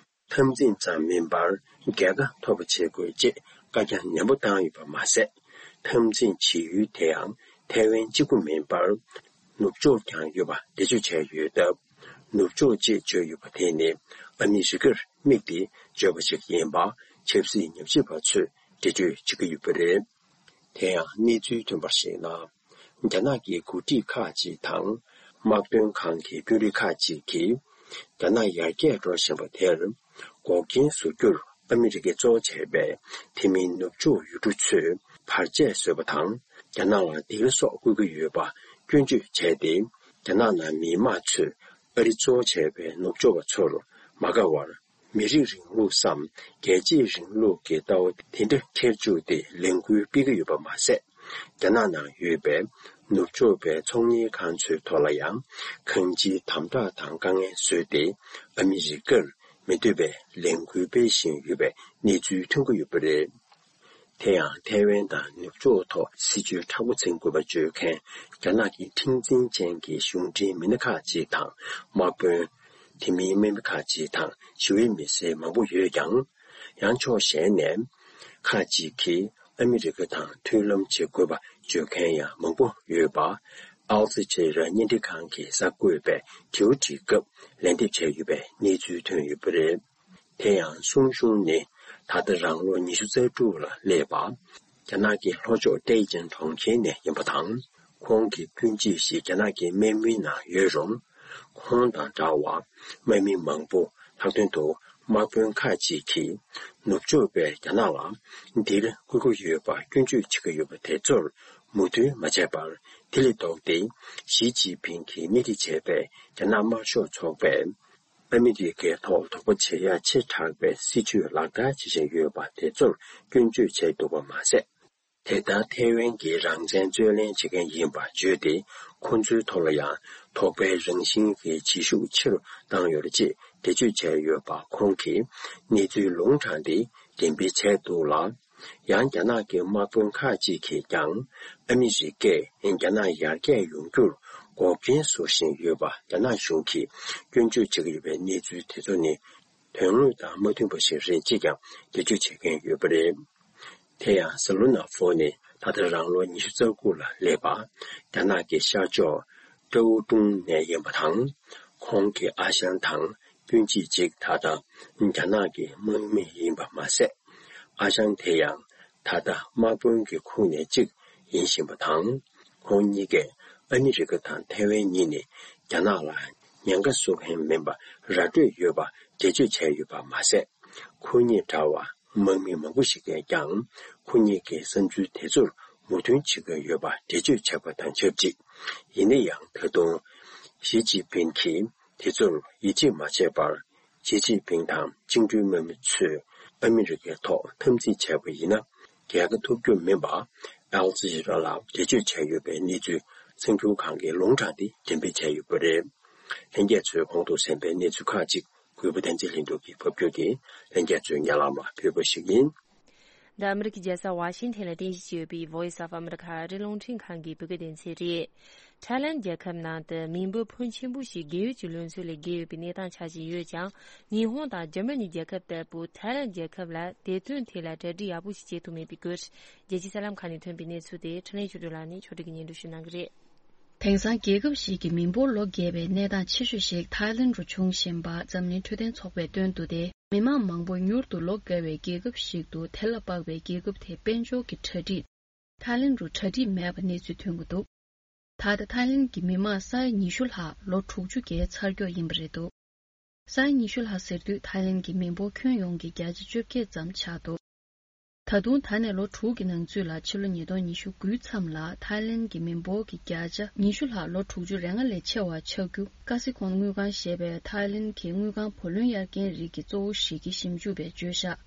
འཐབ་འཛིང་ཙམ་མིན་པར་རྒྱལ་ཁ་ཐོབ་པ་བྱེད་དགོས་ཅེས་བཀའ་རྒྱ་ནན་པོ་བཏང་ཡོད་པ་མ་ཟད། འཐབ་འཛིང་བྱེད་ཡུལ་དེའང་ཐའེ་ཝན་གཅིག་པུ་མིན་པར། ནུབ་ཕྱོགས་ཀྱང་ཡོད་པ་འགྲེལ་བརྗོད་བྱས་ཡོད་སྟབས། ནུབ་ཕྱོགས་ཅེས་བརྗོད་ཡོད་པ་དེ་ནི་ཨ་མི་རི་ཀར་དམིགས་ཏེ་བརྗོད་པ་ཞིག་ཡིན་པ་ཆབ་སྲིད་ཉམས་ཞིབ་པ་ཚོས་འགྲེལ་བརྗོད་བྱེད་ཀྱི་ཡོད་པ་རེད། དེ་ཡང་གནས་ཚུལ་ཐོན་པར་གཞིགས་ན། རྒྱ་ནག་གི་འགོ་ཁྲིད་ཁག་ཅིག་དང་། དམག་དོན་ཁང་གི་དཔོན་རིགས་ཁག་ཅིག་གིས། རྒྱ་ནག་ཡར་རྒྱས་འགྲོ་བཞིན་པ་དེར། འགོག་རྐྱེན་བཟོ་རྒྱུར་ཨ་མི་རི་ཀས་གཙོ་བོ་བྱས་པའི་དེ་མིན་ནུབ་ཕྱོགས་ཡུལ་གྲུ་ཚོས་བར་ཆད་བཟོས་པ་དང་། རྒྱ་ནག་ལ་སྡིགས་ར་སོགས་བསྐུལ་གྱི་ཡོད་པ་སྐྱོན་བརྗོད་བྱས་ཏེ། རྒྱ་ནག་ནང་མི་དམངས་ཚོས་ཨ་རི་གཙོ་བོ་བྱས་པའི་ནུབ་ཕྱོགས་པ་ཚོར་མ་དགའ་བར། མི་རིགས་རིང་ལུགས་སམ་རྒྱལ་གཅེས་རིང་ལུགས་ཀྱི་ལྟ་བ་དེ་འདྲ་འཁྱེར་བཅུག་སྟེ་ལས་འགུལ་སྤེལ་གྱི་ཡོད་པ་མ་ཟད། རྒྱ་ནག་ནང་ཡོད་པའི་ནུབ་ཕྱོགས་པའི་ཚོང་གཉེར་ཁང་ཚོའི་ཐོག་ལ་ཡང་གང་ཅིའི་དམ་དྲག་དང་དཀའ་ངལ་བཟོས་ཏེ། ཨ་མི་རི་ཀར་ མི་འདོད་པའི་ལས་འགུལ་སྤེལ་བཞིན་ཡོད་པའི་གནས་ཚུལ་ཐོན་གྱི་ཡོད་པ་རེད། དེ་ཡང་ཐའེ་ཝན་དང་ནུབ་ཕྱོགས་ཐོག་སྲིད་ཇུས་མཁྲེགས་པོ་འཛིན་དགོས་པ་བརྗོད་མཁན་རྒྱ་ནག་གི་མཁྲེགས་འཛིན་ཅན་གྱི་གཞུང་འབྲེལ་མི་སྣ་ཁག་ཅིག་དང་དམག་དཔོན། དེ་མིན་དམག་མི་ཁག་ཅིག་དང་ཞི་བའི་མི་སེར་མང་པོ་ཡོད་ཀྱང་། ཡང་ཕྱོགས་གཞན་ནས། ཁག་ཅིག་གིས་ཨ་མི་རི་ཀ་དང་མཐུན་ལམ་བྱེད་དགོས་པ་བརྗོད་མཁན་ཡང་མང་པོ་ཡོད་པ། ཨལ་ཛི་ཇི་ར་བརྙན་འཕྲིན་ཁང་གིས་གསར་འགོད་པས་དྲི་བ་དྲིས་སྐབས་ལན་འདེབས་བྱས་ཡོད་པའི་གནས་ཚུལ་ཐོན་ཡོད་པ་རེད། དེ་ཡང་སུང་ཞུང་ནི་ད་ལྟ་རང་ལོ་ཉི་ཤུ་རྩ་དྲུག་ལ་སླེབས་པ། རྒྱ་ནག་གི་ལྷོ་ཕྱོགས་ཏེ་ཅིན་གྲོང་ཁྱེར་ནས་ཡིན་པ་དང་། ཁོང་གི་སྤུན་མཆེད་ཞིག་རྒྱ་ནག་གི་དམག་མིའི་ནང་ཡོད་རུང་། ཁོང་དང་འདྲ་བར་དམག་མི་མང་པོ། ལྷག་དོན་དུ་དམག་དཔོན་ཁག་ཅིག་གིས་ནུབ་ཕྱོགས་པས་རྒྱ་ནག་ལ་འདིར་བསྐུལ་གྱི་ཡོད་པར་སྐྱོན་བརྗོད་བྱེད་ཀྱི་ཡོད་པ་དེ་ཚོར་མོས་མཐུན་མ་བྱས་པར། དེ་ལས་ལྡོག་སྟེ་ཞི་ཅིན་ཕིང་གིས་སྣེ་ཁྲིད་བྱས་པའི་རྒྱ་ནག་དམར་ཤོག་ཚོགས་པས། ཨ་མི་རི་ཀའི་ཐོག་དོགས་པ་བྱེད་ཡག་ཆེ་དྲགས་པའི་སྲིད་ཇུས་ལག་བསྟར་བྱེད་བཞིན་ཡོད་པ་དེ་ཚོར་སྐྱོན་བརྗོད་བྱས་འདུག་པ་མ་ཟད། དེ་ལྟར་ཐའེ་ཝན་གྱི་རང་བཙན་རྩོད་ལེན་བྱེད་མཁན་ཡིན་པ་བརྗོད་དེ། ཁོ་ཚོའི་ཐོག་ལ་ཡང་དོགས་པའི་རང་བཞིན་གྱི་བྱེད་ཤུགས་ཆེ་རུ་བཏང་ཡོད་རེད་ཅེས་འགྲེལ་བརྗོད་བྱས་ཡོད་པ། ཁོང་གིས་གནས་ཚུལ་ལུང་དྲངས་ཏེ་འགྲེམས་སྤེལ་བྱས་འདུག་ལ། ཡང་རྒྱ་ནག་གི་དམག་དཔོན་ཁག་ཅིག་གིས་ཀྱང་ཨ་མི་རི་ཀས་རྒྱ་ནག་ཡར་རྒྱས་ཡོང་རྒྱུར་འགོག་རྐྱེན་བཟོ་བཞིན་ཡོད་པ་རྒྱ་ནག་གཞུང་གིས་སྐྱོན་བརྗོད་བྱེད་ཀྱི་ཡོད་པའི་གནས་ཚུལ་དེ་ཚོ་ནི། དོན་དངོས་དང་མ་མཐུན་པ་ཞིག་རེད་ཅེས་ཀྱང་འགྲེལ་བརྗོད་བྱེད་མཁན་ཡོད་པ་རེད། དེ་ཡང་ཟི་ལུ་ན་ཧྥོ་ནི་ད་ལྟ་རང་ལོ་ཉི་ཤུ་རྩ་དགུ་ལ་སླེབས་པ། རྒྱ་ནག་གི་ཤར་ཕྱོགས་ཀྲའོ་ཀྲུང་ནས་ཡིན་པ་དང་། ཁོང་གི་ཨ་ཞང་དང་སྤུན་མཆེད་ཅིག་ད་ལྟ་རྒྱ་ནག་གི་དམག་མི་ཡིན་པ་མ་ཟད། ཨ་ཞང་དེ་ཡང་ད་ལྟ་དམག་དཔོན་གྱི་ཁོངས་ནས་གཅིག་ཡིན་བཞིན་པ་དང་། ཁོང་གཉིས་ཀས་ཨ་མི་རི་ཀ་དང་ཐའེ་ཝན་གཉིས་ནི་རྒྱ་ནག་ལ་ཉེན་ཁ་བཟོ་མཁན་མིན་པ་ར་སྤྲོད་ཡོད་པ་འགྲེལ་བརྗོད་བྱས་ཡོད་པ་མ་ཟད། ཁོ་གཉིས་འདྲ་བར་དམག་མི་མང་པོ་ཞིག་གིས་ཀྱང་ཁོ་གཉིས་ཀྱི་བསམ་ཚུལ་དེ་ཚོར་མོས་མཐུན་བྱེད་ཀྱི་ཡོད་པ་འགྲེལ་བརྗོད་བྱས་པ་དང་ཆབས་ཅིག་ཡིན་ན་ཡང་ད་དུང་ཞི་ཅིན་ཕིང་གིས་དེ་ཚོར་ཡིད་ཆེས་མ་བྱས་པར། ཞི་ཅིན་ཕིང་དང་བཅིངས་འགྲོལ་དམག་མི་ཚོས་ཨ་མི་རི་ཀའི་ཐོག་འཐབ་འཛིང་བྱས་པ་ཡིན་ན། རྒྱལ་ཁ་ཐོབ་རྒྱུ་མིན་པ། ཨལ་ཛི་ཇི་ར་ལ་འགྲེལ་བརྗོད་བྱས་ཡོད་པའི་གནས་ཚུལ་གསར་འགྱུར་ཁང་གིས་ལུང་དྲངས་ཏེ་འགྲེམས་སྤེལ་བྱས་ཡོད་པ་རེད། ལྷན་རྒྱས་ཚོས་གོང་དུ་གསན་པའི་གནས་ཚུལ་ཁག་ཅིག་གུས་པ་བསྟན་འཛིན་ལྷུན་གྲུབ་ཀྱིས་ཕབ་སྒྱུར་གྱིས་ལྷན་རྒྱས་ཚོའི་སྙན་ལམ་ལ་ཕུལ་བ་ཞིག་ཡིན། འདི་ཨ་མི་རི་ཀའི་རྒྱལ་ས་ཝ་ཤིང་ཐན་ལ་རྟེན་གཞི་བྱས་ཡོད་པའི་Voice of America ཨ་རིའི་རླུང་འཕྲིན་ཁང་གི་བོད་སྐད་སྡེ་ཚན་རེད། ཐའི་ལན་རྒྱལ་ཁབ་ནང་དུ་མི་འབོར་ཕོན་ཆེན་པོ་ཞིག་རྒས་ཡོལ་གྱི་ལོ་ཚོད་ལས་བརྒལ་ཡོད་པའི་གནས་སྟངས་ཆགས་བཞིན་ཡོད་ཀྱང་། ཉི་ཧོང་དང་འཇར་མ་ནི་རྒྱལ་ཁབ་ལྟ་བུ་ཐའི་ལན་རྒྱལ་ཁབ་ལ་བདེ་དོན་ཐད་ལ་གྲ་སྒྲིག་ཡག་པོ་ཞིག་བྱེད་ཐུབ་མེད་པའི་སྐོར། རྒྱལ་སྤྱིའི་གསར་ལམ་ཁག་ནས་ཐོན་པའི་གནས་ཚུལ་དེ་འཕྲིན་ལས་ཆོས་སྒྲོན་ལགས་ནས་ཕྱོགས་སྒྲིག་གིས་སྙན་སྒྲོན་ཞུ་གནང་གི་རེད། དེང་སང་རྒྱལ་ཁབ་ཞིག་གི་མི་འབོར་ལོ་རྒས་པའི་གནས་སྟངས་ཆེ་ཤོས་ཤིག་ཐའི་ལན་རུ་བྱུང་བཞིན་པ་འཛམ་གླིང་འཕྲོད་བསྟེན་ཚོགས་པས་སྟོན་དུ་སྟེ། མི་མང་མང་པོ་མྱུར་དུ་ལོ་བརྒལ་བའི་རྒྱལ་ཁབ་ཞིག་ཏུ་དེ་ལ་དཔག་པའི་རྒྱལ་ཁབ་དེའི་དཔལ་འབྱོར་གྱི་གྲ་སྒྲིག་ཐའི་ལན་རུ་གྲ་སྒྲིག་མེད་པ་གནས་ཚུལ་ཐོན་གྱི་འདུག་ད་ལྟ་ཐའི་ལན་གྱི་མི་མང་ས་ཡ་ཉི་ཤུ་ལྷག་ལོ་དྲུག་ཅུ་བརྒལ་ཚར་ཀྱོག་ཡིན་པ་རེད་འདུག་ས་ཡ་ཉི་ཤུ་ལྷག་ཟེར་དུས་ཐའི་ལན་གྱི་མི་འབོར་ཁྱོན་ཡོངས་ཀྱི་བརྒྱ་ཆ་བཅོ་བརྒྱད་ཙམ་ཆགས་འདུག་ད་དུང་ད་ནས་ལོ་དྲུག་གི་ནང་ཚུད་ལ་ཕྱི་ལོ་ཉིས་སྟོང་ཉི་ཤུ་དགུའི་མཚམས་ལ་ཐའི་ལན་གྱི་མི་འབོར་གྱི་བརྒྱ་ཆ་ཉི་ཤུ་ལྷག་ལོ་དྲུག་ཅུ་རེ་ལྔ་ལས་ཆེ་བ་ཆགས་རྒྱུ་ཀ་སི་ཁོང་དངུལ་ཁང་ཞེས་པའི་ཐའི་ལན་གྱི་དངུལ་ཁང་བུ་ལོན་གཡར་མཁན་རིགས་ཀྱི་གཙོ་བོ་ཞིག་གི་ཞིབ་འཇུག་པས་བརྗོད་བཞག་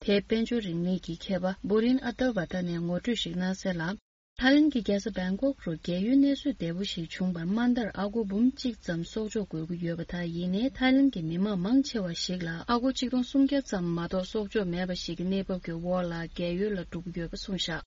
དེའི་དཔལ་འབྱོར་རིག་གནས་ཀྱི་མཁས་པ་བྷུ་རིན་ཨ་ཏར་བྷ་ཏ་ནས་ངོ་སྤྲོད་ཞིག་གནང་གསལ་ལ། ཐའི་ལན་གྱི་རྒྱལ་ས་བེང་ཀོག་རུ་རྒས་ཡོལ་གནས་ཚུལ་བདེ་པོ་ཞིག་བྱུང་བར་དམའ་མཐར་ཨ་སྒོར་འབུམ་གཅིག་ཙམ་གསོག་འཇོག་དགོས་ཀྱི་ཡོད་པ་དང་། ཡིན་ནའི་ཐའི་ལན་གྱི་མི་མང་མང་ཆེ་བ་ཞིག་ལ་ཨ་སྒོར་ཆིག་སྟོང་སུམ་བརྒྱ་ཙམ་མ་གཏོགས་གསོག་འཇོག་མེད་པ་ཞིག་གི་གནས་བབ་ཀྱི་འོག་ལ་རྒས་ཡོལ་ལ་འགྲོ་གི་ཡོད་པ་གསུངས་བཞག་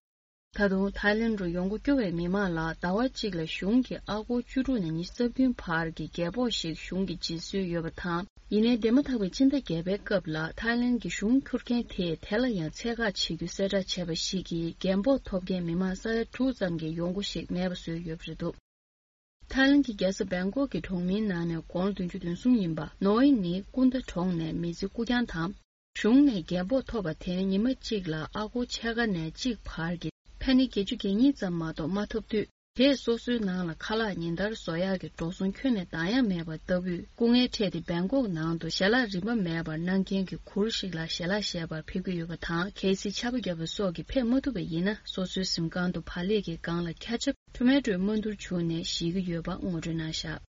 ད་དུང་ཐའི་ལན་རུ་ཡོང་སྒོ་སྐྱོ་བའི་མི་མང་ལ་ཟླ་བ་གཅིག་ལ་གཞུང་གིས་ཨ་སྒོར་བཅུ་དྲུག་ནས་ཉི་ཤུ་རྩ་བདུན་བར་གྱི་རྒས་ཕོགས་ཤིག་གཞུང་གིས་སྦྱིན་སྲོལ་ཡོད་པ་དང་། ཡིན་ནའི་འདས་མ་ཐག་པའི་ཕྱི་ཟླ་བརྒྱད་པའི་སྐབས་ལ་ཐའི་ལན་གྱི་གཞུང་འཁྱུར་མཁན་དེས་དེ་ལ་ཡང་ཚད་བཀག་བྱེད་རྒྱུ་གསལ་བསྒྲགས་བྱས་པ་ཞིག་གིས་རྒན་ཕོགས་ཐོབ་མཁན་མི་མང་ས་ཡ་དྲུག་ཙམ་གྱི་ཡོང་སྒོ་ཞིག་མེད་པ་བཟོས་ཡོད་པ་རེད་འདུག་ཐའི་ལན་གྱི་རྒྱལ་ས་བེང་ཀོག་གི་གྲོང་མིའི་ནང་ནས་དགུང་ལོ་བདུན་ཅུ་དོན་གསུམ་ཡིན་པ་ནོ་ཨི་ནི་ཀུན་ད་གྲོང་ནས་མི་ཚེ་རྐུ་རྐྱང་དང་། གཞུང་ནས་རྒན་ཕོགས་ཐོབ་པ་དེ་ཉི་མ་གཅིག་ལ་ཨ་སྒོར་ཕྱེད་ཀ་ནས་གཅིག་བར་གྱི་ཕེ་ནི་བརྒྱད་ཅུ་གྱ་གཉིས་ཙམ་མ་གཏོགས་མ་ཐོབ་དུས། དེས་སོ་སོའི་ནང་ལ་ཁ་ལག་ཉིན་ལྟར་བཟོ་ཡག་གི་འགྲོ་སོང་ཁྱོན་ནས་འདང་ཡང་མེད་པ་ལྟ་བུས་སྐུ་ངལ་འཕྲད་དེ། བེང་ཀོག་ནང་དུ་ཞལ་ལག་རིན་པ་མེད་པར་གནང་མཁན་གྱི་གུར་ཞིག་ལ་ཞལ་ལག་བཞེས་པར་ཕེབས་ཀྱི་ཡོད་པ་དང་། གལ་སྲིད་ཆར་པ་བརྒྱབ་པ་སོགས་ཀྱིས་ཕེབས་མ་ཐུབ་པ་ཡིན་ན། སོ་སོའི་གཟིམ་ཁང་དུ་བག་ལེབ་ཀྱི་སྒང་ལ་ཁ་ཆབ་ཊོ་མེ་ཊོའི་མ་འདུར་བྱུགས་ནས་བཞེས་ཀྱི་ཡོད་པ་ངོ་སྤྲོད་གནང་བཞག་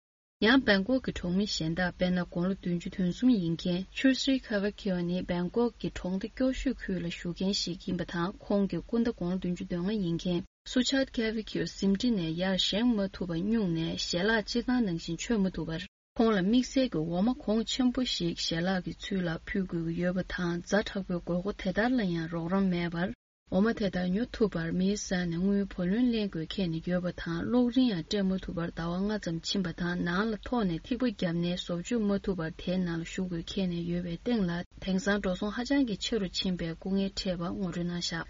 ཡང་བེང་ཀོག་གི་གྲོང་མི་གཞན་དག་དཔེར་ན། དགུང་ལོ་བདུན་ཅུ་དོན་གསུམ་ཡིན་མཁན་ཆུ་སི་ཁ་ཝེ་ཁིའོ་ནི་བེང་ཀོག་གི་གྲོང་སྡེ་སྐྱོ་ཤོས་ཁུལ་ལ་བཞུགས་མཁན་ཞིག་ཡིན་པ་དང་། ཁོང་གི་སྐུ་ཟླ་དགུང་ལོ་བདུན་ཅུ་དོན་ལྔ་ཡིན་མཁན་སུ་ཆཱད་ཁ་ཝེ་ཁིའོ་གཟིམ་ཁྲི་ནས་ཡར་བཞེངས་མ་ཐུབ་པར་སྨྱུང་ནས་ཞལ་ལག་སྤྱིར་བཏང་ནང་བཞིན་མཆོད་མ་ཐུབ་པར། ཁོང་ལ་དམིགས་བསལ་གྱི་འོ་མ་གོང་ཆེན་པོ་ཞིག་ཞལ་ལག་གི་ཚུལ་ལ་ཕུལ་དགོས་ཀྱི་ཡོད་པ་དང་། ཛ་དྲག་པོའི་དགོས་མཁོ་དེ་ལྟར་ལ་ཡང་རོགས་རམ་མེད་པར། འོ་མ་དེ་དག་ཉོ་ཐུབ་པར་མིའི་ས་ནས་དངུལ་བུ་ལོན་ལེན་དགོས་འཁེལ་ནས་ཡོད་པ་དང་། གློག་རིན་ཡང་སྤྲད་མ་ཐུབ་པར་ཟླ་བ་ལྔ་ཙམ་ཕྱིན་པ་དང་། ནང་ལ་ཐོག་ནས་ཐིགས་པ་བརྒྱབ་ནས་བཟོ་བཅོས་མ་ཐུབ་པར་དེའི་ནང་ལ་ཞུགས་དགོས་འཁེལ་ནས་ཡོད་པའི་སྟེང་ལ། དེང་སང་འགྲོ་སོང་ཧ་ཅང་གི་ཆེ་རུ་ཕྱིན་པའི་སྐུ་ངལ་འཕྲད་པ་ངོ་སྤྲོད་གནང་བཞག་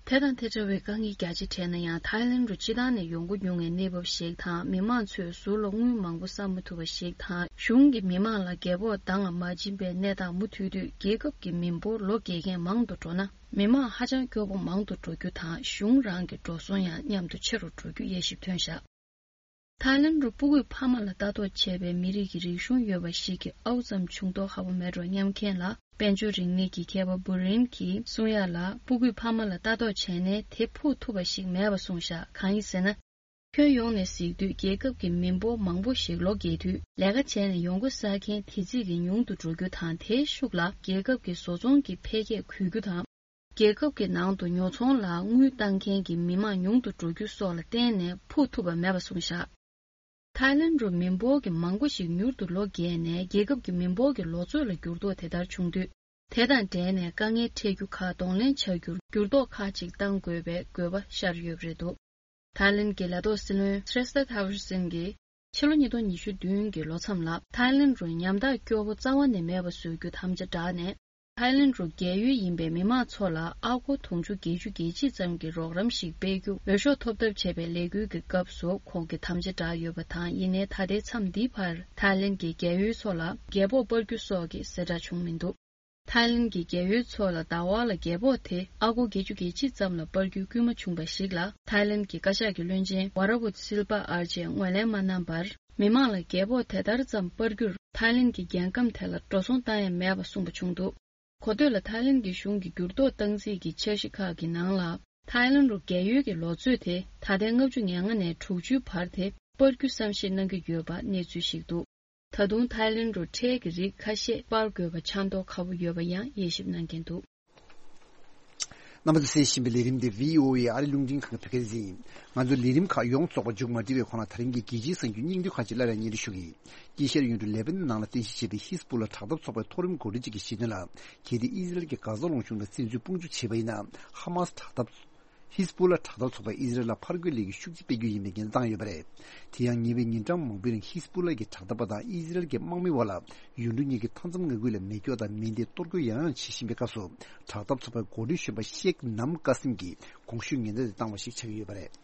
དེ་དང་དེ་འདྲ་བའི་དཀའ་ངལ་རྒྱ་ཆེ་འཕྲད་ན་ཡང་། ཐའི་ལེན་རུ་སྤྱི་བཏང་ནས་ཡོང་སྒོ་ཉུང་བའི་གནས་བབ་ཞིག་དང་། མི་མང་ཚོས་ཟུར་ལ་དངུལ་མང་པོ་བསགས་མ་ཐུབ་པ་ཞིག་དང་། གཞུང་གིས་མི་མང་ལ་རྒྱལ་པོ་འདང་ལ་མ་བྱིན་པའི་གནས་སྟངས་མུ་མཐུད་དུ། རྒྱལ་ཁབ་ཀྱི་མི་འབོར་ལོ་རྒས་མཁན་མང་དུ་འགྲོ་ན། མི་མང་ཧ་ཅང་སྐྱོ་པོ་མང་དུ་འགྲོ་རྒྱུ་དང་། གཞུང་རང་གི་འགྲོ་སོང་ཡང་མཉམ་དུ་ཆེ་རུ་འགྲོ་རྒྱུ་དབྱེ་ཞིབ་ཐོན་བཞག་ཐའི་ལེན་རུ་སྤུ་གུས་ཕ་མ་ལ་ལྟ་རྟོག་བྱས་པའི་མི་རིགས་ཀྱི་རིག་གཞུང་ཡོད་པ་ཞིག་གི་ཨའུ་ཙམ་ཆུང་མདོག་ཁ་པོ་མེད་འགྲོ་སྙམ་མཁན་ལ། དཔལ་འབྱོར་རིག་གནས་ཀྱི་མཁས་པ་བུ་རིན་གྱིས་གསུང་ཡ་ལ། སྤུ་གུས་ཕ་མ་ལ་ལྟ་རྟོག་བྱས་ནས་དེ་ཕུག་ཐུབ་པ་ཞིག་མེད་པ་གསུངས་བཞག་གང་ཡིན་ཟེར་ན། ཁྱོན་ཡོངས་ནས་གཟིགས་དུས། རྒྱལ་ཁབ་ཀྱི་མི་འབོར་མང་པོ་ཞིག་ལོ་རྒས་དུས་ལས་ཀ་བྱས་ནས་ཡོང་སྒོ་བསགས་མཁན་དེ་ཚིག་གིས་ཉུང་དུ་འགྲོ་རྒྱུ་དང་། དེའི་ཤུགས་ལ་རྒྱལ་ཁབ་ཀྱི་བཟོ་ཚོང་གི་འཕེལ་རྒྱས་འགུལ་རྒྱུ་དང་། རྒྱལ་ཁབ་ཀྱི་ནང་དུ་ཉོ་ཚོང་ལ་དངུལ་བཏང་མཁན་གྱི་མི་མང་ཉུང་དུ་འགྲོ་རྒྱུ་སོགས་ལ་བརྟེན་ནས་ཕུག་ཐུབ་པ་མེད་པ་གསུངས་བཞག་ཐའི་ལེན་རུ་མི་འབོར་གྱི་མང་པོ་ཞིག་མྱུར་དུ་ལོ་རྒས་ནས། རྒྱལ་ཁབ་ཀྱི་མི་འབོར་གྱི་ལོ་ཚོད་ལ་འགྱུར་ལྡོག་དེ་ལྟར་བྱུང་དུས། དེ་དང་འབྲེལ་ནས་དཀའ་ངལ་འཕྲད་རྒྱུ་ཁག་གདོང་ལེན་བྱ་རྒྱུར་འགྱུར་ལྡོག་ཁག་ཅིག་གཏང་དགོས་པའི་དགོས་པ་ཤར་ཡོད་པ་རེད་འདུག་ཐའི་ལེན་གྱི་ལས་ཐོག་སྲིད་བློན་སྲེ་སྟ་ཐ་ཝར་སིན་གྱིས་ཕྱི་ལོ་ཉིས་སྟོང་ཉི་ཤུ་བདུན་གྱི་ལོ་མཚམས་ལ། ཐའི་ལེན་རུ་ཉམ་ཐག་སྐྱོ་པོ་རྩ་བ་ནས་མེད་པ་བཟོ་རྒྱུ་དམ་བཅའ་བསྒྲགས་ནས། ཐའི་ལེན་རུ་རྒས་ཡོལ་ཡིན་པའི་མི་མང་ཚོ་ལ་ཨ་སྒོར་དུང་ཕྱུར་བརྒྱད་ཅུ་གྱ་གཅིག་ཙམ་གྱི་རོགས་རམ་ཞིག་སྤེལ་རྒྱུ་འོས་ཤོག་ཐོབ་ཐབས་བྱས་པའི་ལས་འགུལ་གྱི་སྐབས་སུ་ཁོང་གིས་དམ་བཅའ་བསྒྲགས་ཡོད་པ་དང་། ཡིན་ནའི་ད་ལྟའི་མཚམས་འདིའི་བར་ཐའི་ལེན་གྱི་རྒས་ཡོལ་ཚོ་ལ་རྒྱལ་པོ་སྤར་རྒྱུ་སོགས་ཀྱི་གསལ་བསྒྲགས་བྱུང་མི་འདུག་ཐའི་ལེན་གྱི་རྒས་ཡོལ་ཚོ་ལ་ཟླ་བ་ལ་རྒྱལ་པོ་དེ་ཨ་སྒོར་བརྒྱད་ཅུ་གྱ་གཅིག་ཙམ་ལ་སྤར་རྒྱུའི་སྐུལ་མ་བྱུང་བ་ཞིག་ལ། ཐའི་ལེན་གྱི་བཀའ་ཤག་གི་བློན་ཆེན་ཝ་ར་ཝུད་སིལ་པ་ཨར་ཅེས་ངོས་ལེན་མ་གནང་བར། མི་མང་ལ་རྒྱལ་པོ་དེ་ལྟར་ཙམ་སྤར་རྒྱུར་ཐའི་ལེན་གྱི་རྒྱལ་ཁམས་དེ་ལ་འགྲོ་སོང་བཏང་ཡ་མེད་པ་གསུངས་པ་བྱུང་འདུག་གོ་ཐོས་ལ། ཐའི་ལེན་གྱི་གཞུང་གི་འགྱུར་ལྡོག་བཏང་རྩིས་ཀྱི་འཆར་གཞི་ཁག་གི་ནང་ལ། ཐའི་ལེན་རུ་རྒས་ཡོལ་གྱི་ལོ་ཚོད་དེ་ད་ལྟའི་ལྔ་བཅུ་ང་ལྔ་ནས་དྲུག་ཅུའི་བར་དེ་སྤར་རྒྱུ་བསམ་ཤེས་གནང་གི་ཡོད་པ་གནས་ཚུལ་ཞིག་འདུག་ད་དུང་ཐའི་ལེན་རུ་ཁྲལ་གྱི་རིགས་ཁ་ཤས་སྤར་དགོས་པ་ཆགས་མདོག་ཁ་པོ་ཡོད་པ་ཡང་དབྱེ་ཞིབ་གནང་མཁན་འདུག་རྣམ་པ་ཚོས་གསན་བཞིན་པའི་ལས་རིམ་འདི་བྷི་ཨོ་ཨེ་ཨ་རི་རླུང་འཕྲིན་ཁང་གི་བོད་སྐད་སྡེ་ཚན་ཡིན། ང་ཚོའི་ལས་རིམ་ཁག་ཡོངས་རྫོགས་པ་མཇུག་མ་སྒྲིལ་བའི་གོང་ལ། ད་རིང་གི་རྒྱལ་སྤྱིའི་གསར་འགྱུར་སྙིང་བསྡུས་ཁག་ཅིག་སླར་ཡང་སྙན་སྒྲོན་ཞུ་གི་ཡིན། དཀྱིལ་ཤར་ཡུལ་གྲུ་ལེ་བྷ་ནན་ནང་ལ་རྟེན་གཞི་བྱས་པའི་ཧིས་པུ་ལ་དྲག་འཐབ་ཚོགས་པའི་མཐོ་རིམ་འགོ་ཁྲིད་ཅིག་གིས་བཤད་དོན་ལ། གལ་ཏེ་ཨི་ཟི་རལ་གྱིས་གྷ་ཛ་ལུང་གཞུང་ལ་བཙན་འཛུལ་དཔུང་འཇུག་བྱས་པ་ཡིན་ན། ཧ་མཱས་དྲག་འཐབ། ཧིས་པུ་ལ་དྲག་འཐབ་ཚོགས་པས་ཨི་ཟི་རལ་ལ་ཕར་རྒོལ་ལས་འགུལ་ཤུགས་ཆེ་སྤེལ་རྒྱུ་ཡིན་པའི་ཉེན་བརྡ་བཏང་ཡོད་པ་རེད། དེ་ཡང་ཉེ་བའི་ཉིན་གྲངས་མང་པོའི་རིང་ཧིས་པུ་ལ་གི་དྲག་འཐབ་པ་དང་ཨི་ཟི་རལ་གྱི་དམག་མི་བར་ལ་ཡུལ་གྲུ་གཉིས་ཀྱི་མཐའ་མཚམས་མངའ་ཁུལ་ལ་མེ་སྒྱོགས་དང་མེ་མདས་གཏོར་རྒོལ་ཡང་ཡང་བྱེད་བཞིན་པའི་སྐབས་སུ། དྲག་འཐབ་ཚོགས་པའི་འགོ་ཁྲིད་གཞོན་པ་ཤེག་ནམ་ཀ་སིམ་གྱིས་གོང་ཞུས་ཉེན་བརྡ་དེ་བཏང་བ་ཞིག་ཆགས་ཀྱི་ཡོད་པ་རེད།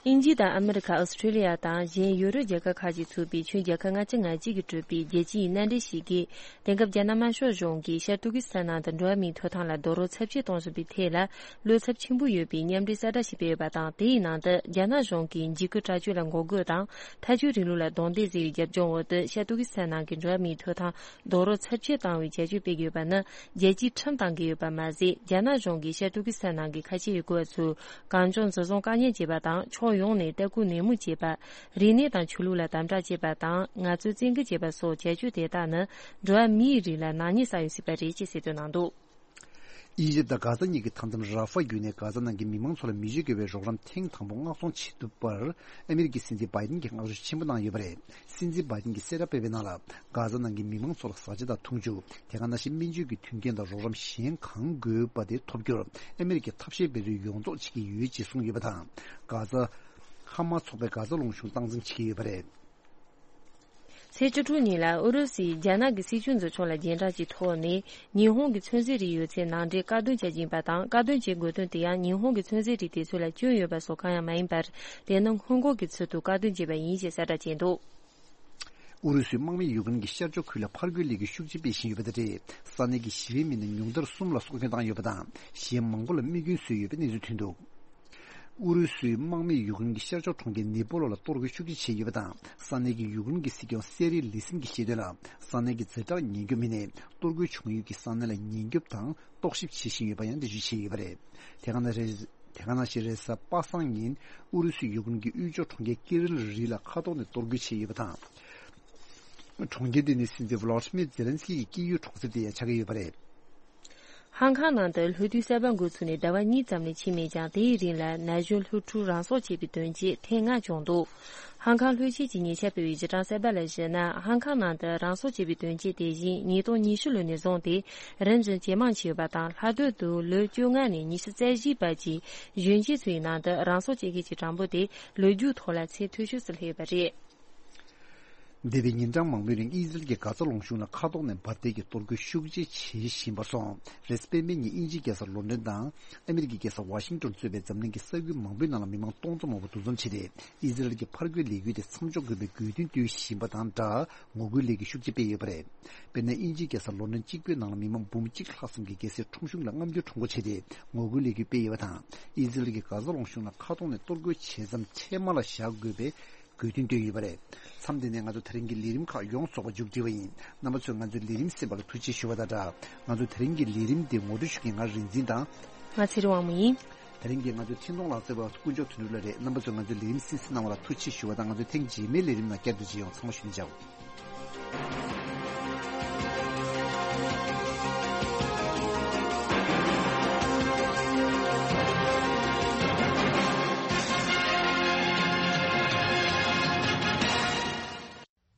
དབྱིན་ཇི་དང་ཨ་མི་རི་ཁ། ཨོ་སི་ཁྲེ་ལི་ཡ་དང་གཞན་ཡུ་རོབ་རྒྱལ་ཁབ་ཁག་ཅིག་ཚུད་པའི་ཆུ་རྒྱལ་ཁབ་ལྔ་བཅུ་ང་གཅིག་གིས་གྲུབ་པའི་རྒྱལ་སྤྱིའི་མནའ་འབྲེལ་ཞིག་གིས། དེང་སྐབས་རྒྱ་ནག་དམར་ཤོག་གཞུང་གིས་ཤར་ཏུར་ཀི་སི་ཐན་ནང་དུ་འགྲོ་བ་མིའི་ཐོབ་ཐང་ལ་རྡོག་རོལ་ཚབས་ཆེ་གཏོང་བཞིན་པའི་ཐད་ལ། བློ་འཚབ་ཆེན་པོ་ཡོད་པའི་མཉམ་འབྲེལ་གསལ་བསྒྲགས་ཤིག་སྤེལ་ཡོད་པ་དང་། དེའི་ནང་དུ་རྒྱ་ནག་གཞུང་གིས་འཇིགས་སྐུལ་དྲག་སྤྱོད་ལ་འགོག་རྒོལ་དང་། ཐལ་སྐྱོད་རིང་ལུགས་ལ་རྡུང་རྡེག་བཟོས་པའི་རྒྱབ་ལྗོངས་འོག་ཏུ། ཤར་ཏུར་ཀི་སི་ཐན་ནང་གི་འགྲོ་བ་མིའི་ཐོབ་ཐང་རྡོག་རོལ་ཚབས་ཆེ་བཏང་བའི་བྱ་སྤྱོད་སྤེལ་ཡོད་པ་ནི། རྒྱལ་སྤྱིའི་ཁྲིམས་དང་འགལ་ཡོད་པ་མ་ཟད། རྒྱ་ནག་གཞུང་གིས་ཤར་ཏུར་ཀི་སི་ཐན་ནང་གི་ཁ་ཆེ་ཡུལ་སྐོར་བ་ཚོས་གང་བྱུང་འཛིན་བཟུང་བཀག་ཉར་བྱེད་པ་དང་། ཕྱོགས་ཡོངས་ནས་ལྟ་སྐུལ་ནན་མོ་བྱེད་པ། རིག་གནས་དང་ཆོས་ལུགས་ལ་དམ་དྲག་བྱེད་པ་དང་། ངལ་རྩོལ་བཙན་སྐུལ་བྱེད་པ་སོགས་བྱ་སྤྱོད་དེ་དག་ནི། འགྲོ་བ་མིའི་རིགས་ལ་ནག་ཉེས་བསགས་ཡོད་སྲིད་པ་རེད་ཅེས་གསལ་སྟོན་གནང་འདུག་ཨི་ཇིབ་དང་གྷ་ཛ་གཉིས་ཀྱི་མཐའ་མཚམས་ར་ཧྥ་བརྒྱུད་ནས་གྷ་ཛ་ནང་གི་མི་མང་ཚོ་ལ་མི་ཆོས་དགེ་བའི་རོགས་རམ་ཐེངས་དང་པོ་མངགས་གཏོང་བྱེད་ཐུབ་པར་ཨ་མི་རི་ཀའི་སྲིད་འཛིན་བྷའི་ཏིན་གྱིས་བསྔགས་བརྗོད་ཆེན་པོ་གནང་ཡོད་པ་རེད། སྲིད་འཛིན་བྷའི་ཏིན་གྱིས་གསལ་བསྒྲགས་སྤེལ་བའི་ནང་ལ། གྷ་ཛ་ནང་གི་མི་མང་ཚོ་ལ་བཟའ་བཅའ་དང་འཐུང་ཆུ། དེ་ག་ནང་བཞིན་སྨན་བཅོས་ཀྱི་མཐུན་རྐྱེན་དང་རོགས་རམ་གཞན་གང་དགོས་པ་དེ་ཐོབ་རྒྱུར་ཨ་མི་རི་ཀས་ཐབས་ཤེས་འབད་རྩོལ་ཡོངས་རྫོགས་བྱེད་ཀྱི་ཡོད་ཅེས་གསུངས་ཡོད་པ་དང་། གྷ་ཛ། ཧ་མཱས་ཚོགས་པས་གྷ་ཛ་ལུང་གཞུང་སྟངས་འཛིན་བྱེད་ཀྱི་ཡོད་པ་རེད། ཚེས་བཅུ་དྲུག་ཉིན་ལ་ཨུ་རུ་སུས་རྒྱ་ནག་གི་སྲིད་བྱུས་འཛིན་ཕྱོགས་ལ་རྒྱན་དྲངས་ཀྱི་ཐོག་ནས། ཉི་ཧོང་གི་ཚོན་རྫས་རིགས་ཡོད་ཚད་ནང་འདྲེན་བཀག་སྡོམ་བྱ་རྒྱུ་ཡིན་པ་དང་། བཀག་སྡོམ་བྱེད་དགོས་དོན་དེ་ཡང་ཉི་ཧོང་གི་ཚོན་རྫས་རིགས་དེ་ཚོ་ལ་སྐྱོན་ཡོད་པ་སོགས་གང་ཡང་མ་ཡིན་པར། དེ་ནི་སྔོན་འགོག་གི་ཚུལ་དུ་བཀག་སྡོམ་བྱས་པ་ཡིན་ཞེས་གསལ་བསྒྲགས་བྱས་འདུག་ཨུ་རུ་སུའི་དམག་མིས་ཡུཀ་རེན་གྱི་ཤར་ཕྱོགས་ཁུལ་ལ་ཕར་རྒོལ་ལས་འགུལ་ཤུགས་ཆེ་སྤེལ་བཞིན་ཡོད་པ་དེ་རེད། ས་གནས་ཀྱི་ཞི་བའི་མི་སྣ་ཉུང་མཐར་གསུམ་ལ་སྲོག་སྐྱོན་བཏང་ཡོད་པ་དང་། གཞན་མང་པོ་ལ་རྨས་སྐྱོན་བཟོས་ཡོད་པའི་གནས་ཚུལ་ཐོན་འདུག་ཨུ་རུ་སུའི་དམག་མིས་ཡུཀ་རེན་གྱི་ཤར་ཕྱོགས་གྲོང་ཁྱེར་ནི་པོ་ལོ་ལ་གཏོར་རྒོལ་ཤུགས་ཆེ་བྱས་ཡོད་པ་དང་། ས་གནས་ཀྱི་ཡུཀ་རེན་གྱི་སྲིད་སྐྱོང་སེ་རི་ལི་སིན་གྱིས་བཤད་དོན་ལ། ས་གནས་ཀྱི་ཛེ་དྲག་ཉེན་སྐྱོབ་མི་སྣས་གཏོར་རྒོལ་བྱུང་ཡུལ་གྱི་ས་གནས་ལ་ཉེན་སྐྱོབ་དང་རྟོག་ཞིབ་བྱེད་བཞིན་ཡོད་པ་ཡང་འགྲེལ་བརྗོད་བྱས་ཡོད་པ་རེད། དེ་ག་ནང་རེས། དེ་ག་ནང་བཞིན་རེས་གཟའ་པ་སངས་ཉིན་ཨུ་རུ་སུའི་ཡུཀ་རེན་གྱི་དབུས་ཕྱོགས་གྲོང་ཁྱེར་ཀི་རིལ་རི་ལ་མཁའ་ཐོག་ནས་གཏོར་རྒོལ་བྱས་ཡོད་པ་དང་། གྲོང་ཁྱེར་དེ་ནི་སྲིད་འཛིན་ཝ་ལོ་ཌི་མིར་ཛེ་ལན་སི་ཀི་གི་སྐྱེས་ཡུལ་གྲོང་གསེབ་དེ་ཡང་ཆགས་ཀྱི་ཡོད་པ་རེད། ཧང་ཁང་ནང་དུ་ལྷོ་དུས་གསར་པ་འགོ་ཚུགས་ནས་ཟླ་བ་གཉིས་ཙམ་ལས་ཕྱིན་མེད་ཀྱང་། དེའི་རིང་ལ་ན་གཞོན་སློབ་ཕྲུག་རང་སྲོག་བཅད་པའི་དོན་རྐྱེན་ཐེངས་ལྔ་བྱུང་འདུག་ཧང་ཁང་ལྷོ་ཕྱོགས་ཀྱི་ཉེ་ཆར་སྤེལ་བའི་གཞི་གྲངས་གསར་པ་ལ་གཞིགས་ན། ཧང་ཁང་ནང་དུ་རང་སྲོག་བཅད་པའི་དོན་རྐྱེན་དེ་བཞིན་ཉིས་སྟོང་ཉི་ཤུ་ལོ་ནས་བཟུང་སྟེ་རིམ་བཞིན་ཇེ་མང་ཕྱིན་ཡོད་པ་དང་། ལྷག་དོན་དུ་ལོ་བཅོ་ལྔ་ནས་ཉི་ཤུ་རྩ་བཞིའི་བར་གྱི་གཞོན་སྐྱེས་ཚོའི་ནང་དུ་རང་སྲོག་བཅད་མཁན་གྱི་གྲངས་འབོར་དེ་ལོ་རྒྱུས་ཐོག་ལ་ཚད་མཐོ་ཤོས་སུ་སླེབས་ཡོད་པ་རེད། འདས་པའི་ཉིན་གྲངས་མང་པོའི་རིང་ཨི་ཟི་རལ་གྱིས་གྷ་ཛ་ལུང་གཤོང་ལ་མཁའ་ཐོག་ནས་འབར་མདེལ་གྱིས་གཏོར་རྒོལ་ཤུགས་ཆེ་བྱེད་བཞིན་པར་སོང་། རེས་གཟའ་སྤེན་པའི་ཉིན་དབྱིན་ཇིའི་རྒྱལ་ས་ལོན་ཌོན་དང་ཨ་མི་རི་ཀའི་རྒྱལ་ས་ཝ་ཤིང་ཏོན་གཙོས་པའི་འཛམ་གླིང་གི་ས་ཁུལ་མང་པོའི་ནང་ལ་མི་མང་སྟོང་ཚོ་མང་པོ་འདུ་འཛོམས་བྱས་ཏེ། ཨི་ཟི་རལ་གྱི་ཕར་རྒོལ་ལས་འགུལ་དེ་མཚམས་འཇོག་དགོས་པའི་དགོས་འདུན་བཏོན་བཞིན་པ་དང་སྦྲགས། ངོ་རྒོལ་ལས་འགུལ་ཤུགས་ཆེ་སྤེལ་ཡོད་པ་རེད། དཔེར་ན། དབྱིན་ཇིའི་རྒྱལ་ས་ལོན་ཌོན་གཅིག་པུའི་ནང་ལ་མི་མང་འབུམ་གཅིག་ལྷག་ཙམ་གྱིས་རྒྱལ་སའི་ཁྲོམ་གཞུང་ལ་རྔམ་སྐྱོར་ཁྲོམ་སྐོར་བྱས་ཏེ་ངོ་རྒོལ་ལས་འགུལ་སྤེལ་ཡོད་པ་དང་། ཨི་ཟི་རལ་གྱིས་གྷ་ཛ་ལུང་གཤོང་ལ་མཁའ་ཐོག་ནས་གཏོར་རྒོལ་བྱེད་མཚམས་ཆད་མ་ལ་བཞག་དགོས་པའི་དགོས་འདུན་བཏོན་ཡོད་པ་རེད། མཚམས་འདི་ནས་ང་ཚོ་དེ་རིང་གི་ལས་རིམ་ཁག་ཡོངས་རྫོགས་པ་མཇུག་སྒྲིལ་བ་ཡིན། རྣམ་པ་ཚོས་ང་ཚོའི་ལས་རིམ་གསན་པ་ལ་ཐུགས་རྗེ་ཆེ་ཞུ་བ་དང་སྦྲགས། ང་ཚོ་དེ་རིང་གི་ལས་རིམ་འདི་ངོ་སྤྲོད་ཞུ་མཁན་ང་རིག་འཛིན་དང་། ང་ཚེ་རིང་དབང་མོ་ཡིན། དེ་རིང་གི་ང་ཚོའི་འཕྲིན་གཏོང་ལག་རྩལ་བ་དཀོན་མཆོག་དོན་གྲུབ་ལགས་རེད། རྣམ་པ་ཚོས་ང་ཚོའི་ལས་རིམ་གསན་གཟིགས་གནང་བ་ལ་ཐུགས་རྗེ་ཆེ་ཞུ་བ་དང་། ང་ཚོའི་ཐེངས་རྗེས་མའི་ལས་རིམ་ནང་བསྐྱར་དུ་མཇལ་ཡོང་། ཚང་མ་བཞུགས་གནང་བྱའོ།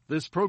This program